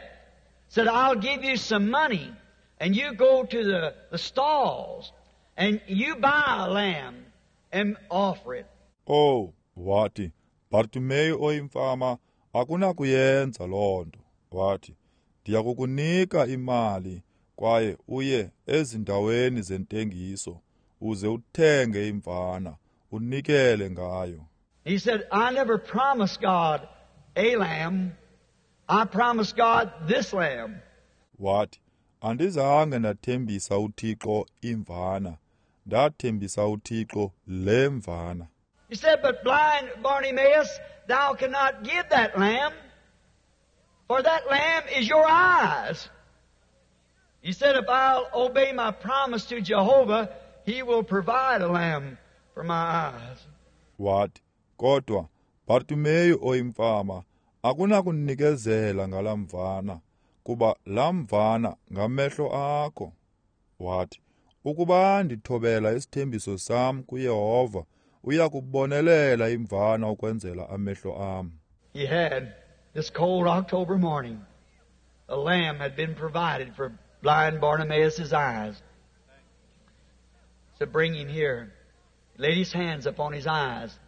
Said, I'll give you some money, and you go to the, the stalls, and you buy a lamb and offer it. Oh, wathi, Bartimeyu oyimfama, akunakuyenza loo nto. Wathi, ndiyakukunika imali kwaye uye ezindaweni zentengiso uze uthenge imvana unikele ngayo. He said, I never promised God a lamb. I promised God this lamb. Wathi, andizange ndathembisa uThixo imvana, ndathembisa uThixo le mvana. He said, but blind Bartimaeus, thou cannot give that lamb, for that lamb is your eyes. He said, if I'll obey my promise to Jehovah, he will provide a lamb for my eyes. Wathi, kodwa Bartimeyu oyimfama, akunakunikezela ngala mvana, kuba la mvana ngamehlo akho. Wathi, ukuba ndithobela isithembiso sam kuYehova, uyakubonelela imvana ukwenzela amehlo am. He had this cold October morning, a lamb had been provided for blind Bartimaeus' eyes. So bring him here. He laid his hands upon his eyes,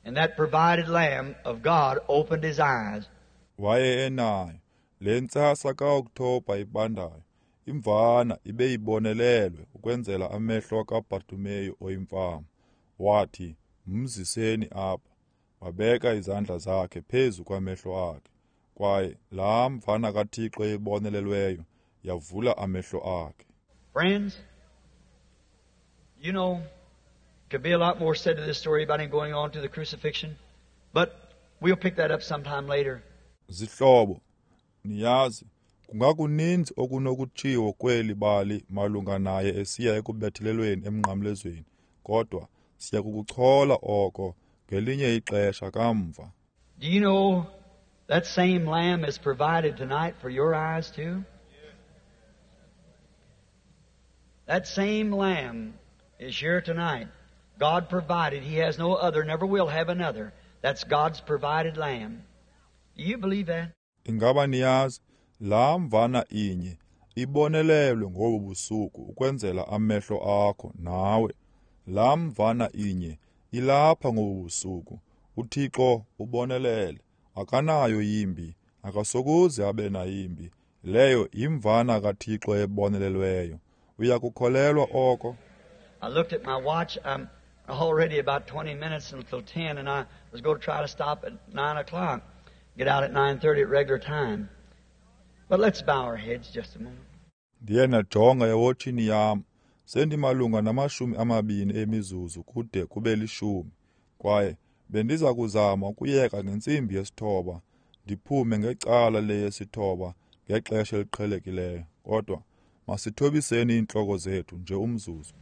and that provided lamb of God opened his eyes. Waye enayo le ntsasa kaOktoba ibandayo, imvana ibe ibonelelwe ukwenzela amehlo kaBartimeyu oyimfama. Wathi, mziseni apha. Wabeka izandla zakhe phezu kwamehlo akhe, kwaye laa mvana kaThixo ebonelelweyo yavula amehlo akhe. Friends, you know, could be a lot more said to this story about him going on to the crucifixion, but we'll pick that up sometime later. Zihlobo, niyazi, kungakuninzi okunokutshiwo kweli bali malunga naye esiya ekubethelelweni emnqamlezweni, kodwa siya kukuchola oko ngelinye ixesha kamva. Do you know that same lamb is provided tonight for your eyes too? That same lamb is here tonight. God provided. He has no other, never will have another. That's God's provided lamb. Do you believe that? Ingaba niyazi, laa mvana inye ibonelelwe ngobu busuku ukwenzela amehlo akho nawe. Laa mvana inye ilapha ngobu busuku. UThixo ubonelele. Akanayo yimbi, akasokuze abe nayimbi. Leyo yimvana kaThixo ebonelelweyo. Uyakukholelwa oko? I looked at my watch. I'm already about twenty minutes until ten, and I was going to try to stop at nine o'clock, get out at nine thirty at regular time. But let's bow our heads just a moment. Ndiye ndajonga ewotshini yam, sendimalunga namashumi amabini emizuzu kude kube lishumi, kwaye bendiza kuzama ukuyeka ngentsimbi yesithoba, ndiphume ngecala leyesithoba ngexesha eliqhelekileyo. Kodwa masithobiseni iintloko zethu nje umzuzu.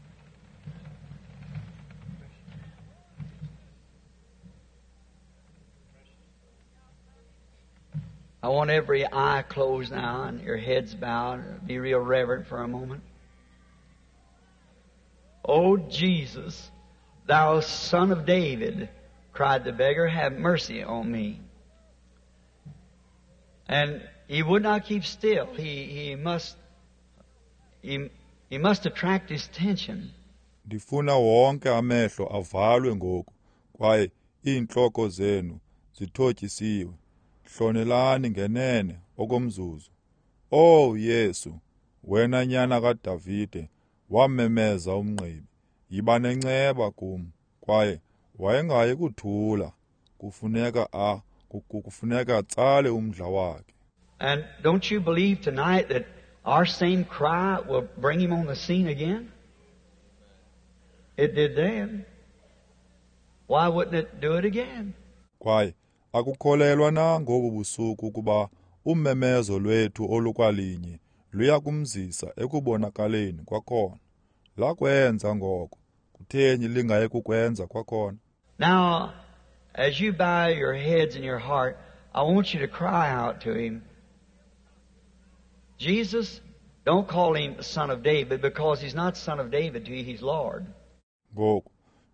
I want every eye closed now and your heads bowed. Be real reverent for a moment. Oh, Jesus, thou Son of David, cried the beggar, have mercy on me. And he would not keep still. He, he must, he, he must attract his attention. Ndifuna wonke amehlo avalwe ngoku, kwaye iintloko zenu zithotyisiwe. Hlonelani ngenene okomzuzu. Oh Yesu, wena nyana kaDavide, wamemeza umngqibi, yiba nenceba kum. Kwaye wayengayi kuthula, kufuneka a kufuneka atsale umdla wakhe. And don't you believe tonight that our same cry will bring him on the scene again? It did then. Why wouldn't it do it again? Kwaye akukholelwa na ngobu busuku ukuba umemezo lwethu olukwalinye luya kumzisa ekubonakaleni kwakhona? Lakwenza ngoko, kutheni lingayi kukwenza kwakhona? Now, as you bow your heads in your heart, I want you to cry out to him. Jesus, don't call him Son of David, because he's not Son of David to you, he's Lord. Ngoku,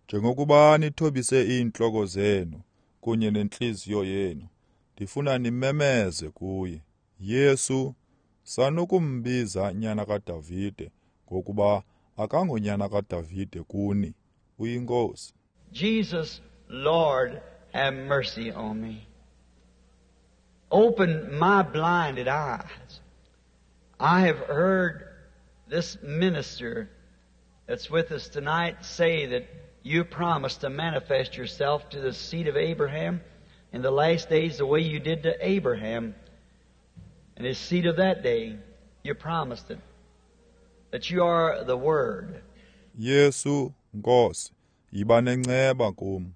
njengokuba nithobise iintloko zenu kunye nentliziyo yenu, ndifuna nimemeze kuye. Yesu, sanukumbiza nyana kaDavide, ngokuba akangonyana kaDavide kuni, uyiNkosi. Jesus, Lord, have mercy on me. Open my blinded eyes. I have heard this minister that's with us tonight say that you promised to manifest yourself to the seed of Abraham in the last days the way you did to Abraham and his seed of that day. You promised it, that you are the Word. Yesu, Nkosi, yiba nenceba kum.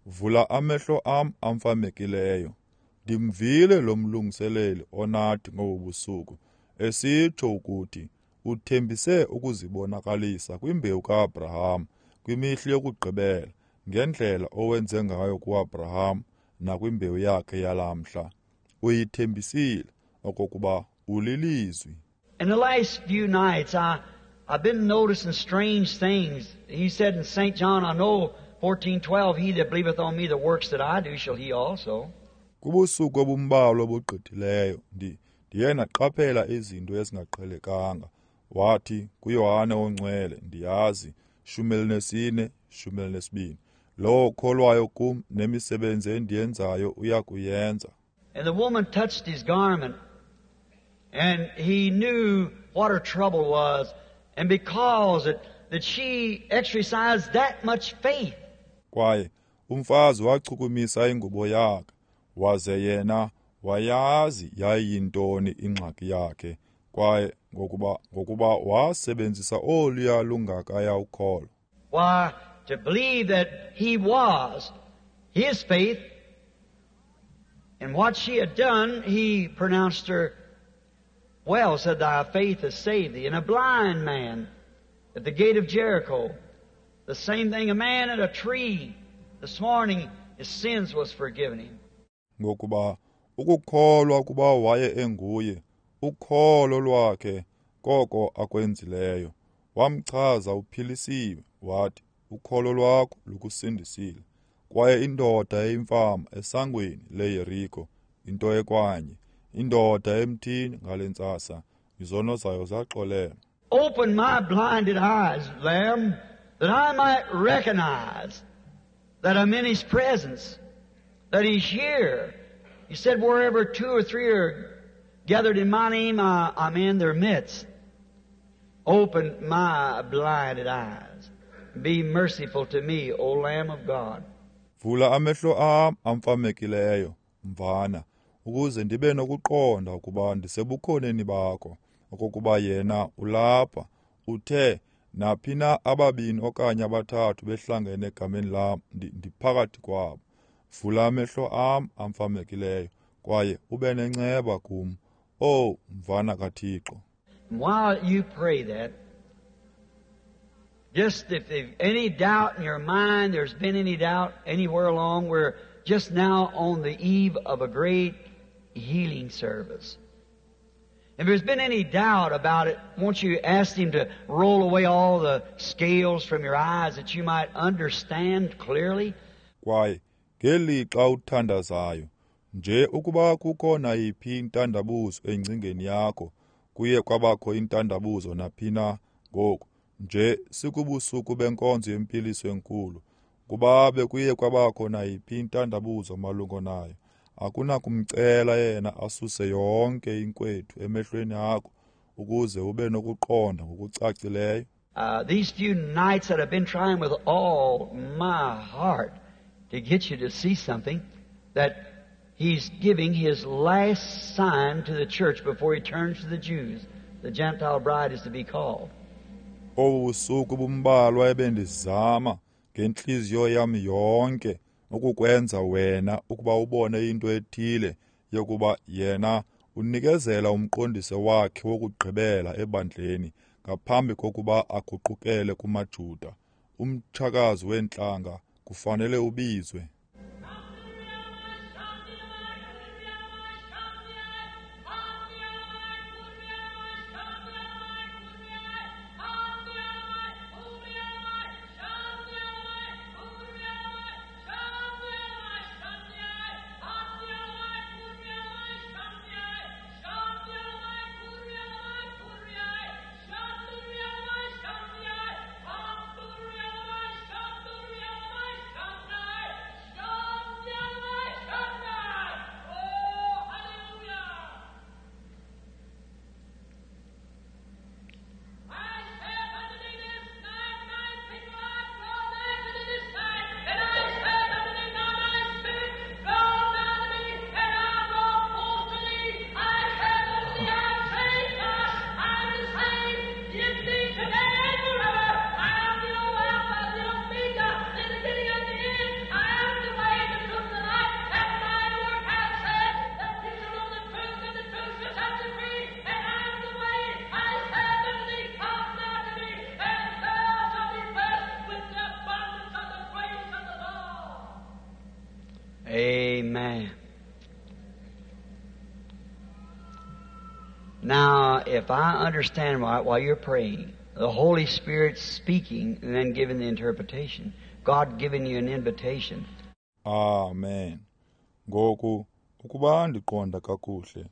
Vula amehlo am amfamekileyo. Ndimvile lo mlungiseleli onathi ngobu busuku esitsho ukuthi uthembise ukuzibonakalisa kwimbewu kaAbraham kwimihla yokugqibela ngendlela owenze ngayo kuAbraham nakwimbewu yakhe yalamhla. Uyithembisile okokuba ulilizwi. In the last few nights I I've been noticing strange things. He said in Saint John, I know fourteen twelve, he that believeth on me, the works that I do shall he also. Kubusuku obumbalwa obugqithileyo ndi ndiye ndaqaphela izinto ezingaqhelekanga. Wathi kuYohane oNgcwele, ndiyazi, shumi elinesine, shumi elinesibini, lowo ukholwayo kum nemisebenzi endiyenzayo uya kuyenza. And the woman touched his garment, and he knew what her trouble was, and because it, that she exercised that much faith, Kwaye umfazi wachukumisa ingubo yakhe, waze yena wayazi yayiyintoni ingxaki yakhe, kwaye ngokuba ngokuba wasebenzisa oluya lungakaya ukholo. Why, to believe that he was his faith and what she had done, he pronounced her well, said, thy faith has saved thee. And a blind man at the gate of Jericho, the same thing, a man at a tree this morning, his sins was forgiven him. Ngokuba ukukholwa ukuba waye enguye, ukholo lwakhe koko akwenzileyo, wamchaza uphilisiwe, wathi ukholo lwakho lukusindisile. Kwaye indoda eyimfama esangweni leYeriko, into ekwanye, indoda emthini ngale ntsasa, izono zayo zaxolelwa. Open my blinded eyes, Lamb, that I might recognize that I'm in His presence, that He's here. He said, wherever two or three are gathered in my name, I, I'm in their midst. Open my blinded eyes. Be merciful to me, O Lamb of God. Vula amehlo am amfamekileyo, mvana, ukuze ndibe nokuqonda ukuba ndisebukhoneni bakho, okokuba yena ulapha. Uthe naphi na ababini okanye abathathu behlangene egameni lam, ndiphakathi kwabo. Vula amehlo am amfamekileyo, kwaye ube nenceba kum, O mvana kaThixo. While you pray that, just if there's any doubt in your mind, there's been any doubt anywhere along, we're just now on the eve of a great healing service. If there's been any doubt about it, won't you ask Him to roll away all the scales from your eyes that you might understand clearly? Kwaye ngelixa uthandazayo, nje ukuba kukho nayiphi intandabuzo engcingeni yakho, kuye kwabakho intandabuzo naphi na ngoku, nje sikubusuku benkonzo yempiliso enkulu, kuba bekuye kwabakho nayiphi intandabuzo malungo nayo, akunakumcela yena asuse yonke inkwethu emehlweni akho ukuze ube nokuqonda ngokucacileyo. Uh, these few nights that I've been trying with all my heart to get you to see something, that He's giving His last sign to the church before He turns to the Jews. The Gentile bride is to be called. Obu busuku bumbalwa ebendizama ngentliziyo yam yonke ukukwenza wena ukuba ubone into ethile yokuba yena unikezela umqondiso wakhe wokugqibela ebandleni ngaphambi kokuba aguqukele kumaJuda. Umtshakazi weentlanga kufanele ubizwe. Amen. Now, if I understand right, while you're praying, the Holy Spirit speaking and then giving the interpretation, God giving you an invitation. Amen. Ngoku, ukuba ndiqonda kakuhle,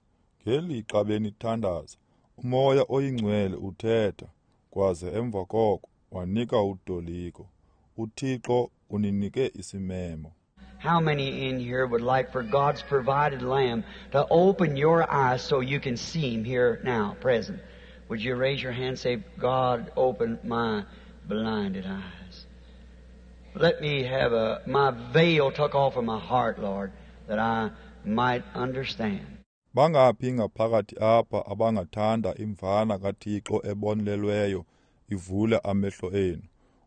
ngelixa benithandaza, uMoya oyiNgcwele uthetha, kwaze emva koko wanika utoliko. UThixo uninike isimemo. How many in here would like for God's provided Lamb to open your eyes so you can see Him here now, present? Would you raise your hand and say, God, open my blinded eyes? Let me have a, my veil took off of my heart, Lord, that I might understand. Bangaphi ngaphakathi apha abangathanda imvana kaThixo ebonelelweyo ivule amehlo enu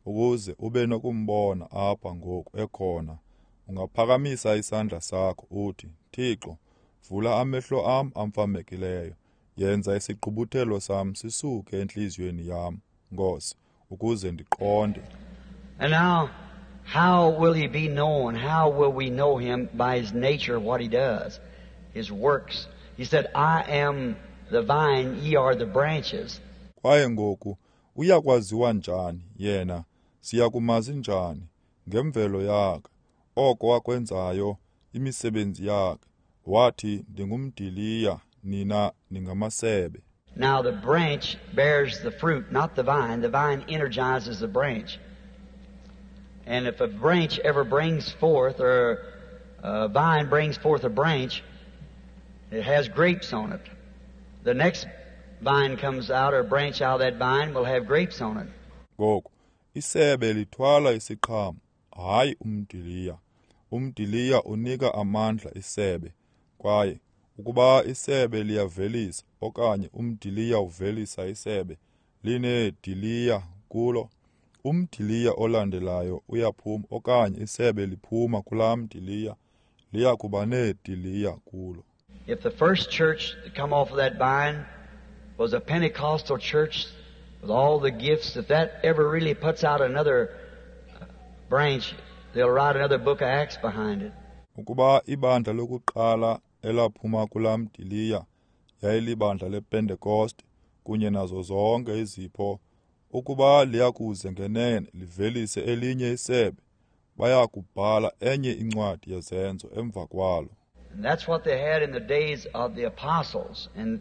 ukuze ube nokumbona apha ngoku ekhona? Ungaphakamisa isandla sakho uthi, Thixo, vula amehlo am amfamekileyo, yenza isigqubuthelo sam sisuke entliziyweni yam, Nkosi, ukuze ndiqonde. And now, how will he be known? How will we know him? By his nature, what he does, his works. He said, I am the vine, ye are the branches. Kwaye ngoku, uyakwaziwa njani yena? Siyakumazi njani? Ngemvelo yakhe, oko akwenzayo, imisebenzi yakhe. Wathi, ndingumdiliya, nina ningamasebe. Now the branch bears the fruit, not the vine. The vine energizes the branch. And if a branch ever brings forth, or a vine brings forth a branch, it has grapes on it. The next vine comes out, or branch out of that vine will have grapes on it. Ngoku, isebe lithwala isiqhamo, hayi umdiliya. Umdiliya unika amandla isebe. Kwaye ukuba isebe liyavelisa, okanye umdiliya uvelisa isebe, lineediliya kulo. Umdiliya olandelayo uyaphuma, okanye isebe liphuma kulaa mdiliya, liya kuba neediliya kulo. If the first church to come off of that vine was a Pentecostal church with all the gifts, if that ever really puts out another branch, they'll write another book of Acts behind it. Ukuba ibandla lokuqala elaphuma kulaa mdiliya yayilibandla lePentecost kunye nazo zonke izipho, ukuba liyakuze ngenene livelise elinye isebe, bayakubhala enye incwadi yezenzo emva kwalo. And that's what they had in the days of the apostles. And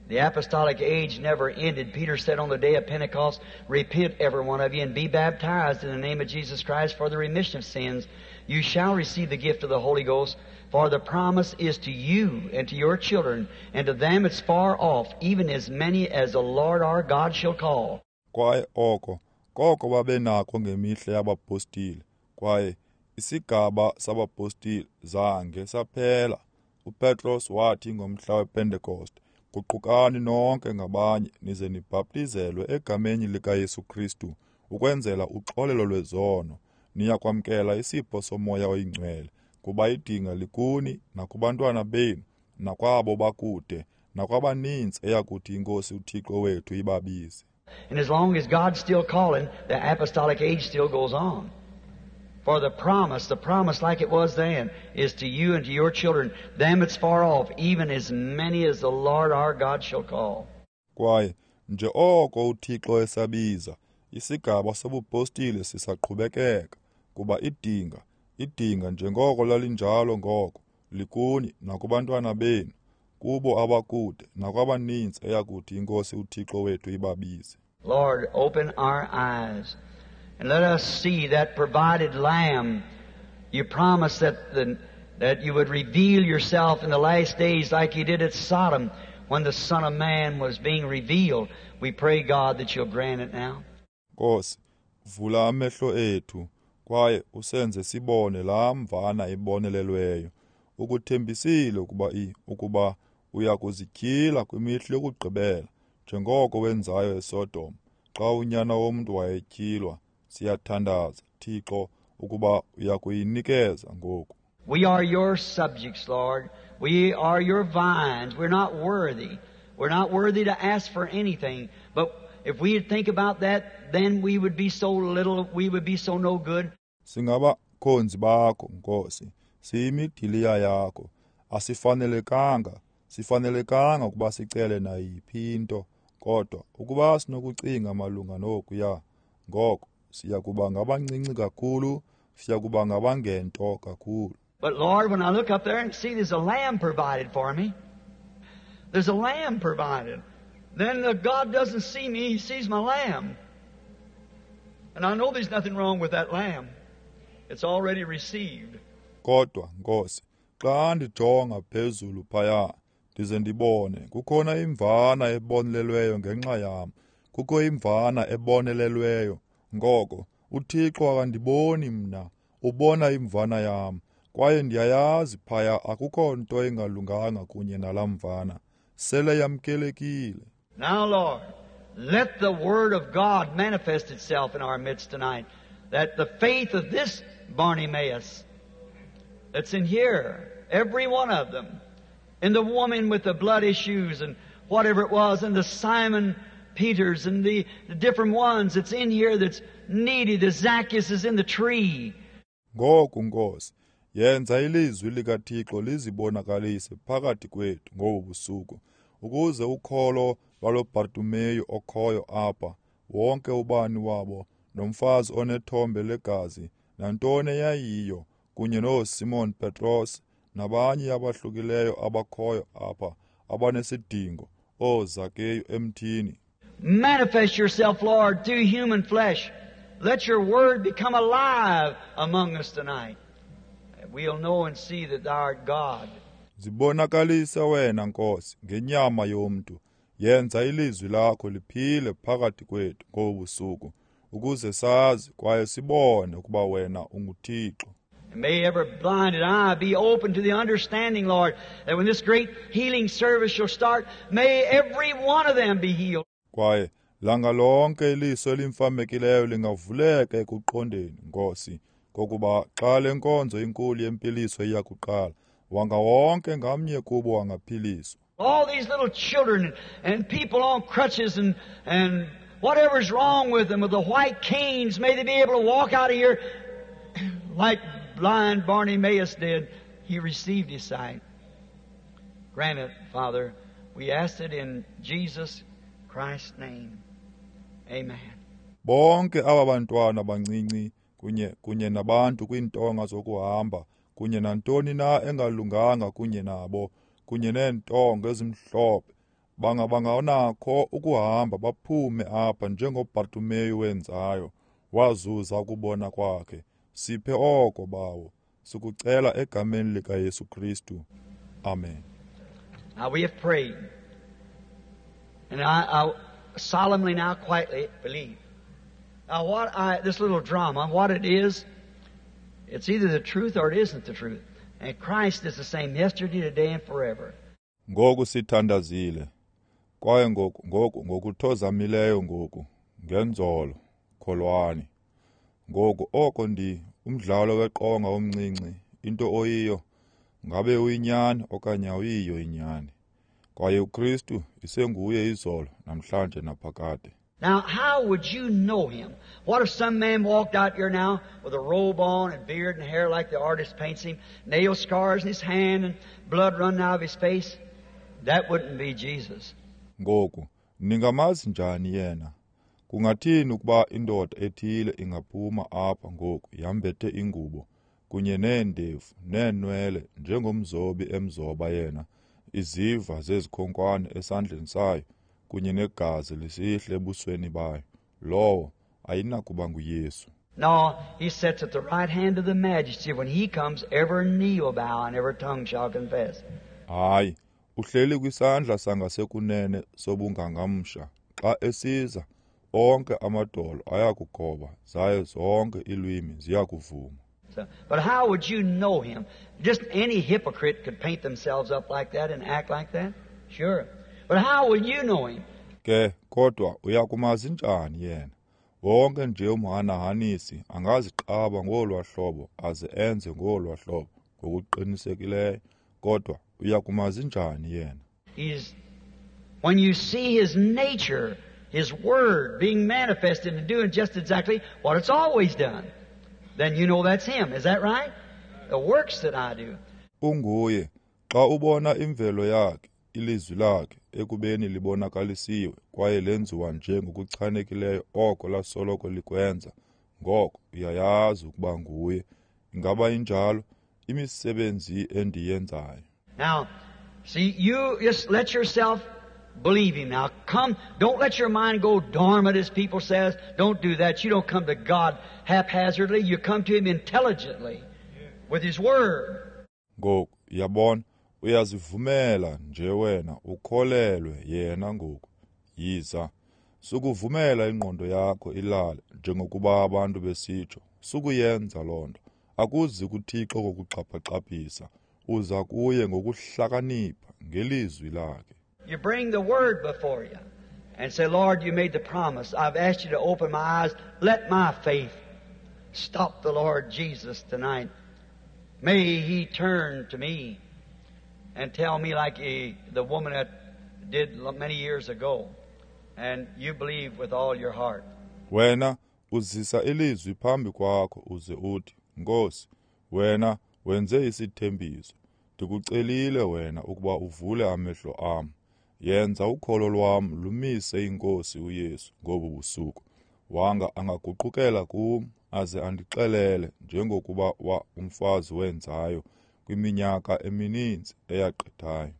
the apostolic age never ended. Peter said on the day of Pentecost, Repent, every one of you, and be baptized in the name of Jesus Christ for the remission of sins. You shall receive the gift of the Holy Ghost, for the promise is to you and to your children, and to them it's far off, even as many as the Lord our God shall call. Kwaye oko, koko babenako ngemihla yabapostile, kwaye isigaba sabapostile zange saphela. UPetros wathi ngomhla wePentecost, guqukani nonke ngabanye nize nibhaptizelwe egameni likaYesu Kristu ukwenzela uxolelo lwezono. Niyakwamkela isipho soMoya oyiNgcwele, kuba idinga likuni nakubantwana benu nakwabo bakude nakwabaninzi eyakuthi iNkosi uThixo wethu ibabize. And as long as God's still calling, the apostolic age still goes on. For the promise, the promise like it was then, is to you and to your children, them it's far off, even as many as the Lord our God shall call. Kwaye nje oko uThixo esabiza, isigaba sobupostile sisaqhubekeka, kuba idinga, idinga njengoko lalinjalo ngoko, likuni nakubantwana benu, kubo abakude nakwabaninzi eyakuthi iNkosi uThixo wethu ibabize. Lord, open our eyes and let us see that provided Lamb. You promised that the, that you would reveal yourself in the last days like you did at Sodom when the Son of Man was being revealed. We pray, God, that you'll grant it now. Nkosi, vula amehlo ethu kwaye usenze sibone laa mvana ibonelelweyo. Ukuthembisile ukuba i ukuba uya kuzityhila kwimihla yokugqibela njengoko wenzayo eSodom xa unyana womntu wayetyhilwa. Siyathandaza, Thixo, ukuba uya kuyinikeza ngoku. We are your subjects, Lord. We are your vines. We're not worthy. We're not worthy to ask for anything. But if we'd think about that, then we would be so little, we would be so no good. Singabakhonzi bakho, Nkosi. Siyimidiliya yakho. Asifanelekanga, sifanelekanga ukuba sicele nayiphi into, kodwa ukuba sinokucinga malunga nokuya, ngoko siyakuba ngabancinci kakhulu, siyakuba ngabangento kakhulu. But Lord, when I look up there and see there's a lamb provided for me, there's a lamb provided. Then the God doesn't see me, He sees my lamb. And I know there's nothing wrong with that lamb. It's already received. Kodwa Nkosi, xa ndijonga phezulu phaya, ndize ndibone kukhona imvana ebonelelweyo ngenxa yam. Kukho imvana ebonelelweyo. Ngoko UThixo akandiboni mna, ubona imvana yam. Kwaye ndiyayazi phaya akukho nto engalunganga kunye nalaa mvana. Sele yamkelekile. Now, Lord, let the Word of God manifest itself in our midst tonight, that the faith of this Bartimaeus that's in here, every one of them, and the woman with the blood issues and whatever it was, and the Simon Peters and the, the different ones that's in here that's needy, the Zacchaeus is in the tree. Ngoku Nkosi, yenza ilizwi likaThixo lizibonakalise phakathi kwethu ngobu busuku, ukuze ukholo lwalo Bartimeyu okhoyo apha, wonke ubani wabo, nomfazi onethombe legazi, nantoni eyayiyo, kunye nooSimon Petros nabanye abahlukileyo abakhoyo apha abanesidingo, ooZakeyu emthini. Manifest yourself, Lord, through human flesh. Let your word become alive among us tonight. We'll know and see that thou art God. Zibonakalise wena Nkosi ngenyama yomntu. Yenza ilizwi lakho liphile phakathi kwethu ngobu busuku, ukuze sazi kwaye sibone ukuba wena unguThixo. And may every blinded eye be open to the understanding, Lord, that when this great healing service shall start, may every one of them be healed. Kwaye langa lonke iliso elimfamekileyo lingavuleka ekuqondeni, Nkosi, kokuba xa le nkonzo inkulu yempiliso iyakuqala, wanga wonke ngamnye kubo angaphiliswa. All these little children and people on crutches and, and whatever's wrong with them, with the white canes, may they be able to walk out of here like blind Bartimaeus did. He received his sight. Grant it, Father. We ask it in Jesus Christ's name. Amen. Bonke aba bantwana bancinci kunye kunye nabantu kwiintonga zokuhamba, kunye nantoni na engalunganga kunye nabo, kunye neentonga ezimhlophe, banga banganakho ukuhamba baphume apha njengoBartimeyu wenzayo, wazuza ukubona kwakhe. Siphe oko, Bawo, sikucela egameni likaYesu Kristu. Amen. Now we have prayed, and I, I solemnly now quietly believe. Now what I, this little drama, what it is, it's either the truth or it isn't the truth. And Christ is the same yesterday, today, and forever. Ngoku sithandazile, kwaye ngoku ngoku ngokuthozamileyo ngoku ngenzolo kholwani. Ngoku oko ndi umdlalo weqonga omncinci, into oyiyo, ngabe uyinyani okanye awuyiyo inyani. Kwaye uKristu isenguye izolo namhlanje naphakade. Now, how would you know him? What if some man walked out here now with a robe on and beard and hair like the artist paints him, nail scars in his hand and blood running out of his face? That wouldn't be Jesus. Ngoku, ningamazi njani yena? Kungathini ukuba indoda ethile ingaphuma apha ngoku yambethe ingubo kunye neendevu neenwele njengomzobi emzoba yena, iziva zezikhonkwane esandleni sayo kunye negazi lisihle ebusweni bayo? Lowo ayinakuba nguYesu. No, he sits at the right hand of the majesty. When he comes, every knee will bow and every tongue shall confess. Hayi, uhleli kwisandla sangasekunene sobungangamsha. Xa esiza, onke amadolo ayakugoba, zaye zonke iilwimi ziyakuvuma. So, but how would you know him? Just any hypocrite could paint themselves up like that and act like that. Sure. But how will you know him? Ke kodwa uyakumazi njani yena? Wonke nje umhanahanisi angaziqaba ngolwa hlobo aze enze ngolwa hlobo ngokuqinisekileyo, kodwa uyakumazi njani yena? He's, when you see his nature, his word being manifested and doing just exactly what it's always done, then you know that's him. Is that right? The works that I do. Unguye xa ubona imvelo yakhe, ilizwi lakhe ekubeni libonakalisiwe kwaye lenziwa nje ngokuchanekileyo oko lasoloko likwenza, ngoko uyayazi ukuba nguye. Ingaba injalo? Imisebenzi endiyenzayo. Now, see, you just let yourself believe him. Now, come, don't let your mind go dormant, as people says. Don't do that. You don't come to God haphazardly. You come to him intelligently with his word. Ngoku, yabona, uyazivumela nje wena ukholelwe yena ngoku. Yiza. Sukuvumela ingqondo yakho ilale njengokuba abantu besitsho. Sukuyenza loo nto. Akuzi kuThixo ngokuxhaphixhaphisa. Uza kuye ngokuhlakanipha ngelizwi lakhe. You bring the word before you and say, Lord, you made the promise. I've asked you to open my eyes. Let my faith stop the Lord Jesus tonight. May he turn to me and tell me like he, the woman that did many years ago. And you believe with all your heart. Wena uzisa ilizwi phambi kwakho uze uthi, Nkosi, wena wenze isithembiso. Ndikucelile wena ukuba uvule amehlo am. Yenza ukholo lwam lumise iNkosi uYesu ngobu busuku. Wanga angaguqukela kum aze andixelele njengokuba wa umfazi wenzayo kwiminyaka emininzi eyagqithayo.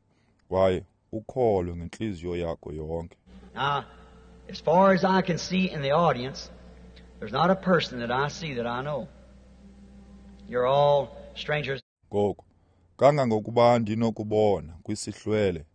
Kwaye ukholwe ngentliziyo yakho yonke. Now, as far as I can see in the audience, there's not a person that I see that I know. You're all strangers. Ngoku, kangangokuba ndinokubona kwisihlwele,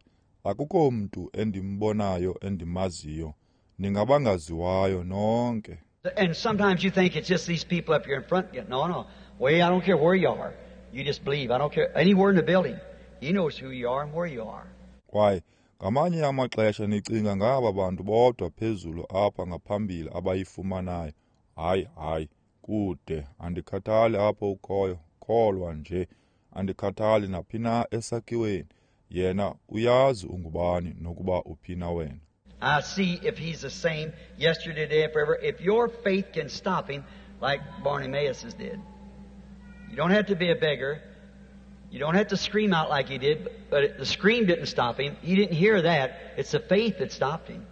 akukho mntu endimbonayo endimaziyo. Ningabangaziwayo nonke. And sometimes you think it's just these people up here in front. No, no. Well, I don't care where you are. You just believe. I don't care. Anywhere in the building. He knows who you are and where you are. Kwaye ngamanye amaxesha nicinga ngaba bantu bodwa phezulu apha ngaphambili abayifumanayo. Hayi, hayi, kude. Andikhathali apho ukhoyo. Kholwa nje. Andikhathali naphi na esakhiweni. Yena uyazi ungubani nokuba uphi na wena. I see if he's the same yesterday, today, and forever. If your faith can stop him like Bartimaeus did. You don't have to be a beggar. You don't have to scream out like he did, but the scream didn't stop him. He didn't hear that. It's the faith that stopped him.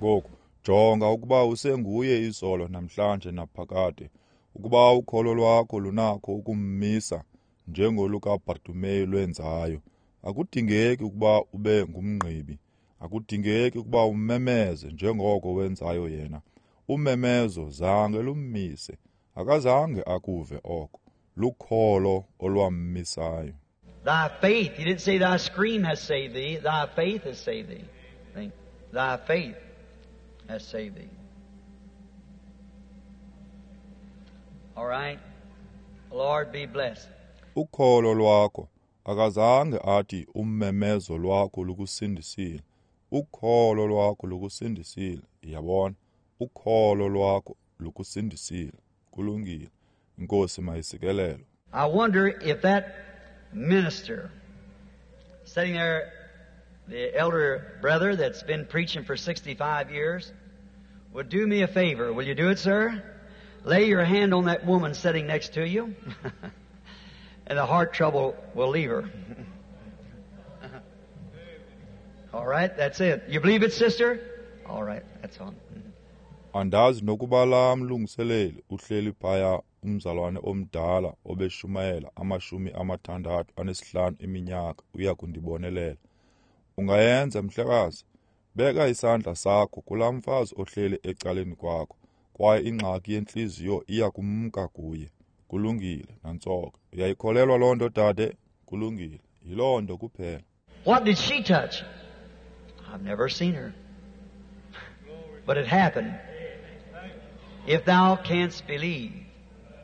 Ngoku, jonga ukuba usenguye izolo namhlanje naphakade. Ukuba ukholo lwakho lunakho ukummisa njengolukaBartimeyu lwenzayo. Akudingeki ukuba ube ngumngqibi. Akudingeki ukuba umemeze njengoko wenzayo yena. Umemezo zange lummise. Akazange akuve oko. Lukholo olwammisayo. Thy faith, he didn't say thy scream has saved thee. Thy faith has saved thee. Think, thy faith has saved thee. All right. Lord be blessed. Ukholo lwakho akazange athi ummemezo lwakho lukusindisile. Ukholo lwakho lukusindisile. Yabona, ukholo lwakho lukusindisile. Kulungile. Inkosi mayisikelele. I wonder if that minister sitting there, the elder brother that's been preaching for sixty-five years, would do me a favor. Will you do it, sir? Lay your hand on that woman sitting next to you, and the heart trouble will leave her. All right, that's it. You believe it, sister? All right, that's on. Andazi nokuba la mlungiseleli uhleli phaya umzalwane omdala obeshumayela amashumi amathandathu anesihlanu iminyaka uya kundibonelela. Ungayenza mhlekazi, beka isandla sakho kulaa mfazi ohleli ecaleni kwakho, kwaye ingxaki yentliziyo iya kumka kuye. Kulungile, nantsoke. Uyayikholelwa loo nto, dade? Kulungile, yiloo nto kuphela. What did she touch? I've never seen her. But it happened. If thou canst believe.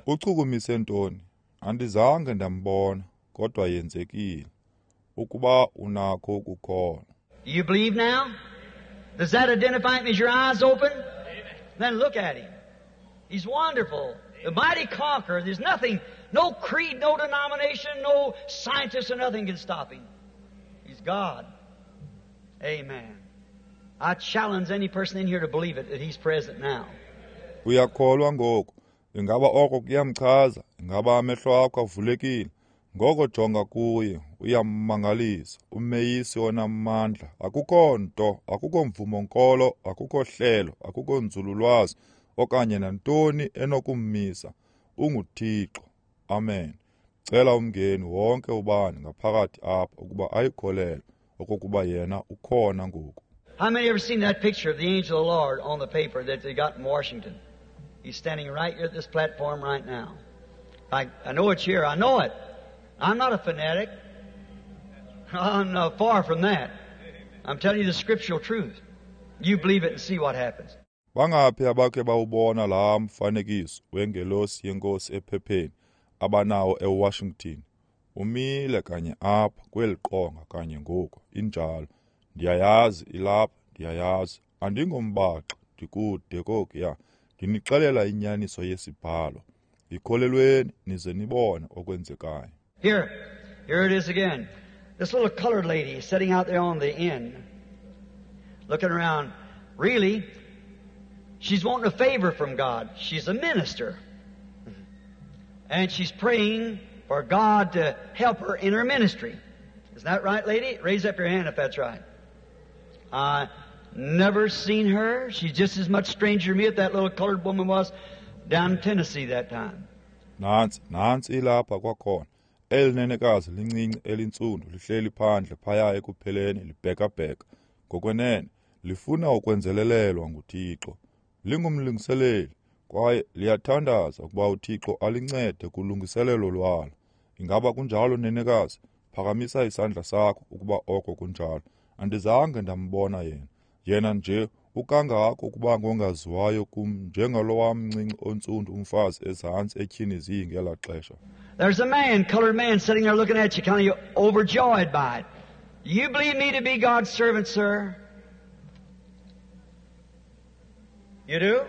Uchukumise ntoni? Andizange ndambona, kodwa yenzekile. Ukuba unakho ukukholwa. Do you believe now? Does that identify him? Is your eyes open? Then look at him. He's wonderful. The mighty conqueror. There's nothing, no creed, no denomination, no scientist or nothing can stop him. He's God. Amen. I challenge any person in here to believe it, that he's present now. Uyakholwa ngoku. Ingaba oko kuyamchaza, ingaba amehlo akho avulekile. Ngoko jonga kuye, uyammangalisa, umeyisi onamandla. Akukho nto, akukho mvumo nkolo, akukho hlelo, akukho nzululwazi okanye nantoni enokummisa. UnguThixo. Amen. Cela umngeni wonke ubani ngaphakathi apha ukuba ayikholelwe okokuba yena ukhona ngoku. How many ever seen that picture of the angel of the Lord on the paper that they got in Washington? He's standing right here at this platform right now. I, I know it's here. I know it. I'm not a fanatic. I'm not far from that. I'm telling you the scriptural truth. You believe it and see what happens. Bangaphi abakhe bawubona laa mfanekiso wengelosi yenkosi ephepheni abanawo eWashington? Umile kanye apha kweli qonga kanye ngoku. Injalo. Ndiyayazi ilapha, ndiyayazi. Andingombaxa, ndikude kokuya. Ndinixelela inyaniso yesibhalo. Yikholelweni nize nibone okwenzekayo. Here, here it is again. This little colored lady sitting out there on the end, looking around. Really, she's wanting a favor from God. She's a minister. And she's praying for God to help her in her ministry. Isn't that right, lady? Raise up your hand if that's right. I never seen her. She's just as much stranger to me as that little colored woman was down in Tennessee that time. Nantsi, nantsi ilapha kwakhona. Eli nenekazi lincinci elintsundu lihleli phandle phaya ekupheleni libhekabheka. Ngokwenene, lifuna ukwenzelelelwa nguThixo. Lingumlungiseleli kwaye liyathandaza ukuba uThixo alincede kulungiselelo lwalo. Ingaba kunjalo, nenekazi? Phakamisa isandla sakho ukuba oko kunjalo. Andizange ndambona yena. Yena nje ukangako ukuba ngongaziwayo kum njengalowa mncinci ontsundu umfazi ezantsi etyhini ngelaa xesha. There's a man, colored man, sitting there looking at you, kind of overjoyed by it. Do you believe me to be God's servant, sir? You do?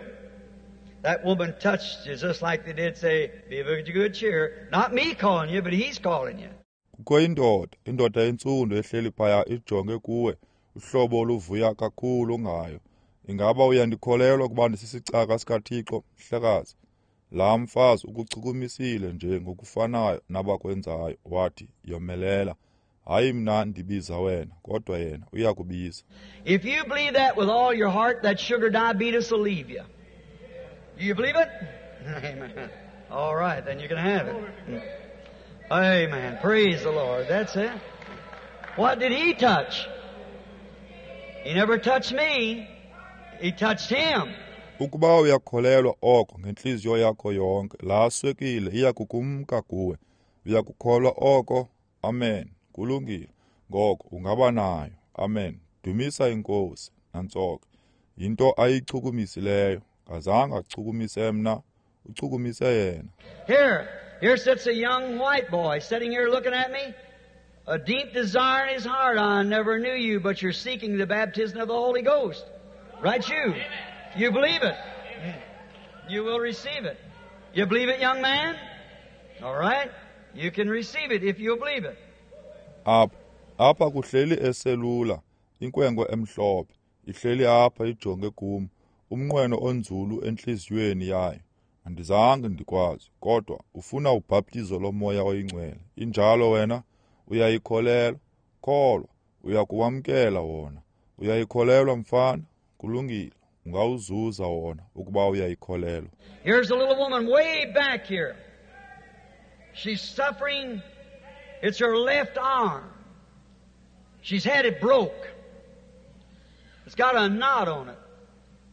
That woman touched you just like they did say, be of good cheer. Not me calling you, but he's calling you. Kukho indoda, indoda entsundu ehleli phaya ijonge kuwe, uhlobo oluvuya kakhulu ngayo. Ingaba uyandikholelwa ukuba ndisisicaka sikaThixo, mhlekazi? Laa mfazi ukuchukumisile nje ngokufanayo nabakwenzayo, wathi, yomelela. Hayi mna ndibiza wena, kodwa yena uyakubiza. If you believe that with all your heart, that sugar diabetes will leave you. Do you believe it? Amen. All right, then you can have it. Amen. Praise the Lord. That's it. What did he touch? He never touched me. He touched him. Ukuba uyakholelwa oko ngentliziyo yakho yonke, laa swekile iyakukumka kuwe. Uyakukholwa oko? Amen. Kulungile. Ngoko ungaba nayo. Amen. Dumisa iNkosi. Nantsoke. Yinto ayichukumisileyo. Ngazange achukumise mna, uchukumise yena. Here, here sits a young white boy sitting here looking at me. A deep desire in his heart. I never knew you, but you're seeking the baptism of the Holy Ghost. Right you. You believe it. You will receive it. You believe it, young man? All right. You can receive it if you believe it. Apha, apha kuhleli eselula, inkwenkwe emhlophe, ihleli apha ijonge kum, umnqweno onzulu entliziyweni yayo. Andizange ndikwazi, kodwa ufuna ubhaptizo lomoya oyingcwele. Injalo wena, uyayikholelwa, kholwa, uyakuwamkela wona. Uyayikholelwa mfana, kulungile, ungawuzuza wona ukuba uyayikholelwa. Here's a little woman way back here. She's suffering. It's her left arm. She's had it broke. It's got a knot on it.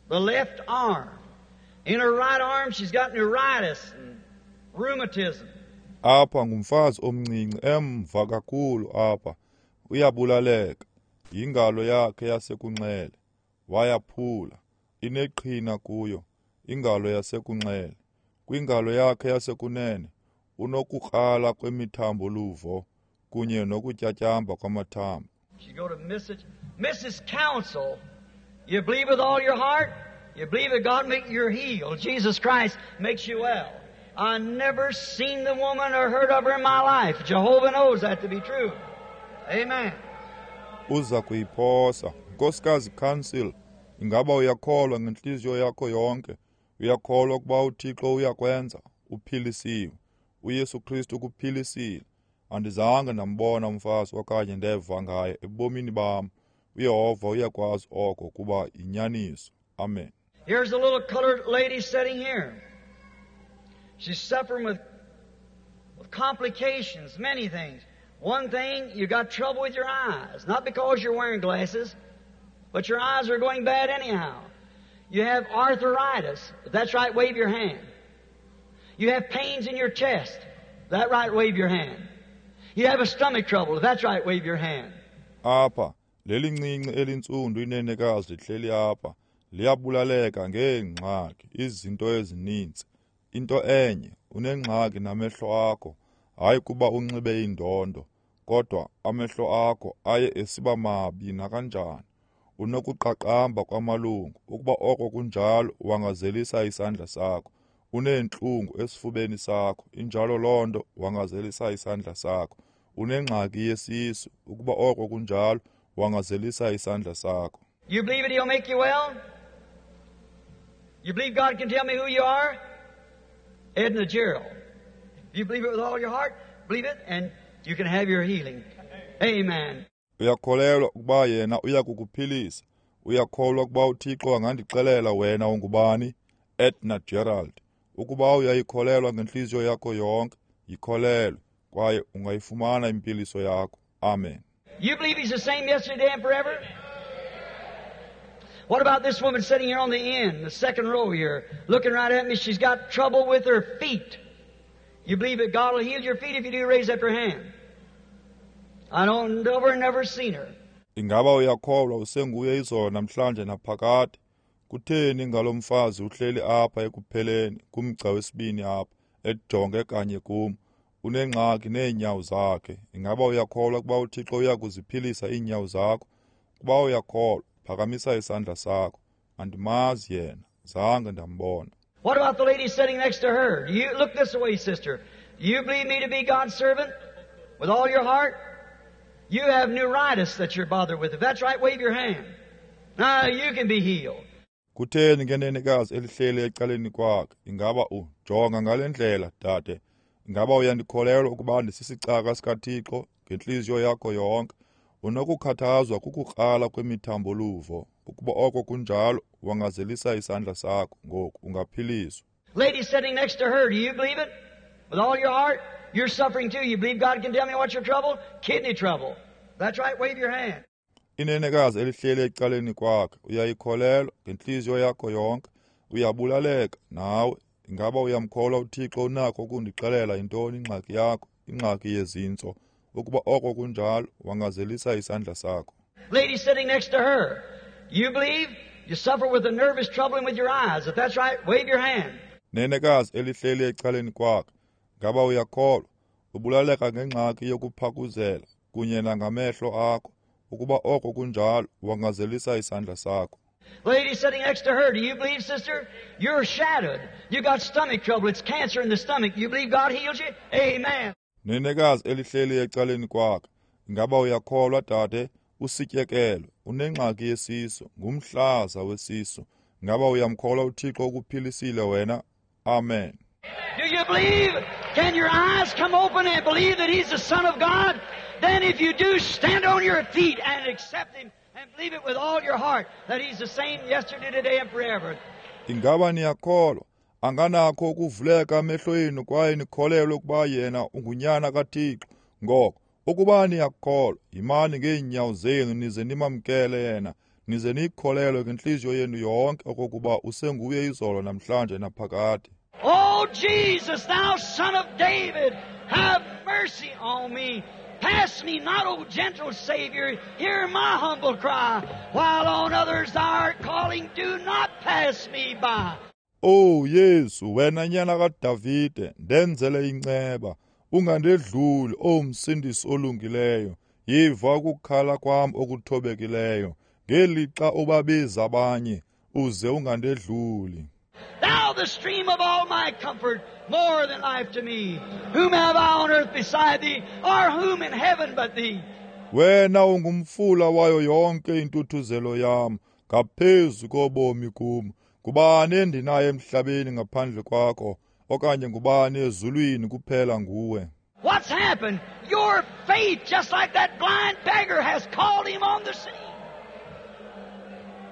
The left arm. In her right arm, she's got neuritis and rheumatism. Apha ngumfazi omncinci emva kakhulu apha. Uyabulaleka. Ingalo yakhe yasekunxele. Wayaphula. Ineqhina kuyo. Ingalo yasekunxele. Kwingalo yakhe yasekunene unokukrala kwemithambo luvo kunye nokutyatyamba kwamathambo. She go to Missus Missus Council. You believe with all your heart? You believe that God make you healed. Jesus Christ makes you well. I never seen the woman or heard of her in my life. Jehovah knows that to be true. Amen. Uza kuyiphosa. Nkosikazi Council, ingaba uyakholwa ngentliziyo yakho yonke? Uyakholwa ukuba uThixo uyakwenza? Uphilisiwe. uYesu Kristu ukuphilisile. Andizange ndambona umfazi okanye ndeva ngaye ebomini bam. uYehova uyakwazi oko kuba yinyaniso. Amen. Here's a little colored lady sitting here. She's suffering with, with complications, many things. One thing, you got trouble with your eyes. Not because you're wearing glasses, but your eyes are going bad anyhow. You have arthritis. If that's right, wave your hand. You have pains in your chest. If that's right, wave your hand. You have a stomach trouble. If that's right, wave your hand. Apha, Lelincinci elintsundu inenekazi lihleli apha, liyabulaleka ngeengxaki, izinto ezininzi. Into enye, unengxaki namehlo akho, hayi kuba unxibe indondo, kodwa amehlo akho aye esiba mabi nakanjani. Unokuqaqamba kwamalungu, ukuba oko kunjalo wangazelisa isandla sakho. Uneentlungu esifubeni sakho, injalo loo nto, wangazelisa isandla sakho. Unengxaki yesisu, ukuba oko kunjalo wangazelisa isandla sakho. You believe it, he'll make you well? You believe God can tell me who you are? Edna Gerald. You believe it with all your heart? Believe it, and you can have your healing. Amen. Uyakholelwa ukuba yena uyakukuphilisa? Uyakholwa ukuba uThixo angandixelela wena ungubani? Edna Gerald. Ukuba uyayikholelwa ngentliziyo yakho yonke, yikholelwe, kwaye ungayifumana impiliso yakho. Amen. You believe he's the same yesterday and forever? What about this woman sitting here on the end, the second row here, looking right at me? She's got trouble with her feet. You believe that God will heal your feet? If you do, raise up your hand. I don't never, never seen her. Ingaba uyakholwa usenguye izolo namhlanje naphakade? Kutheni ngalo mfazi uhleli apha ekupheleni kumgca wesibini apha, ejonge kanye kum? Unengxaki neenyawo zakhe. Ingaba uyakholwa ukuba uThixo uyakuziphilisa iinyawo zakho? Ukuba uyakholwa, phakamisa isandla sakho. Andimazi yena, zange ndambona. What about the lady sitting next to her? Do you look this way, sister? Do you believe me to be God's servant with all your heart? You have neuritis that you're bothered with. If that's right, wave your hand. Now you can be healed. Kutheni ngenenekazi elihleli ecaleni kwakhe? Ingaba ujonga ngale ndlela, dade? Ingaba uyandikholelwa ukuba ndisisicaka sikaThixo ngentliziyo yakho yonke? Unokukhathazwa kukukrala kwemithambo-luvo. Ukuba oko kunjalo, wangazelisa isandla sakho ngoku, ungaphiliswa. Lady sitting next to her, do you believe it? With all your heart? You're suffering too. You believe God can tell me what's your trouble? Kidney trouble. That's right, wave your hand. Inenekazi elihleli ecaleni kwakhe, uyayikholelwa ngentliziyo yakho yonke? Uyabulaleka nawe. Ingaba uyamkholwa uThixo unakho ukundixelela yintoni ingxaki yakho, ingxaki yezintso? Ukuba oko kunjalo, wangazelisa isandla sakho. Lady sitting next to her, you believe? You suffer with a nervous troubling with your eyes. If that's right, wave your hand. Nenekazi elihleli ecaleni kwakhe, ngaba uyakholwa? Ubulaleka ngengxaki yokuphakuzela kunye nangamehlo akho. Ukuba oko kunjalo, wangazelisa isandla sakho. Lady sitting next to her, do you believe, sister? You're shattered. You got stomach trouble. It's cancer in the stomach. You believe God heals you? Amen. Nenekazi elihleli ecaleni kwakhe, ingaba uyakholwa, dade? Usityekelo, unengxaki yesisu, ngumhlaza wesisu. Ingaba uyamkholwa uThixo ukuphilisile wena? Amen. Do you believe? Can your eyes come open and believe that He's the Son of God? Then if you do, stand on your feet and accept Him and believe it with all your heart that He's the same yesterday, today, and forever. Ingaba niyakholwa? Anganakho ukuvuleka amehlo enu kwaye nikholelwe ukuba yena ungunyana kaThixo. Ngoko ukuba niyakholwa, yimani ngeenyawo zenu nize nimamkele yena, nize niyikholelwe ngentliziyo yenu yonke okokuba usenguye izolo namhlanje naphakade. Oh Jesus, thou Son of David, have mercy on me. Pass me not, O gentle Savior, hear my humble cry. While on others thou art calling, do not pass me by. Oh Yesu, wena nyana kaDavide, ndenzele inceba, ungandedluli, oh Msindisi olungileyo. Yiva ukukhala kwam okuthobekileyo, ngelixa ubabiza abanye, uze ungandedluli. Thou the stream of all my comfort, more than life to me. Whom have I on earth beside thee, or whom in heaven but thee? Wena ungumfula wayo yonke intuthuzelo yam, ngaphezu kobomi kum. Ngubani endinaye emhlabeni ngaphandle kwakho, okanye ngubani ezulwini kuphela nguwe? What's happened? Your faith, just like that blind beggar, has called him on the scene.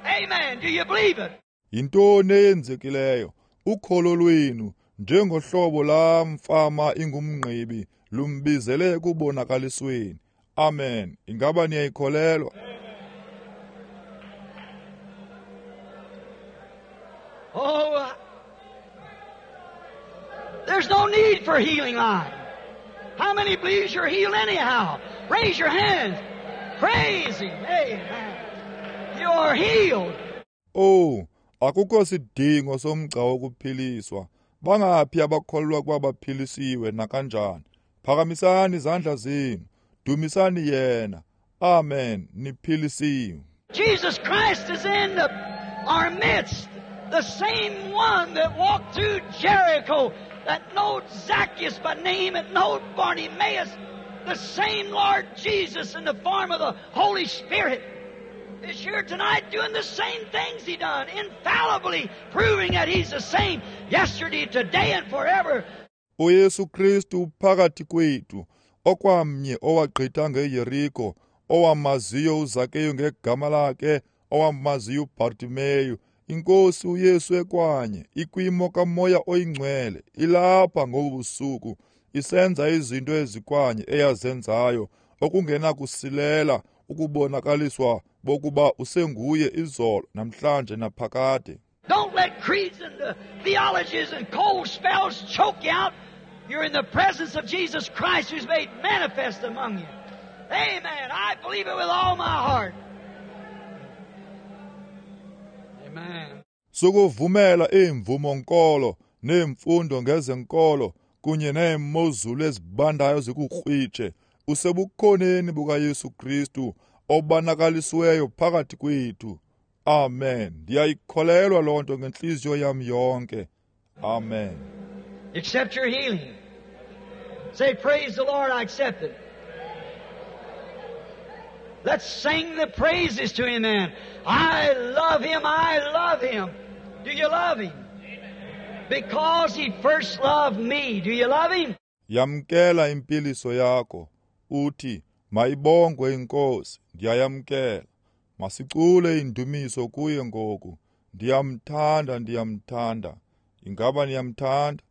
Amen. Do you believe it? Yintoni eyenzekileyo? Ukholo lwenu, njengohlobo laa mfama ingumngqibi, lumbizele ekubonakalisweni. Amen. Ingaba niyayikholelwa? Oh, there's no need for healing line. How many believes you're healed anyhow? Raise your hands. Praise Him. Amen. You are healed. Oh, akukho sidingo somgca wokuphiliswa. Bangaphi abakholwa kuba baphilisiwe nakanjani? Phakamisani izandla zenu. Dumisani yena. Amen. Niphilisiwe. Jesus Christ is in the, our midst. The same one that walked through Jericho, that knowed Zacchaeus by name, and knowed Bartimaeus, the same Lord Jesus in the form of the Holy Spirit is here tonight doing the same things He done, infallibly proving that He's the same yesterday, today, and forever. uYesu Kristu phakathi kwethu, okwamnye owagqitha ngeYeriko, owamaziyo uZakeyu ngegama lakhe, owamaziyo uBartimeyu. Inkosi uYesu ekwanye ikwimo kaMoya oyingcwele ilapha ngobusuku isenza izinto ezikwanye eyazenzayo okungenakusilela ukubonakaliswa bokuba usenguye izolo namhlanje naphakade. Don't let creeds and the theologies and cold spells choke you out. You're in the presence of Jesus Christ who's made manifest among you. Amen. I believe it with all my heart. Amen. Sukuvumela imvumo nkolo nemfundo ngezenkolo kunye neemozulu ezibandayo zikukrwitshe. Usebukhoneni bukaYesu Kristu obonakalisiweyo phakathi kwethu. Amen. Ndiyayikholelwa loo nto ngentliziyo yam yonke. Amen. Accept your healing. Say, praise the Lord, I accept it. Let's sing the praises to Him then. I love Him, I love Him. Do you love Him? Because He first loved me. Do you love Him? Yamkela impiliso yakho. Uthi, mayibongwe iNkosi, ndiyayamkela. Masicule indumiso kuye ngoku. Ndiyamthanda, ndiyamthanda. Ingaba niyamthanda?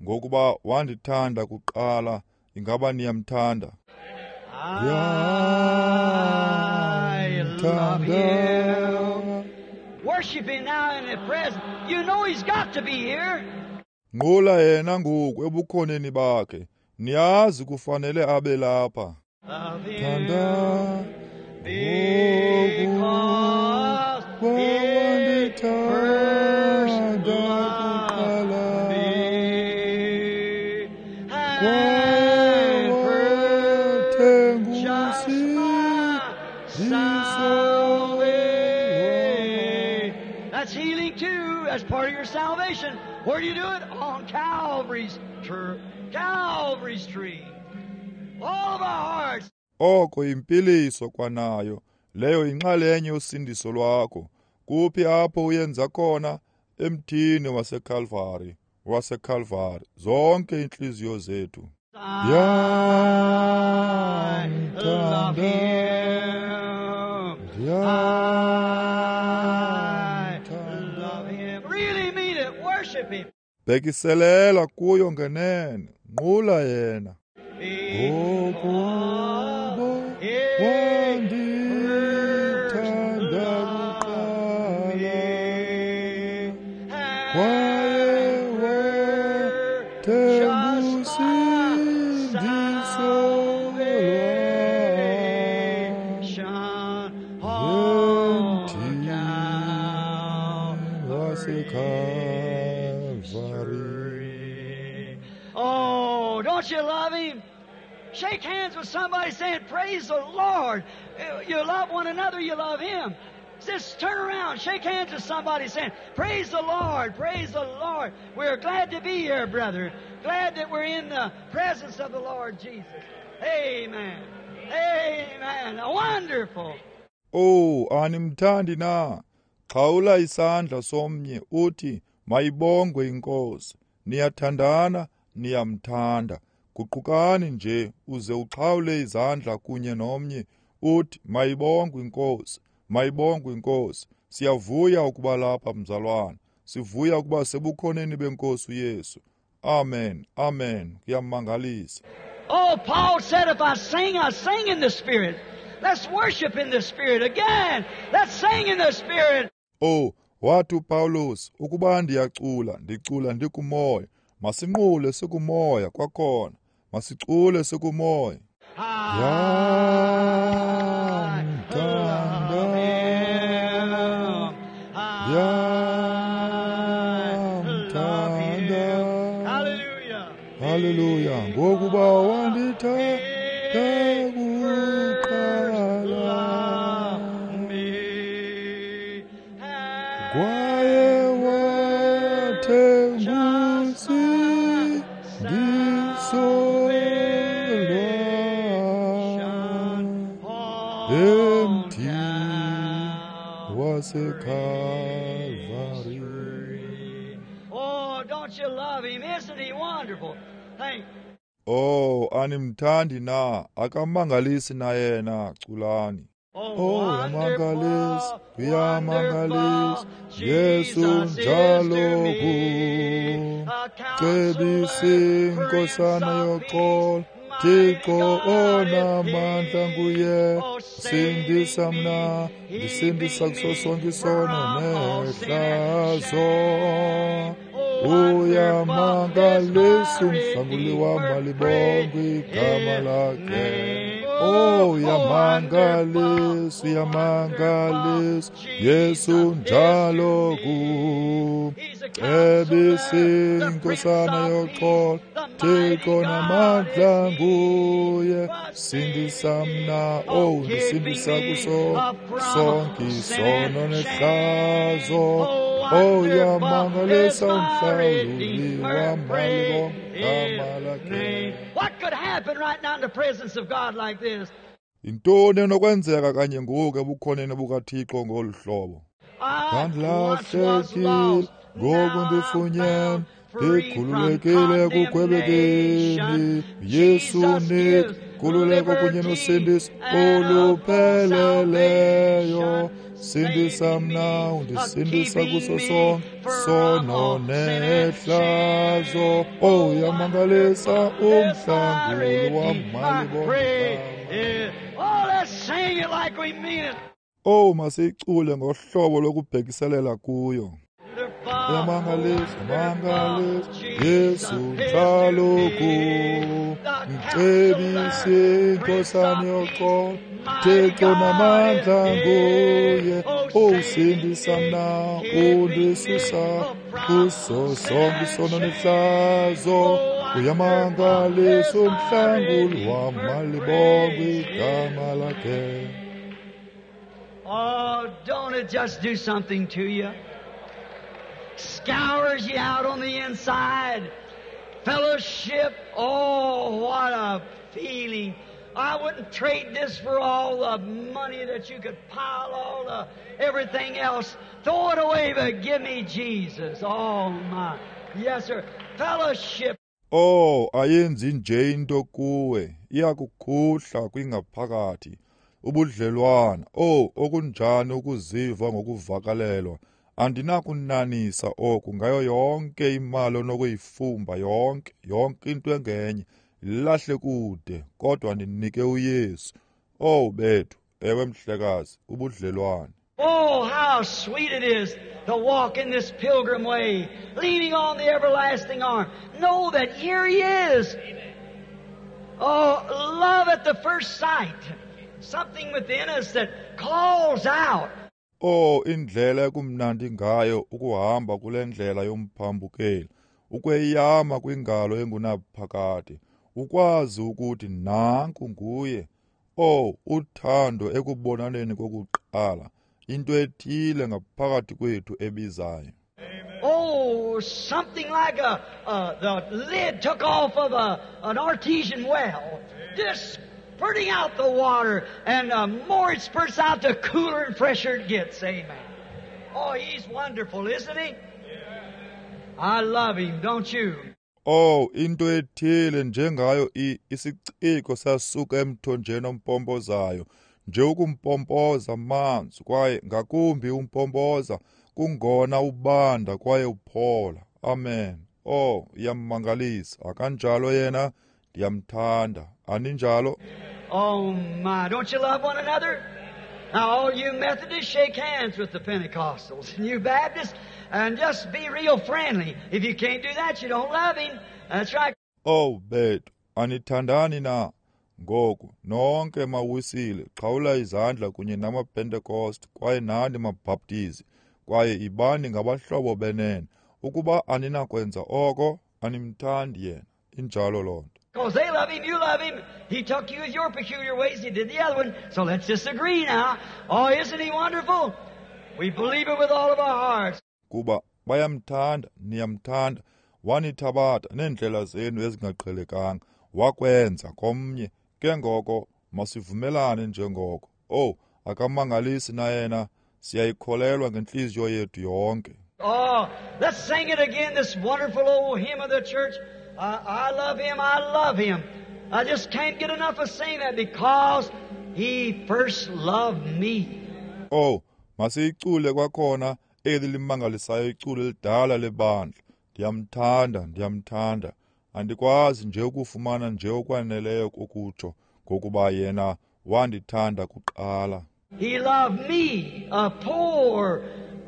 Ngokuba wandithanda kuqala, ingaba niyamthanda? I love Him. Worship Him now in the present. You know He's got to be here. Nqula yena ngoku ebukhoneni bakhe. Niyazi kufanele abe lapha. Love Him Thanda because He first loved me and purchased my salvation. That's healing too. That's part of your salvation. Where do you do it? On Calvary's tree. Calvary's tree. All of our hearts. Oko impiliso kwanayo leyo inxalenye yosindiso lwakho. Kuphi apho uyenza khona? Emthini waseCalvary, waseCalvary. Zonke inhliziyo zethu. I love Him. I love Him. Really mean it. Worship Him. Bhekiselela kuyo ngenene, nqula yena. Because He first loved me and purchased my salvation on Calvary's tree. Oh, don't you love Him? Shake hands with somebody saying, praise the Lord. You love one another, you love Him. Just turn around, shake hands with somebody saying, praise the Lord, praise the Lord. We're glad to be here, brother. Glad that we're in the presence of the Lord Jesus. Amen. Amen. Wonderful. Oh, animthandi na? Xhawula isandla somnye uthi, mayibongwe iNkosi. Niyathandana, niyamthanda. Guqukani nje uze uxhawule izandla kunye nomnye uthi, mayibongwe iNkosi, mayibongwe iNkosi. Siyavuya ukuba lapha mzalwana. Sivuya ukuba sebukhoneni benkosi uYesu. Amen. Amen. Kuyamangalisa. Oh, Paul said, if I sing, I sing in the Spirit. Let's worship in the Spirit again. Let's sing in the Spirit. Oh, wathi uPawulos, ukuba ndiyacula, ndicula ndikumoya. Masinqule sikumoya kwakhona. Masicule sikumoya. I love him. Ndiyamthanda. Hallelujah. Haleluya, ngokuba wandithanda kuqala. Love me. Kwaye wathenga usindiso lwam emthini waseKalvari. Oh, don't you love him? Isn't he wonderful? Thank Oh, animthandi na? Akamangalisi na yena, culani. Oh, Oh, uyamangalisa, wonderful, uyamangalisa, wonderful, Yesu Jesus is to njalo me. kum. A Cebisi counselor, Prince inkosana of yoxolo, Peace, mighty Thixo God is onamandla he. nguye. Oh, Sindisa saving me, mna, ndisindisa keeping kuso me sonke isono from all sin and nehlazo. shame. Oh, wonderful is Uyamangalisa my umhlanguli wam, Redeemer, malibongwe praise igama his lakhe. name. Oh, Oh, uyamangalisa, wonderful, uyamangalisa, wonderful, Yesu Jesus is to njalo me. kum. He's a Cebisi counselor, the Prince inkosana of yoxolo, Peace, the mighty Thixo God namandla is he. nguye. Was Sindisa saving me, mna, oh, oh, keeping ndisindisa me kuso from sonke sin isono and nehlazo. shame. Oh, Oh, wonderful is uyamangalisa my umhlawuli Redeemer, wam, praise malibongwe his igama lakhe. name. What could happen right now in the presence of God like this? Yintoni enokwenzeka kanye ngoku ebukhoneni bukaThixo ngolu hlobo? I once was Ndandilahlekile, lost, ngoku now I'm ndifunyenwe, found, free from ndikhululekile ekugwebekeni. condemnation. Yesu Jesus unika gives nkululeko kunye liberty nosindiso and a full olupheleleyo. salvation, Sindisa saving mna, me, uh, undisindisa keeping kuso me sonke from sono all sin and nehlazo. shame. Oh, Oh, uyamangalisa wonderful is my umhlanguli wam, Redeemer, malibongwe praise igama. his. Oh, let's sing it like we mean it. Oh, masiyicule ngohlobo lokubhekiselela kuyo. Wonderful, Uyamangalisa, wonderful, mangalisa, Jesus Yesu is to njalo me. kum. The Mcebisi counselor, Prince inkosana of Peace, yoxolo, mighty Thixo God is namandla he. nguye. Oh, Oh, saving sindisa me, mna, keeping me undisusa from kuso sin sonke and isono shame. nehlazo. Oh, wonderful Uyamangalisa is my umhlanguli wam, Redeemer, malibongwe praise his igama lakhe. name. Oh, don't it just do something to you? Scours you out on the inside. Fellowship, oh, what a feeling. I wouldn't trade this for all the money that you could pile, all the everything else. Throw it away, but give me Jesus. Oh, my. Yes, sir. Fellowship. Oh, ayenzi nje into kuwe, iyakukhuhla kwingaphakathi. Ubudlelwana, oh, okunjani ukuziva ngokuvakalelwa. Andinakunanisa oku ngayo yonke imali onokuyifumba, yonke, yonke into engenye. Lahle kude, kodwa ndinike uYesu. Oh, bethu, ewe mhlekazi, ubudlelwane. Oh, how sweet it is to walk in this pilgrim way, leaning on the everlasting arm. Know that here He is. Oh, love at the first sight. Something within us that calls out. Oh, indlela ekumnandi ngayo ukuhamba kule ndlela yomphambukeli, ukweyama kwingalo engunaphakade, ukwazi ukuthi nanku nguye. Oh, uthando ekubonaneni kokuqala, into ethile ngaphakathi kwethu ebizayo. Oh, something like a, uh, the lid took off of a, an artesian well, just spurting out the water, and the more it spurts out, the cooler and fresher it gets. Amen. Oh, he's wonderful, isn't he? I love him, don't you? Oh, into ethile njengayo i isiciko sasuka emthonjeni ompompozayo, nje ukumpompoza amanzi, kwaye ngakumbi umpompoza kungona ubanda kwaye uphola. Amen. Oh, iyamangalisa. Akanjalo yena, ndiyamthanda. Aninjalo? Oh my, don't you love one another? Now all you Methodists, shake hands with the Pentecostals, and you Baptists, and just be real friendly. If you can't do that, you don't love him. That's right. Oh bethu, anithandani na? Ngoku nonke mawisile, xhawula izandla kunye namaPentecost kwaye nani maBhaptizi, kwaye ibani ngabahlobo benene. Ukuba aninakwenza oko, animthandi yena. Injalo loo nto. Because they love him, you love him. He took you with your peculiar ways, he did the other one. So let's disagree now. Oh, isn't he wonderful? We believe it with all of our hearts. Kuba bayamthanda, niyamthanda. Wanithabatha neendlela zenu ezingaqhelekanga, wakwenza komnye. Ke ngoko masivumelane njengoko. Oh, akamangalisi na yena? Siyayikholelwa ngentliziyo yethu yonke. Oh, let's sing it again, this wonderful old hymn of the church. I, I love him, I love him. I just can't get enough of saying that because he first loved me. Oh, masiyicule kwakhona eli limangalisayo iculo elidala lebandla. Ndiyamthanda, ndiyamthanda. Andikwazi nje ukufumana nje okwaneleyo ukutsho ngokuba yena wandithanda kuqala. He loved me, a poor,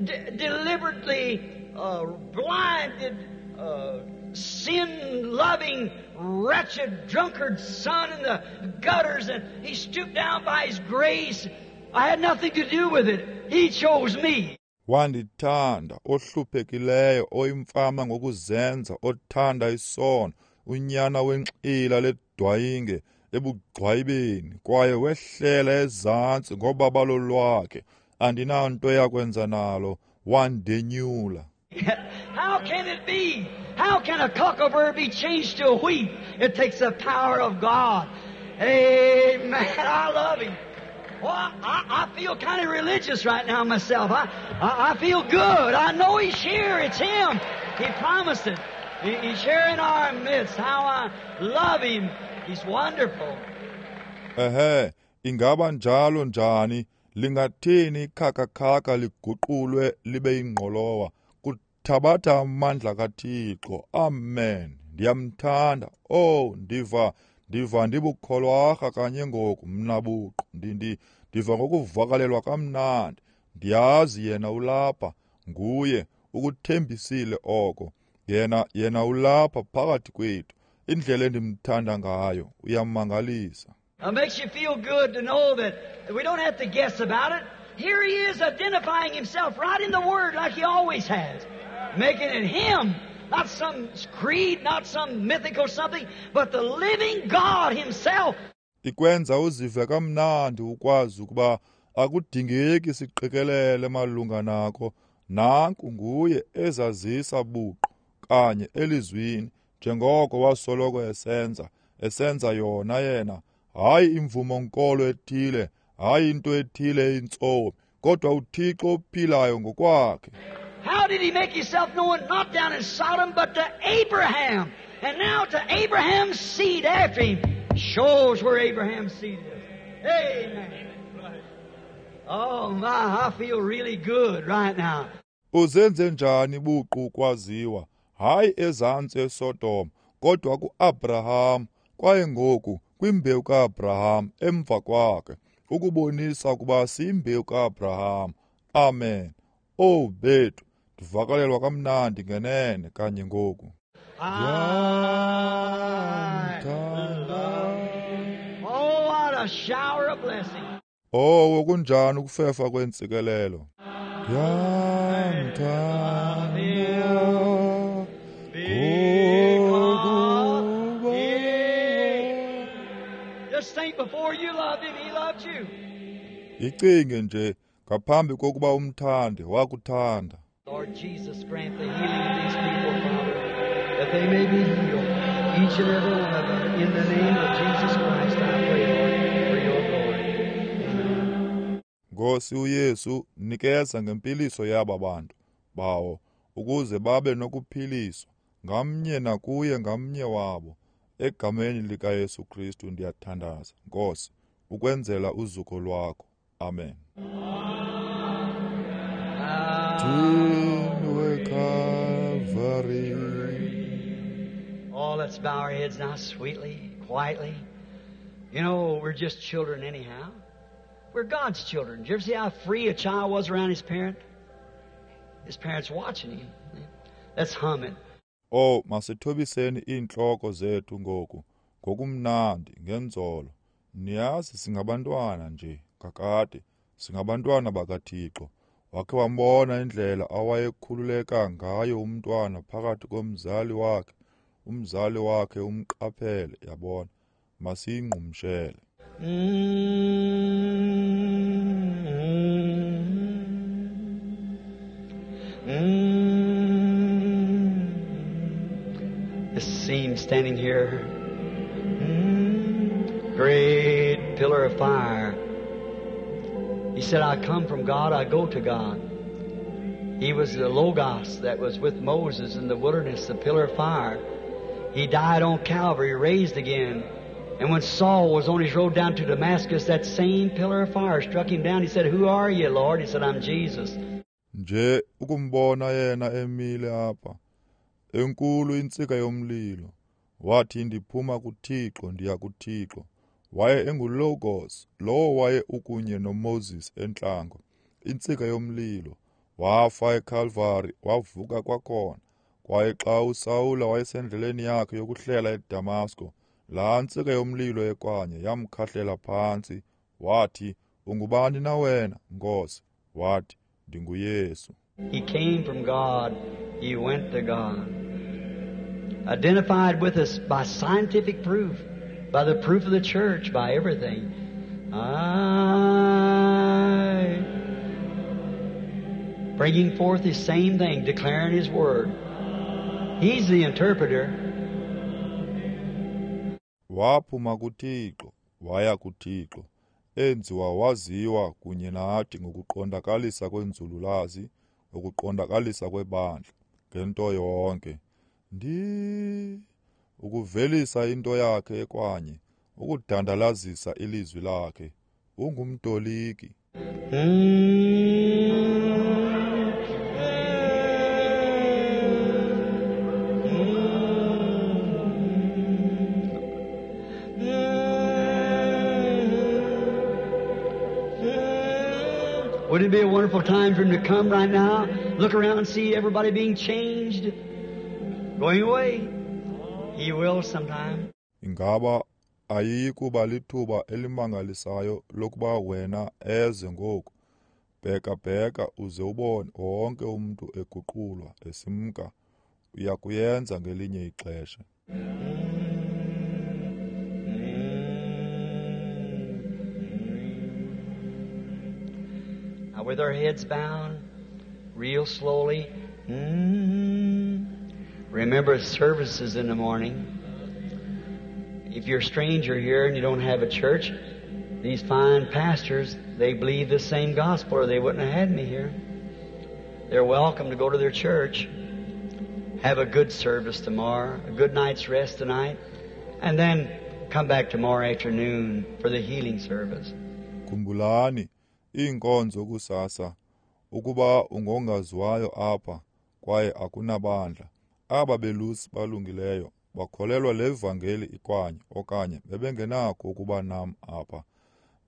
de- deliberately uh, blinded, uh, sin-loving, wretched, drunkard son in the gutters, and he stooped down by his grace. I had nothing to do with it. He chose me. Wandithanda, ohluphekileyo, oyimfama ngokuzenza, othanda isono, unyana wenxila ledwayinge ebugxwayibeni, kwaye wehlela ezantsi ngobabalo lwakhe. Andinanto yakwenza nalo, wandenyula. How can it be? How can a cocklebur be changed to a wheat? It takes the power of God. Amen. I love him. Well, I, I feel kind of religious right now myself. I, I, I feel good. I know he's here. It's him. He promised it. He, he's here in our midst. How I love him. He's wonderful. Ehe, ingaba njalo njani? Lingathini ikhakakhaka liguqulwe libe yingqolowa? Kuthabatha amandla kaThixo. Amen. Ndiyamthanda. Oh, ndiva ndiva ndibukholwarha kanye ngoku mna buqu. Ndi ndiva ngokuvakalelwa kamnandi. Ndiyazi yena ulapha, nguye ukuthembisile oko. Yena yena ulapha phakathi kwethu. Indlela endimthanda ngayo uyamangalisa. It makes you feel good to know that we don't have to guess about it. Here he is identifying himself right in the Word like he always has. Making it him, not some creed, not some mythical something, but the living God himself. Ikwenza uzive kamnandi ukwazi ukuba akudingeki siqikelele malunga nako. Nanku nguye ezazisa buqu kanye elizwini njengoko wasoloko esenza, esenza yona yena. Hayi imvumo nkolo ethile, hayi into ethile intsomi, kodwa uThixo ophilayo ngokwakhe. How did he make himself known? Not down in Sodom, but to Abraham. And now to Abraham's seed after him. Shows where Abraham's seed is. Amen. Oh my, I feel really good right now. Uzenze njani buqu kwaziwa? Hayi ezantsi eSodom, kodwa kuAbraham. Kwaye ngoku kwimbewu kaAbraham emva kwakhe, ukubonisa ukuba siyimbewu kaAbraham. Amen. Oh bethu, ndivakalelwa kamnandi ngenene kanye ngoku. Oh, what a shower of blessing. Oh, kunjani ukufefa kwentsikelelo. Ndiyamthanda. Just think, before you loved him, he loved you. Icinge nje ngaphambi kokuba umthande wakuthanda. Lord Jesus, grant the healing of these people, Father, that they may be healed, each and every one of them. In the name of Jesus Christ, I pray, Lord, for your glory. Amen. Nkosi uYesu, nikeza ngempiliso yaba bantu bawo, ukuze babe nokuphiliswa ngamnye nakuye ngamnye wabo. Egameni likaYesu Kristu ndiyathandaza, Nkosi, ukwenzela uzuko lwakho. Amen. Calvary. Oh, let's bow our heads now sweetly, quietly. You know, we're just children anyhow. We're God's children. Did you ever see how free a child was around his parent? His parents watching him. Let's hum it. Oh, masithobiseni iintloko zethu ngoku, ngokumnandi, ngenzolo. Niyazi singabantwana nje, kakade, singabantwana bakaThixo. Wakhe wambona indlela awayekhululeka ngayo umntwana phakathi komzali wakhe, umzali wakhe umqaphele, yabona. Masiyingqumshele. Mm-hmm. This seam standing here, mm-hmm. Great pillar of fire. He said, I come from God, I go to God. He was the Logos that was with Moses in the wilderness, the pillar of fire. He died on Calvary, raised again. And when Saul was on his road down to Damascus, that same pillar of fire struck him down. He said, Who are you, Lord? He said, I'm Jesus. Nje ukumbona yena emile apha, enkulu intsika yomlilo. Wathi, ndiphuma kuThixo, ndiya kuThixo. Waye enguLogos, lowo waye ukunye noMoses entlango, intsika yomlilo. Wafa eCalvary, wavuka kwakhona. Kwaye xa uSawula wayesendleleni yakhe yokuhlela eDamasko, laa ntsika yomlilo ekwanye yamkhahlela phantsi. Wathi, ungubani na wena, Nkosi? Wathi, ndinguYesu. He came from God, he went to God. Identified with us by scientific proof, by the proof of the church, by everything. I, bringing forth the same thing, declaring His Word. He's the interpreter. Waphuma kuThixo, waya kuThixo, enziwa waziwa kunye nathi ngokuqondakalisa kwenzululazi, ngokuqondakalisa kwebandla, ngento yonke. Ndi ukuvelisa into yakhe ekwanye, ukudandalazisa ilizwi lakhe. Ungumtoliki. Wouldn't it be a wonderful time for him to come right now, look around and see everybody being changed, going away? He will sometime. Ingaba ayikuba lithuba elimangalisayo lokuba wena eze ngoku. Bheka bheka uze ubone wonke umuntu eguqulwa esimka. Uyakuyenza ngelinye ixesha. Now with our heads bound, real slowly, mm, remember services in the morning. If you're a stranger here and you don't have a church, these fine pastors, they believe the same gospel or they wouldn't have had me here. They're welcome to go to their church. Have a good service tomorrow, a good night's rest tonight, and then come back tomorrow afternoon for the healing service. Khumbulani iinkonzo kusasa, ukuba ungongaziwayo apha kwaye akunabandla. Aba belusi balungileyo bakholelwa le vangeli ikwanye okanye bebengenakho ukuba nam apha.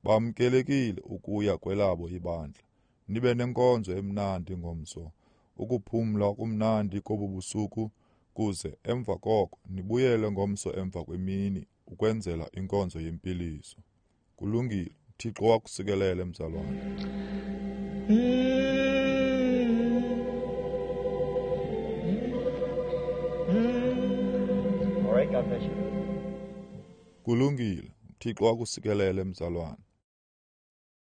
Bamkelekile ukuya kwelabo ibandla. Nibe nenkonzo emnandi ngomso, ukuphumla kumnandi kobu busuku, kuze emva koko nibuyele ngomso emva kwemini ukwenzela inkonzo yempiliso. Kulungile, Thixo wakusikelele mzalwane. All right, God bless you. Kulungile, Thixo wakusikelele mzalwane.